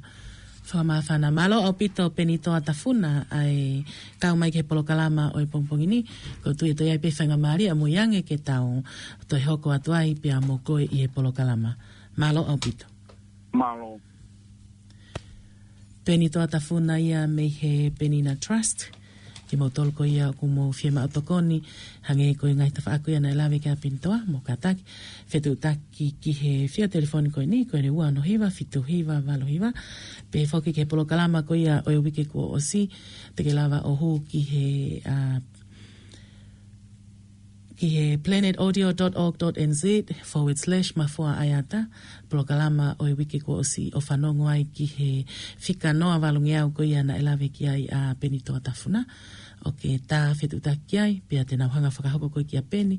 Fakamāfana. Mālō ʻaupito Penitoa Tafuna ʻa e kau mai ki he polokalama ʻo e pongipongi ni. ʻOku ou tui ʻe toe ʻi ai pē faingamālie ʻamui ange ke tau toe hoko atu ai pea mo koe ʻi he polokalama. Mālō ʻaupito. Mālō. Penitoa Tafuna ia mei he Penina Trust. Kimoutolu ko ia ʻoku mou fiemaʻu tokoni, hangē ko e ngaahi tafaʻaki ia naʻe lave ki ai ʻa Penitoa, mou kātaki fetuʻutaki ki he fika telefoni ko eni, ko e ua ono hiva fitu hiva valu hiva. Pehē foki ki he polokalama ko ia ʻo e uike kuo ʻosi, te ke lava ʻo hū ki he, ʻa, ki he planetaudio dot org dot N Z forward slash Mafua ʻAeata, polokalama ʻo e uike kuo ʻosi ʻo fanongo ai ki he fika noa valungeau ko ia naʻe lave ki ai ʻa Penitoa Tafuna. ʻOku ke tā fetuʻutaki ai, pea te nau hanga fakahoko koe kia Peni,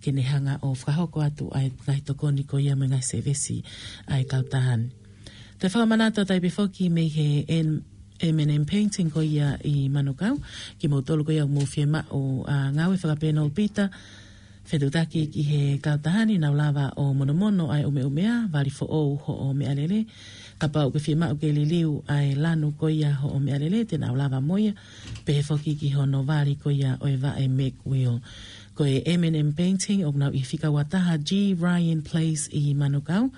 ke ne hanga ʻo fakahoko atu ʻa e ngaahi tokoni ko ia mo e ngaahi sēvesi ʻa e kautaha ni. Te fakamanatu atu ai pē foki mei he M-, M and M Painting ko ia ʻi Manukau, kimoutolu ko ia ʻoku mou fiemaʻu, ʻa, ngāue fakapēnopita, fetuʻutaki ki he kautaha ni, nau lava ʻo monomono ʻa e ʻumeʻumea, vali foʻou hoʻo meʻalele, kapau ʻoku ke fiemaʻu ke liliu ʻa e lanu ko ia hoʻo meʻalele, te nau lava mo ia, pehē foki ki hono vali ko ia ʻo e vaʻe Meg Wheel. Ko e M and M Painting, ʻoku nau ʻi he fika ua taha G Ryan Place ʻi Manukau,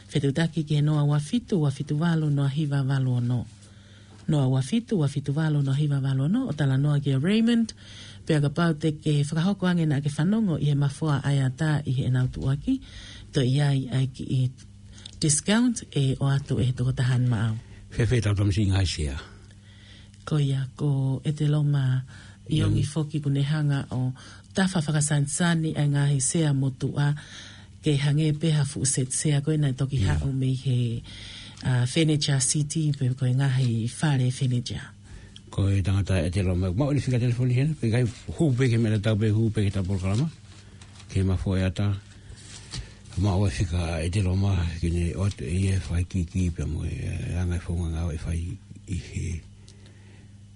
fetuʻutaki ki he noa ua fitu, ua fitu valu, noa hiva valu ono. Noa ua fitu, ua fitu valu, noa hiva valu ono, ʻo talanoa kia Raymond, pea kapau te ke fakahoko ange naʻa ke fanongo ʻi he Mafua ʻAeata ʻi heʻenau tuʻuaki, toe ʻi ai ʻa e kiʻi discount ʻe ʻoatu ʻe he tokotaha ni maʻau. Pea fē tau tamasiʻi ngaahi sea? Ko ia, ko ʻEteloma ʻIongi foki kuo ne hanga ʻo tafa fakasanisani ʻa e ngaahi sea motuʻa ke hangē pē ha fuʻu seti sea ko ē naʻe toki haʻu mei he, ʻa, Furniture City pe ko e ngaahi fale furniture. Ko e tangata ʻEteloma, maʻu ʻene fika telefoni hena, pe ʻikai, hū pē ki he meʻa naʻa tau pehē, hū pē ki heʻeta polokalama, ki he Mafoe ʻAta. Maʻu e fika ʻEteloma ke ne ʻoatu ʻe ia e fakaʻikiki pea mo e, e anga e founga ngāue ʻe fai ʻi he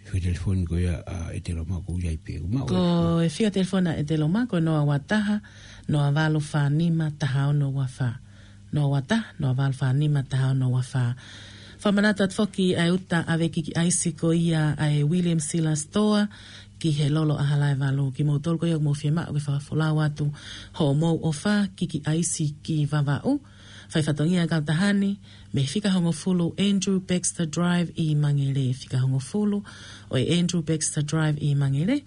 fika telefoni ko ia ʻa ʻEteloma, ko ia ai pē. Maʻu e fika telefoni ʻa ʻEteloma ko e noa ua taha, noa valu fā nima, taha ono ua fā. Noa ua taha, noa valu fā nima, taha ono ua fā. Fakamanatu atu foki ʻa e uta ʻave kiki ʻaisi ko ia ʻa e William Sila Store ki he Lolo ʻAhalaevalu. Kimoutolu ko ia ʻoku mou fiemaʻu ke fakafolau atu hoʻomou ʻofa kiki ʻaisi ki Vavaʻu, fai fatongia kautaha ni mei he fika hongofulu Andrew Baxter Drive ʻi Mangere, fika hongofulu ʻo e Andrew Baxter Drive ʻi Mangere.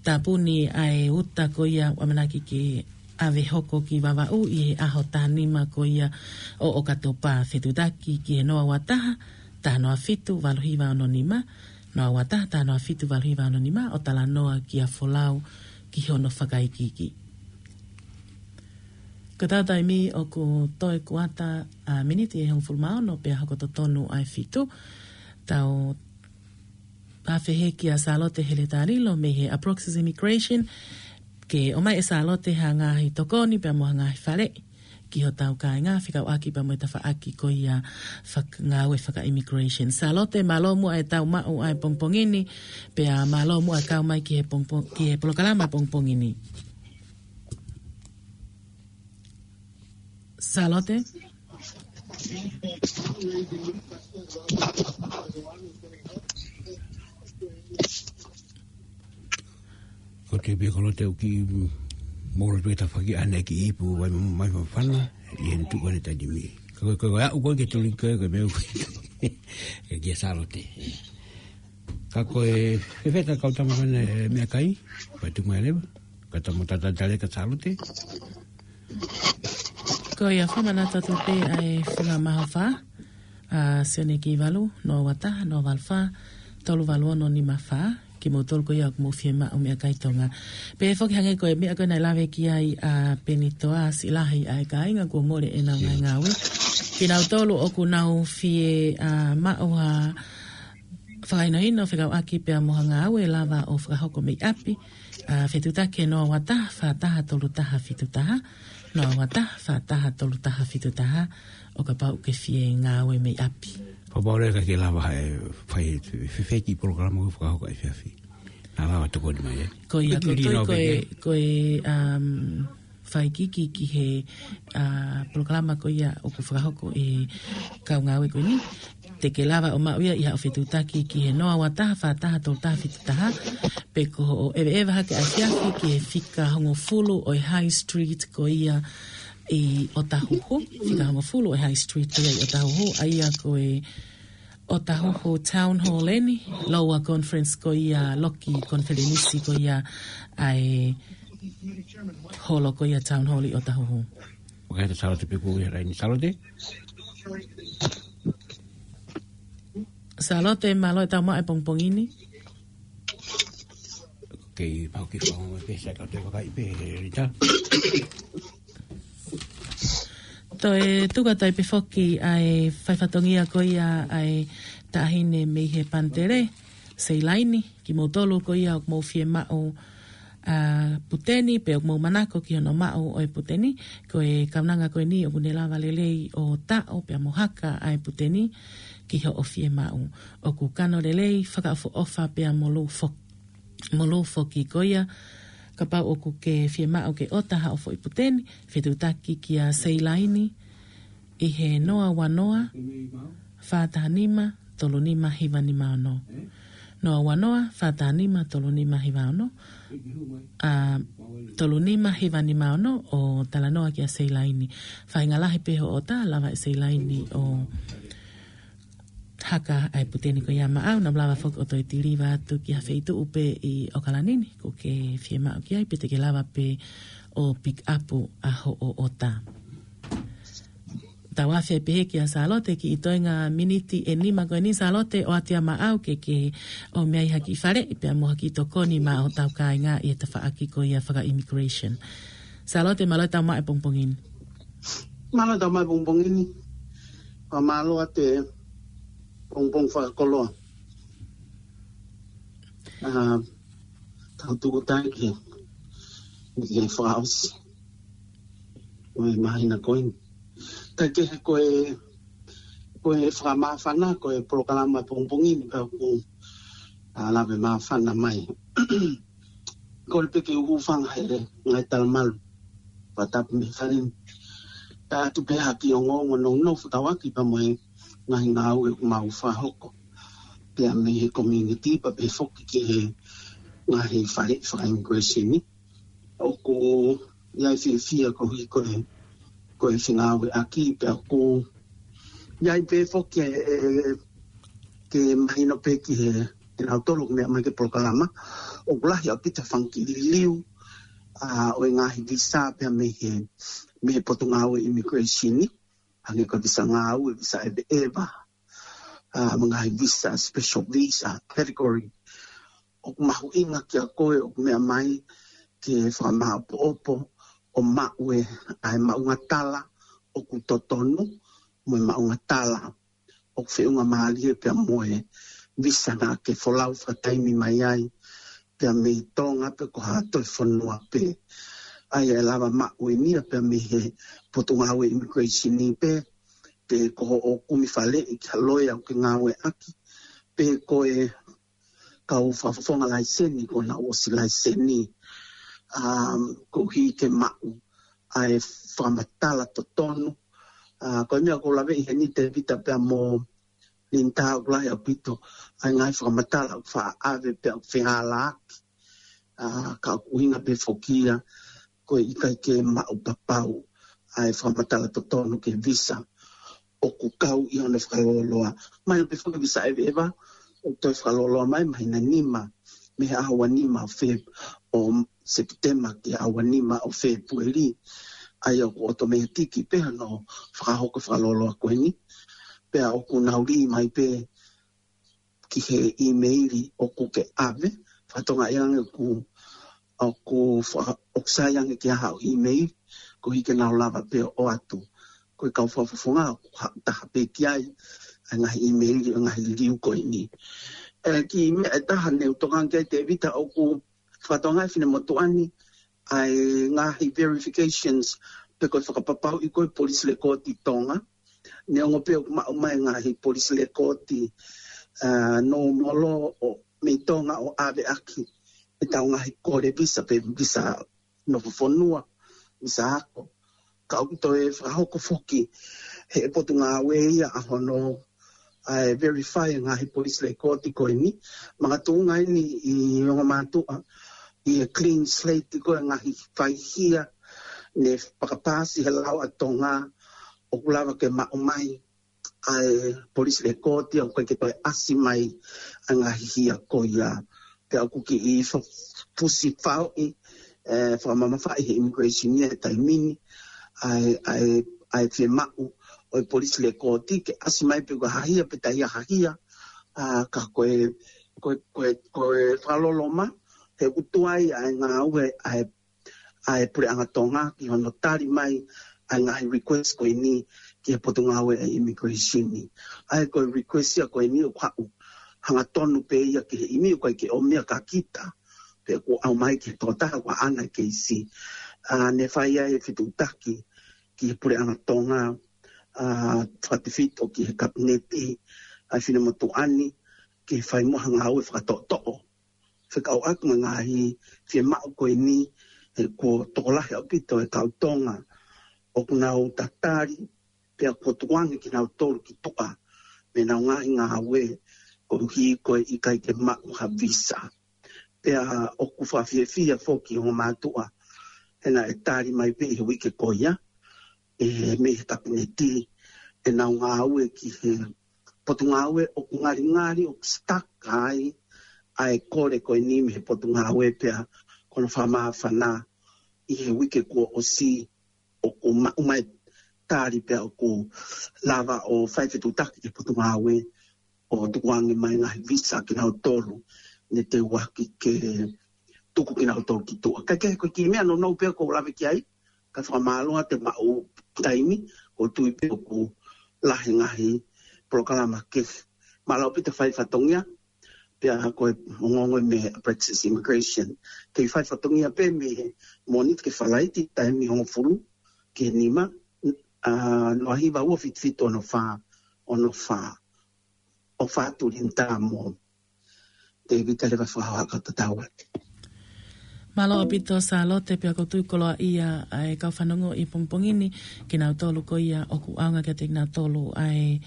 Tāpuni ʻa e uta ko ia ʻoku ʻamanaki ke ʻave hoko ki Vavaʻu ʻi he ʻaho taha nima ko ia ʻo ʻOkatopa. Fetuʻutaki ki he noa ua taha, taha noa fitu, valu hiva ono nima, noa ua taha, taha noa fitu, valu hiva ono nima, ʻo talanoa kia Folau ki hono fakaʻikiki. Ko ʻetau taimi ʻoku toe kuata, ʻa, miniti ʻe hongofulu mā ono pea hoko totonu ʻa e fitu. Tau ʻafehe kia Sālote Heletalilo mei he Approx's Immigration, ke ʻomai ʻe Sālote ha ngaahi tokoni pea mo ha ngaahi faleʻi ki hotau kāinga fekauʻaki pea mo e tafaʻaki ko ia fak-, ngāue faka-immigration. Sālote, mālō muʻa e tau maʻu ʻa e pongipongi ni, pea mālō muʻa e kau mai ki he pongpong-, ki he polokalama pongipongi ni. Sālote? Ko te pē Sālote ʻoku kiʻi molo pē tafaʻaki ʻene kiʻi ipu vai mai fafana, ʻi he tuku ʻene taimi. Ko, ko, ko, ʻa, ko ke tuli ko, ko meʻa ko, ke kia Sālote. Ka ko e, fēfē ʻeta kau tama ko ena, e, meʻakai, vai tuku mai leva, ka tau mo tatali atu kia Sālote. Ko ia, fakamanatu atu pē ʻa e funga mahofa, ʻa, Sione Kivalu, noa ua taha, noa valu fā, tolu valu ono nima fā, kimoutolu ko ia ʻoku mou fiemaʻu meʻakai Tonga. Pea foki hangē ko e meʻa ko ē naʻe lave ki ai ʻa Penitoa, siʻi lahi ʻa e kāinga kuo mole ʻenau ngaahi ngāue. Kinautolu ʻoku nau fie, ʻa, maʻu ha fakahinohino fekauʻaki pea mo ha ngāue ʻe lava ʻo fakahoko mei ʻapi, ʻa, fetuʻutaki ki he noa ua taha, fā taha tolu taha fitu taha, noa ua taha, fā taha tolu taha fitu taha, ʻo kapau ʻoku ke fie ngāue mei ʻapi. Kapau leva ʻoku ke lava ʻe fai e fefeki polokalama ʻoku fakahoko ʻi he efiafi, naʻa lava tokoni mai, ē? Ko ia, ko e, ko e, um, fakaʻikiki ki he, ʻa, polokalama ko ia ʻoku fakahoko ʻe he kau ngāue ko eni. Te ke lava ʻo maʻu ia ʻi haʻo fetuʻutaki ki he noa ua taha, fā taha tolu taha fitu taha, pe ko hoʻo ʻeveʻeva hake ʻa e efiafi ki he fika hongofulu ʻo e High Street ko ia ʻi ʻOtahuhu, fika hongofulu ʻo e High Street ko ia ʻi ʻOtahuhu, ʻa ia ko e ʻOtahuhu Town Hall eni, Lower Conference ko ia, loki konifelenisi ko ia ʻa e holo ko ia Town Hall ʻi ʻOtahuhu. ʻOku ʻi ai ʻeta Sālote pē ʻoku ʻi he laini, Sālote? Sālote, mālō e tau maʻu e pongipongi ni. Kei pau ki fau pē, sai ka te vakai pē, Rita. Toe tuku atu ai pē foki ʻa e fai fatongia ko ia ʻa e taʻahine mei he Pantere, Seilaini, kimoutolu ko ia ʻoku mou fiemaʻu, ʻa, puteni, pe ʻoku mou manako ki hono maʻu ʻo e puteni, ko e kaunanga ko eni ʻoku ne lava lelei ʻo taʻo pea mo haka ʻa e puteni ki hoʻo fiemaʻu. ʻOku kano lelei, fakaʻofoʻofa pea mo lū fo-, mo lū foki ko ia, kapau ʻoku ke fiemaʻu ke ʻota haʻo foʻi puteni, fetuʻutaki kia Seilaini ʻi he noa ua noa, fā taha nima, tolu nima hiva nima ono. Noa ua noa, fā taha nima, tolu nima hiva ono. ʻA, tolu nima hiva nima ono, ʻo talanoa kia Seilaini. Faʻahinga lahi pē hoʻo ʻota, lava ʻe Seilaini ʻo haka ʻa e puteni ko ia maʻau, naʻa mo lava foki ʻo toe tiliva atu ki ha feituʻu pē ʻi ʻOkalani ni ʻoku ke fiemaʻu ki ai, pe te ke lava pē ʻo pick up ʻa hoʻo ʻota. Tau afe pehē kia Sālote ki he toenga miniti ʻe nima ko eni. Sālote, ʻoatu ia maʻau ke ke ʻomai ha kiʻi faleʻi pea mo ha kiʻi tokoni maʻa hotau kāinga ʻi he tafaʻaki ko ia faka-immigration. Sālote, mālō e tau maʻu e pongipongi ni. Mālō e tau maʻu e pongipongi ni. Fakamālō atu e pongipongi fakakoloa. ʻA, tau tuku taiki. Ni ke fakaʻosi. Ko e māhina ko eni. Kaikehe ko e, ko e fakamāfana, ko e polokalama pongipongi ni pea ʻoku, ʻa, lave māfana mai. Ko le peke uhu fanga hele, ngaahi talamalu. Fakatapu mei fale ni. Tau atu pē ha kiʻi ongoongo nounou fakatauʻaki pea mo e ngaahi ngāue ʻoku mau fakahoko. Pea mei he community, pea pehē foki ki he ngaahi fale faka-immigration ni. ʻOku ʻi ai e fiefia koeʻuhi ko e, ko e fengāueʻaki pea ʻoku ʻi ai pē foki e, e, ke mahino pē ki he, kinautolu ʻoku meʻa mai ki he polokalama. ʻOku lahi ʻaupito e fanga kiʻi liliu, ʻa, ʻo e ngaahi visa pea mei he, mei he Potungāue Immigration ni. Hangē ko e visa ngāue, visa ʻeveʻeva, ʻa, mo e ngaahi visa, special visa category. ʻOku mahuʻinga kiate koe ʻoku meʻa mai ke fakamāʻopoʻopo ʻo maʻu e, ʻa e maʻunga tala ʻoku totonu, mo e maʻunga tala ʻoku feʻunga mālie pea mo e visa naʻa ke folau fakataimi mai ai, pea mei Tonga pe ko ha toe fonua pē. ʻA ia ʻe lava maʻu eni ia pea mei he Potungāue Immigration ni pē, pe ko hoʻo kumi faleʻi ki ha loea ʻoku ke ngāueʻaki, pe ko e kau fakafofonga laiseni, ko ena ʻosi laiseni, um, koeʻuhi ke maʻu ʻa e fakamatala totonu. ʻA, ko e meʻa ʻoku ou laveʻi heni Tēvita pea mo Linda, ʻoku lahi ʻaupito ʻa e ngaahi fakamatala ʻoku faʻa ʻave pea ʻoku fehālaaki. ʻA, ka ʻoku ʻuhinga pē foki ia, ko e ʻikai ke maʻu papau ʻa e fakamatala totonu ki he visa ʻoku kau ʻi hono fakalōloa. Mahino pē foki visa ʻeveʻeva, ʻoku toe fakalōloa mai, māhina nima, mei he ʻaho ua nima ʻo Feb-, ʻo Sepitema ki he ʻaho ua nima ʻo Fēpueli. ʻA ia ʻoku ʻotomētiki pē hono fakahoko e fakalōloa ko eni. Pea ʻoku nau lī mai pē ki he ʻīmeili ʻoku ke ʻave, fakatokangaʻi ange ʻoku, ʻoku fa-, ʻoku sai ange ke ʻi ai haʻo ʻīmeili, koeʻuhi ke nau lava pē ʻo ʻoatu. Ko e kau fakafofonga ʻoku haʻu taha pē ki ai, ʻa e ngaahi ʻīmeili, ʻa e ngaahi liliu ko eni. ʻE, kiʻi meʻa ʻe taha ne u tokanga ki ai Tēvita, ʻoku fakatokangaʻi e finemotuʻa ni ʻa e ngaahi verifications pe ko e fakapapauʻi ko e Police Record ʻi Tonga. Neongo pē ʻoku maʻu mai e ngaahi Police Record, ʻa, nōmolo ʻo mei Tonga ʻo ʻaveʻaki ʻetau ngaahi kole visa pe visa nofo fonua, visa ako. Ka ʻoku toe fakahoko foki ʻe he Potungāue ia ʻa hono, ʻa e verify e ngaahi Police Record ko eni. Makatuʻunga eni ʻi ongo mātuʻa, ʻi he clean slate ko e ngaahi faihia ne fakapaasi he lao ʻa Tonga ʻoku lava ke maʻu mai ʻa e Police Record ia, ʻoku ʻikai ke toe ʻasi mai ʻa e ngaahi hia ko ia. Pea ʻoku kiʻi fa-, fusi faoʻi, ʻe, fakamamafaʻi ʻe he Immigration ia he taimi ni ʻa e, ʻa e, ʻa e fiemaʻu ʻo e Police Record ke ʻasi mai pe ko e hā e hia pe taʻe ʻi ai ha hia. ʻA, ka ko e, ko e, ko e, ko e fakaloloma, he ʻoku tuai ʻa e ngāue ʻa e ʻa e Puleʻanga Tonga ki hono tali mai ʻa e ngaahi request ko eni ki he Potungāue ʻa e Immigration ni. ʻA e ko e request ia ko eni ʻoku haʻu hangatonu pē ia ki he ʻimi, ʻoku ʻikai ke ʻomi ia kia kita, pe ʻoku ʻomai ki he tokotaha ʻoku ʻaʻana e keisi. ʻA, ne fai ai e fetuʻutaki ki he Puleʻanga Tonga, ʻa, fakatefito ki he Kapineti ʻa e finemotuʻa ni, ke fai mo ha ngāue fakatoʻotoʻo fekauʻaki mo e ngaahi fiemaʻu ko eni, he kuo tokolahi ʻaupito e kau Tonga ʻoku nau tatali, pea kuo tukuange kinautolu ki tuʻa mei heʻenau ngaahi ngāue koeʻuhi ko e ʻikai ke maʻu ha visa. Pea ʻoku fakafiefia foki ongo mātuʻa he naʻe tali mai pē ʻi he uike ko ia ʻe, mei he Kapineti ʻenau ngāue ki he Potungāue ʻoku ngalingali ʻoku stuck ai ʻa e kole ko eni mei he Potungāue, pea ko hono fakamāfana ʻi he uike kuo ʻosi ʻoku maʻu mai tali pea ʻoku lava ʻo fai fetuʻutaki ki he potungāue ʻo tukuange mai ngaahi visa kinautolu ne teuaki ke tuku kinautolu ki tuʻa. Kae kehe ko e kiʻi meʻa nounou pē ʻoku ou lave ki ai, ka fakamālō atu e maʻu taimi, ʻoku ou tui pē ʻoku lahi ngaahi polokalama kehe. Mālō ʻaupito fai fatongia, pea ko e ongoongo mei he Praxis Immigration. Kei fai fatongia pē mei he Mōnite ki he Falaite, taimi hongofulu ki he nima, ʻa, noa hiva ua fitu fitu ono fā, ono fā. ʻOfa atu Linda mo David, ʻe lava fakahoha kau tatau atu. Mālō ʻaupito Sālote, pea ʻoku ou tui koloaʻia ʻa e kau fanongo ʻi he pongipongi ni, kinautolu ko ia ʻoku ʻaonga kiate kinautolu ʻa e,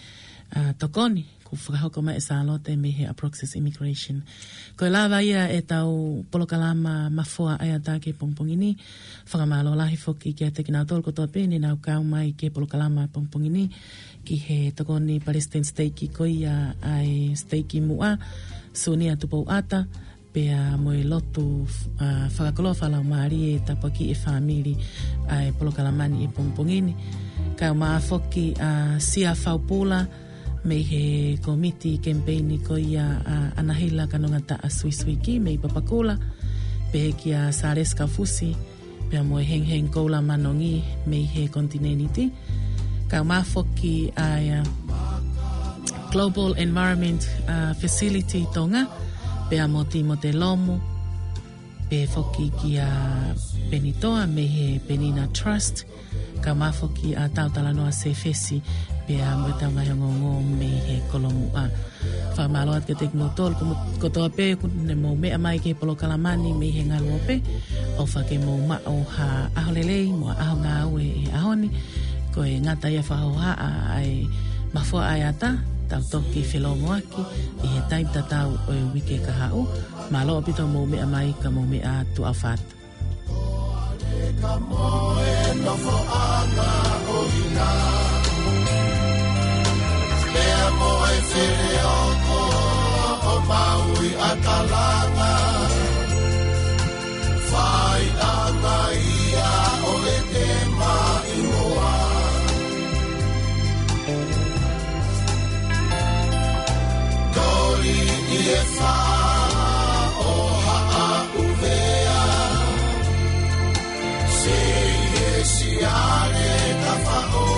ʻa, tokoni kuo fakahoko mai ʻe Sālote mei he Aproxis Immigration. Ko e lava ia ʻetau polokalama Mafoa ʻAeata ki he pongipongi ni. Fakamālō lahi foki kiate kinautolu kotoa pē ne nau kau mai ki he polokalama pongipongi ni, ki he tokoni palesiteni siteiki ko ia ʻa e siteiki muʻa, Sunia Tupouata, pea mo e lotu, ʻa, fakakoloa fakalaumālie, tāpuakiʻi e fāmili ʻa e polokalama ni ʻi he pongipongi ni. Kau mai foki ʻa Sia Faupula mei he komiti kemipeini ko ia ʻa ʻAnahila Kanongataʻa Suisuiki mei Papakura, pehē kia Sālesi Kaufusi, pea mo e Hengheng Koula Manongi mei he konitinēniti. Kau mai foki ʻa e, ʻa, Global Environment, ʻa, Facility Tonga, pea mo Timote Lomu, pehē foki kia Penitoa mei he Penina Trust, kau mai foki ʻa Tautalanoa Sefesi, pea mo e tau ngaahi ongoongo mei he Kolomuʻa. Fakamālō atu kiate kimoutolu ko-, kotoa pē ʻoku ne mou meʻa mai ki he polokalama ni mei he ngaluope. ʻOfa ke mou maʻu ha ʻaho lelei mo ha ʻaho ngāue he ʻaho ni. Ko e ngata ia fakahohaʻa ʻa e Mafoa ʻAeata, tau toki felōngoaki ʻi he taimi tatau ʻo e uike kahaʻu. Mālō ʻaupito mou meʻa mai, ka mou meʻa atu, ʻofa atu. Ka mo e nofoʻanga ʻo ina. Lea mo e feleoko ʻo Maui ʻa Talanga. Faiʻanga ia ʻo e te maʻimoa. Toli ʻi he fā ʻo Haʻaʻuvea. Sei e siale ka fā ʻo